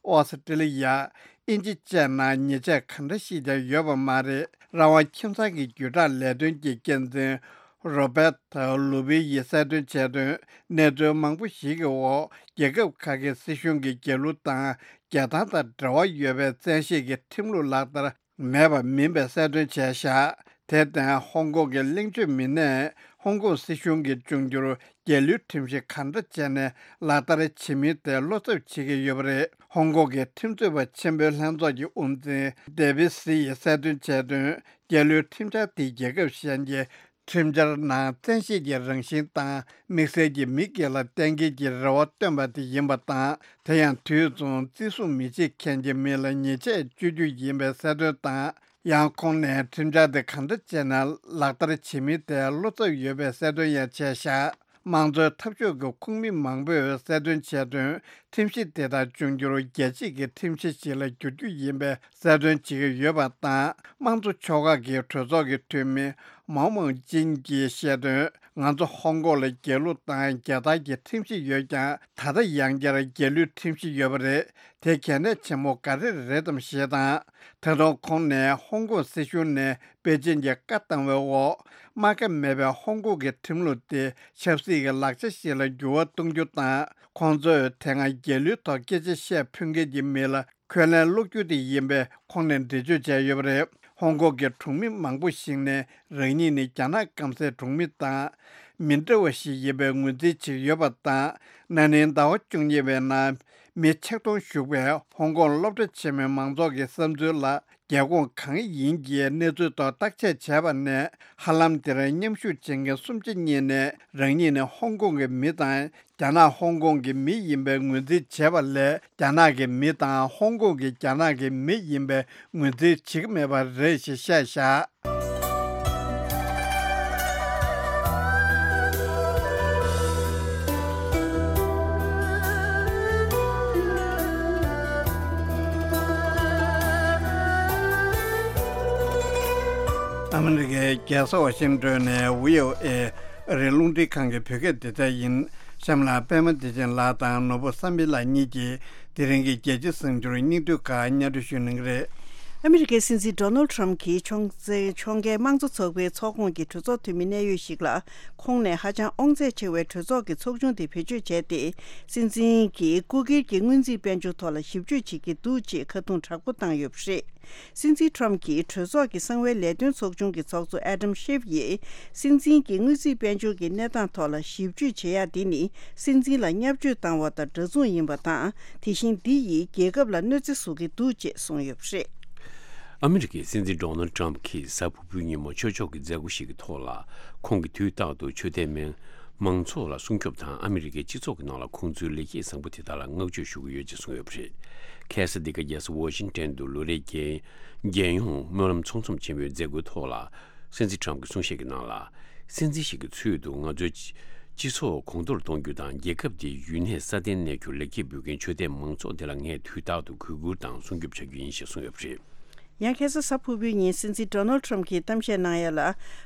ཨོ་སི་ཀྲི་ལི་ཡ། དབྱིན་ཇི་བཅས་ནང་ཉེས་ཆད་ག་འདྲ་ཞིག་ཀྱང་ཡོད་པ་མ་རེད། རང་དབང་ཁྱིམ་ཚང་གི་བརྒྱུད་བསྒྲགས་ལས་དོན་གྱི་འགན་འཛིན་རོ་བེ་ཐ་ལུ་པི་ཡིས་གསལ་སྟོན་བྱས་དོན། གནས་ཚུལ་མང་པོ་ཞིག་གི་འོག་རྒྱལ་ཁབ་ཁག་གི་སྲིད་གཞུང་གིས་རྒྱལ་གླུ་དང་རྒྱལ་ཐང་དང་འབྲེལ་བ་ཡོད་པའི་བཙན་ཤེད་ཀྱི་ཁྲིམས་ལུགས་ལག་བསྟར་མེད་པ་མིན་པའི་གསལ་སྟོན་བྱས་བཞག་དེར་བརྟེན་ཧོང་ཀོང་གི་གླེང་བརྗོད་མི་སྣས་ཧོང་ཀོང་སྲིད་གཞུང་གིས་འབྱུང་འགྱུར་རྒྱལ་གླུའི་ཁྲིམས་གཞི་ག་འདྲ་བྱས་ནས་ལག་བསྟར་བྱེད་མིན་དེ་བློ་འཚབ་བྱེད་ཀྱི་ཡོད་པ་རེད། ཧོང་ཀོང་གི་ཁྲིམས་རྩོད་པ་ཆེན་པོའི་ལྷན་ཚོགས་ཀྱི་དབུ་འཛིན་ཌེ་བི་སི་ཡིས་གསལ་སྟོན་བྱས་དོན། རྒྱལ་གླུའི་ཁྲིམས་འཆར་དེ་རྒྱལ་ཁབ་གཞན་གྱི་ཁྲིམས་འཆར་ནང་བཙན་ཤེད་ཀྱི་རང་བཞིན་དང་དམིགས་བསལ་གྱི་མི་སྒེར་ལ་གཏན་འཁེལ་གྱི་རེ་བ་བཏོན་པ་དེ་ཡིན་པ་དང་། དེ་ཡང་དུས་མཚུངས་བརྩི་སྲུང་མི་བྱེད་མཁན་གྱི་མི་ལ་ཉེས་ཆད་གཅོད་རྒྱུ་ཡིན་པའི་གསལ་སྟོན་དང་། ཡང་ཁོང་ནས་ཁྲིམས་འཆར་དེ་གང་འདྲ་བྱས་ནས་ལག་བསྟར་བྱེད་མིན་ཐད་བློ་འཚབ་ཡོད་པའི་གསལ་སྟོན་ཡང་བྱས་བཞག་དམངས་གཙོའི་འཐབ་ཕྱོགས་ཀྱི་ཁོངས་མི་མང་པོས་གསལ་སྟོན་བྱས་དོན། ཁྲིམས་གཞི་དེ་དག་འབྱུང་འགྱུར་རྒྱལ་སྤྱིའི་ཁྲིམས་གཞི་ཞིག་ལ་བསྒྱུར་རྒྱུ་ཡིན་པའི་གསལ་སྟོན་བྱེད་ཀྱི་ཡོད་པ་དང་། དམངས་གཙོ་ཕྱོགས་ཁག་གི་གྲོས་ཚོགས་ཀྱི་འཐུས་མི་མའོ་མའོ་ཅིན་གྱིས་བཤད་དོན། ང་ཚོ་ཧོང་ཀོང་ལ་རྒྱལ་གླུ་དང་རྒྱལ་ཐང་གི་ཁྲིམས་གཞི་ཡོད་ཀྱང་། ད་ལྟ་ཡང་བསྐྱར་རྒྱལ་གླུའི་ཁྲིམས་གཞི་ཡོད་པ་རེད། དེ་གལ་གནད་ཆེན་པོ་ག་རེ་རེད་དམ་ཞེས་དང་། ད་དུང་ཁོང་ནས་ཧོང་ཀོང་སྲིད་གཞུང་ནས་པེ་ཅིན་གྱི་བཀའ་བཏང་བའི་འོག་རྨ་ཁ་མེད་པའི་ཧོང་ཀོང་གི་ཁྲིམས་ལུགས་དེ་ཆབ་སྲིད་ཀྱི་ལག་ཆ་ཞིག་ལ་འགྱུར་བ་གཏོང་རྒྱུ་དང་། ཁོང་ཚོས་དེ་སྔ་རྒྱལ་གླུའི་ཐོག་སྐད་ཆ་བཤད་ཕོད་མཁན་གྱི་མི་ལ་འཁོན་ལན་སློག་རྒྱུ་དེ་ཡིན་པའི་ཁོང་ནས་འགྲེལ་བརྗོད་བྱས་ཡོད་པ་རེད། ཧོང་ཀོང་གི་གྲོང་མི་མང་པོ་ཞིག་ནས་རང་ཉིད་ནི་རྒྱ་ནག་སྐམ་སའི་གྲོང་མི་དང་མི་འདྲ་བ་ཞིག་ཡིན་པའི་ངོས་འཛིན་བྱེད་ཀྱི་ཡོད་པ་དང་། ན་ནིང་ཟླ་བ་བཅུ་གཉིས་པའི་ནང་མི་ཆིག་སྟོང་ཞུགས་པའི་ཧོང་ཀོང་སློབ་གྲྭ་ཆེན་མོའི་མང་ཚོགས་ཀྱི་བསམ་ཚུལ་ལ། རྒྱལ་ཁོངས་གང་ཡིན་གྱི་གནས་ཚུལ་ཐོག་བརྟག་དཔྱད་བྱས་པ་ནས། ཧ་ལམ་དེར་མཉམ་ཞུགས་བྱེད་མཁན་སུམ་ཆ་གཉིས་ནས་རང་ཉིད་ནི་ཧོང་ཀོང་གི་མི་དང་རྒྱ་ནག་ཧོང་ཀོང་གི་མི་ཡིན་པའི་ངོས་འཛིན་བྱས་པ་ལས། རྒྱ་ནག་གི་མི་དང་ཧོང་ཀོང་གི་རྒྱ་ནག་གི་མི་ཡིན་པའི་ངོས་འཛིན་བྱེད་ཀྱི་མེད་པ་རེད་ཞེས་བཤད་བཞག་ཨ་མི་རི་ཀའི་རྒྱལ་ས་ཝ་ཤིང་ཏོན་ནས་བྷི་ཨོ་ཨེ་ཨ་རིའི་རླུང་འཕྲིན་ཁང་གི་བོད་སྐད་སྡེ་ཚན་ཡིན། གཤམ་ལ་པད་མ་བདེ་ཆེན་ལགས་དང་ནོར་བུ་བསམ་འཕེལ་ལགས་གཉིས་ཀྱིས་དེ་རིང་གི་རྒྱལ་སྤྱིའི་གསར་འགྱུར་སྙིང་བསྡུས་ཁག་སྙན་སྒྲོན་ཞུ་གནང་གི་རེད། ཨ་མི་རི་ཀའི་སྲིད་འཛིན་ཌོ་ནལ་ཌི་ཊརམ་གྱིས་ཕྱོགས་འགལ་དམངས་གཙོ་ཚོགས་པའི་ཚོགས་ཁོངས་ཀྱི་གྲོས་ཚོགས་འཐུས་མི་གནད་ཡོད་ཞིག་ལ། ཁོང་ནས་ཧ་ཅང་དབང་ཚད་ཆེ་བའི་གྲོས་ཚོགས་ཀྱི་ཚོགས་ཆུང་དེ་བེད་སྤྱོད་བྱས་ཏེ། སྲིད་འཛིན་གྱིས་སྐུ་སྒེར་གྱི་སྔོན་རྩིས་དཔལ་འབྱོར་ཐོག་ལ་ཞིབ་དཔྱོད་བྱེད་ཀྱི་འདུག་ཅེས་ཁ་རྡུང་དྲག་པོ་བཏང་ཡོད་པ་རེད། སྲིད་འཛིན་ཊརམ་གྱིས་གྲོས་ཚོགས་ཀྱི་གསང་བའི་ལས་དོན་ཚོགས་ཆུང་གི་ཚོགས་གཙོ་ཨེ་ཌམ་ཤིབ་ཡིས། སྲིད་འཛིན་གྱི་དངུལ་རྩིས་དཔལ་འབྱོར་གྱི་གནས་སྟངས་ཐོག་ལ་ཞིབ་དཔྱོད་བྱེད་ཡག་འདི་ནི་སྲིད་འཛིན་ལ་བརྙས་བཅོས་བཏང་བ་དང་འདྲ་མཚུངས་ཡིན་པ་དང་། དེ་བཞིན་འདི་ཡིས་རྒྱལ་ཁབ་ལ་གནོད་འཚེ་བཟོ་གི་འདུག་ཅེས་གསུངས་ཡོད་པ་རེད། ཨ་མི་རི་ཀའི་སྲིད་འཛིན་ཌོ་ནལ་ཌི་ཊརམ་གྱིས་གཟའ་ཕུར་བུའི་ཉིན་མོ་ཆོས་ཕྱོགས་ཀྱི་མཛད་སྒོ་ཞིག་གི་ཐོག་ལ། ཁོང་གིས་དུས་རྟག་ཏུ་ཆོས་དད་མི་མང་ཚོགས་ལ་སྲུང་སྐྱོབ་དང་། ཨ་མི་རི་ཀའི་སྤྱི་ཚོགས་ཀྱི་ནང་ལ་ཁོང་ཚོའི་ལེགས་སྐྱེས་བཟང་པོ་དེ་དག་ལ་བསྔགས་བརྗོད་ཞུ་གི་ཡོད་ཅེས་གསུངས་ཡོད་པ་རེད། ཁ་སང་འདི་ག་རྒྱལ་ས་ཝ་ཤིང་ཊོན་དུ་ལོ་རེའི་རྒྱལ་རྒྱལ་ཡོངས་སྨོན་ལམ་ཚོགས་འཛོམས་ཆེན་མོའི་མཛད་སྒོའི་ཐོག་ལ། སྲིད་འཛིན་ཊརམ་གྱིས་གསུང་བཤད་ཀྱི་ནང་ལ། སྲིད་འཛིན་ཞིག་གི་ཚུལ་དུ་ང་ཚོའི་སྤྱི་ཚོགས་གོང་མཐོར་གཏོང་རྒྱུ་དང་། རྒྱལ་ཁབ་དེའི་ཡུན་གནས་སྲ་བརྟན་གནས་རྒྱུར་ལེགས་སྐྱེས་འབུལ་མཁན་ཆོས་དད་མང་ཚོགས་དེ་ལ་ངས་དུས་རྟག་ཏུ་གུས་བཀུར་དང་སྲུང་སྐྱོབ་བྱ་རྒྱུ་ཡིན་ཞེས་གསུངས་ཡོད་པ་རེད། ཡང་ཁ་སང་གཟའ་ཕུར་བུའི་ཉིན་སྲིད་འཛིན་ཌོ་ནལ་ཌི་ཊརམ་གྱིས་གཏམ་བཤད་གནང་ཡ་ལ།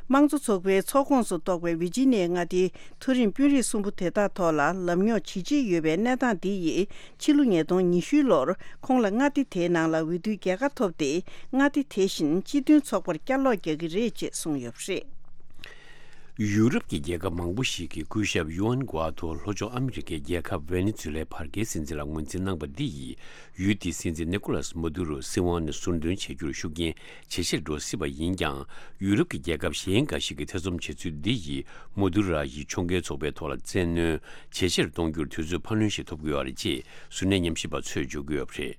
དམངས་གཙོ་ཚོགས་པའི་ཚོགས་ཁོངས་སུ་གཏོགས་པའི་ཝི་ཇི་ནི་ཡའི་མངའ་སྡེའི་མཐོ་རིམ་དཔོན་རིགས་གསུམ་པོ་དེ་དག་ཐོག་ལ་ལམ་རྙོག་ཇི་ཆེ་ཡོད་པའི་གནས་སྟངས་འདི་ཡིས། ཕྱི་ལོ་ཉིས་སྟོང་ཉི་ཤུའི་ལོར་ཁོང་ལ་མངའ་སྡེ་དེའི་ནང་ལ་འོས་བསྡུའི་རྒྱལ་ཁ་ཐོབ་སྟེ། མངའ་སྡེ་དེ་བཞིན་སྤྱི་མཐུན་ཚོགས་པར་བསྐྱར་ལོག་རྒྱག་གི་རེད་ཅེས་གསུངས་ཡོད་པ་རེད། ཡུ་རོབ་ཀྱི་རྒྱལ་ཁབ་མང་པོ་ཞིག་གིས་སྐུ་ཞབས་ཡུ་ཨན་གུ་ཨ་ཐོ་ལྷོ་ཕྱོགས་ཨ་མི་རི་ཀའི་རྒྱལ་ཁབ་ཝེ་ནེ་ཛུ་ལའི་བར་བརྒལ་སྲིད་འཛིན་ལ་ངོས་འཛིན་གནང་པ་འདི་ཡིས། ཡུལ་དེའི་སྲིད་འཛིན་ནི་ཀོ་ལཱས་མ་དུ་རོ་སྲིད་དབང་ནས་ཟུར་འདོན་བྱེད་རྒྱུར་ཤུགས་རྐྱེན་ཇེ་ཆེར་འགྲོ་སྲིད་པ་ཡིན་ཀྱང་། ཡུ་རོབ་ཀྱི་རྒྱལ་ཁབ་གཞན་འགའ་ཞིག་གིས་ཐེ་ཚོམ་བྱེད་ཚུལ་འདི་ཡིས། མ་དུ་རོ་ཡིས་ཕྱོགས་འགལ་ཚོགས་པའི་ཐོག་ལ་བཙན་གནོན་ཇེ་ཆེར་གཏོང་རྒྱུར་དུས་ཚོད་འཕར་ལུན་ཞིག་ཐོབ་དགོས་པ་རེད་ཅེས་གཟུར་གནས་ཉམས་ཞིབ་པ་ཚོས་བརྗོད་ཀྱི་ཡོད་པ་རེད།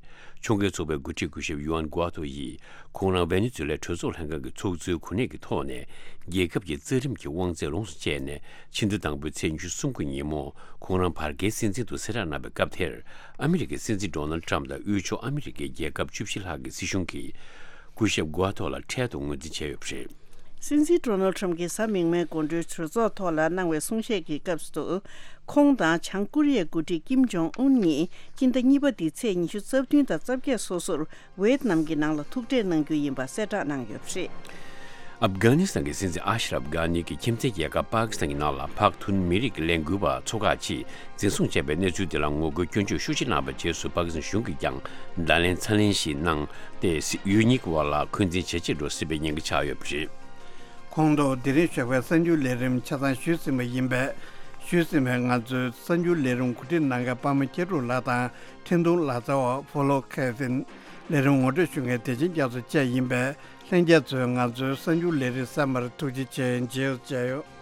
ཕྱོགས་འགལ་ཚོགས་པའི་འགོ་ཁྲིད་སྐུ་ཞབས་ཡུ་ཨན་གུ་ཨ་ཐོ་ཡིས། ཁོང་རང་ཝེ་ནེ་ཛུ་ལའི་གྲོས་ཚོགས་ལྷན་ཁང་གི་ཚོགས་གཙོའི་གོ་གནས་ཀྱི་ཐོག་ནས། རྒྱལ་ཁབ་ཀྱི་རྩ་ཁྲིམས་ཀྱི་དབང་ཚད་ལོངས་སུ་སྤྱད་ནས། ཕྱི་ཟླ་དང་པོའི་ཚེས་ཉི་ཤུ་གསུམ་གྱི་ཉིན་མོ། ཁོང་རང་བར་བརྒལ་སྲིད་འཛིན་དུ་གསལ་བསྒྲགས་གནང་བའི་སྐབས་དེར། ཨ་མི་རི་ཀའི་སྲིད་འཛིན་ཌོ་ནལ་ཌི་ཊརམ་དང་དབུས་ཕྱོགས་ཨ་མི་རི་ཀའི་རྒྱལ་ཁབ་བཅུ་བཞི་ལྷག་གི་སྲིད་གཞུང་གིས། སྐུ་ཞབས་གུ་ཨ་ཐོ་ལ་འཕྲལ་དུ་ངོས་འཛིན་བྱས་ཡོད་པ་རེད། སྲིད་འཛིན་ཌོ་ནལ་ཁྲམ་གྱིས་གཟའ་མིག་དམར་དགོང་དྲོའི་གྲོས་ཚོགས་ཐོག་ལ་གནང་བའི་གསུང་བཤད་ཀྱི་སྐབས་སུ། ཁོང་དང་བྱང་ཀོ་རི་ཡའི་འགོ་ཁྲིད་ཀིམ་ཇོང་ཨུན་གཉིས་སྤྱི་ཟླ་གཉིས་པ་འདིའི་ཚེས་ཉི་ཤུ་རྩ་བདུན་དང་རྩ་བརྒྱད་སོ་སོར་ཝེད་ནམ་གྱི་ནང་ལ་ཐུག་འཕྲད་གནང་རྒྱུ་ཡིན་པ་གསལ་བསྒྲགས་གནང་ཡོད་པ་རེད། ཨབ་གྷ་ནི་སི་ཐན་གྱི་སྲིད་འཛིན་ཨ་ཤ་རབ་གྷ་ནི་གིས་ཁྱིམ་མཚེས་རྒྱལ་ཁབ་པ་ཀི་སི་ཐན་གྱི་ནང་ལ་བག་ཐུན་མི་རིགས་ཀྱི་ལས་འགུལ་བ་ཚོ་ཁག་ཅིག་འཛིན་བཟུང་བྱས་པའི་གནས་ཚུལ་དེ་ལ་ངོ་རྒོལ་སྐྱོན་བརྗོད་ཤུགས་ཆེ་གནང་བའི་རྗེས་སུ། པ་ཀི་སི་ཐན་གཞུང་གིས་ཀྱང་བརྡ་ལན་ཚ་ལན་ཞིག་གནང་སྟེ། སྲིད་ཡུལ་གཉིས་ཀྱི་དབར་ལ་འཁོན་འཛིན་ཇེ་ཆེར་འགྲོ་སྲིད་པའི་ཉེན་ཁ་ཆགས་ཡོད་པ་རེད། ཁོང་ཚོ་དེ་རིང་ཞོགས་པའི་གསར་འགྱུར་ལས་རིམ་ཆ་ཚང་ཞུས་ཟིན་པ་ཡིན་པས། ཞུས་ཟིན་པའི་ང་ཚོའི་གསར་འགྱུར་ལས་རིམ་གོ་སྒྲིག་གནང་མཁན་པདྨ་སྐྱིད་གྲོགས་ལགས་དང་། འཕྲིན་གཏོང་ལག་རྩལ་བ་ཕོ་ལོ་ཁེ་ཐིན། ལས་རིམ་ངོ་སྤྲོད་ཞུ་མཁན་བདེ་ཆེན་རྒྱ་མཚོ་བཅས་ཡིན་པས། ལྷན་རྒྱས་ཚོས་ང་ཚོའི་གསར་འགྱུར་ལས་རིམ་གསན་པར་ཐུགས་རྗེ་ཆེ། མཇལ་མཇལ་ཡོད།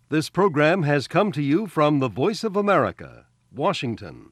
This program has come to you from the Voice of America, Washington.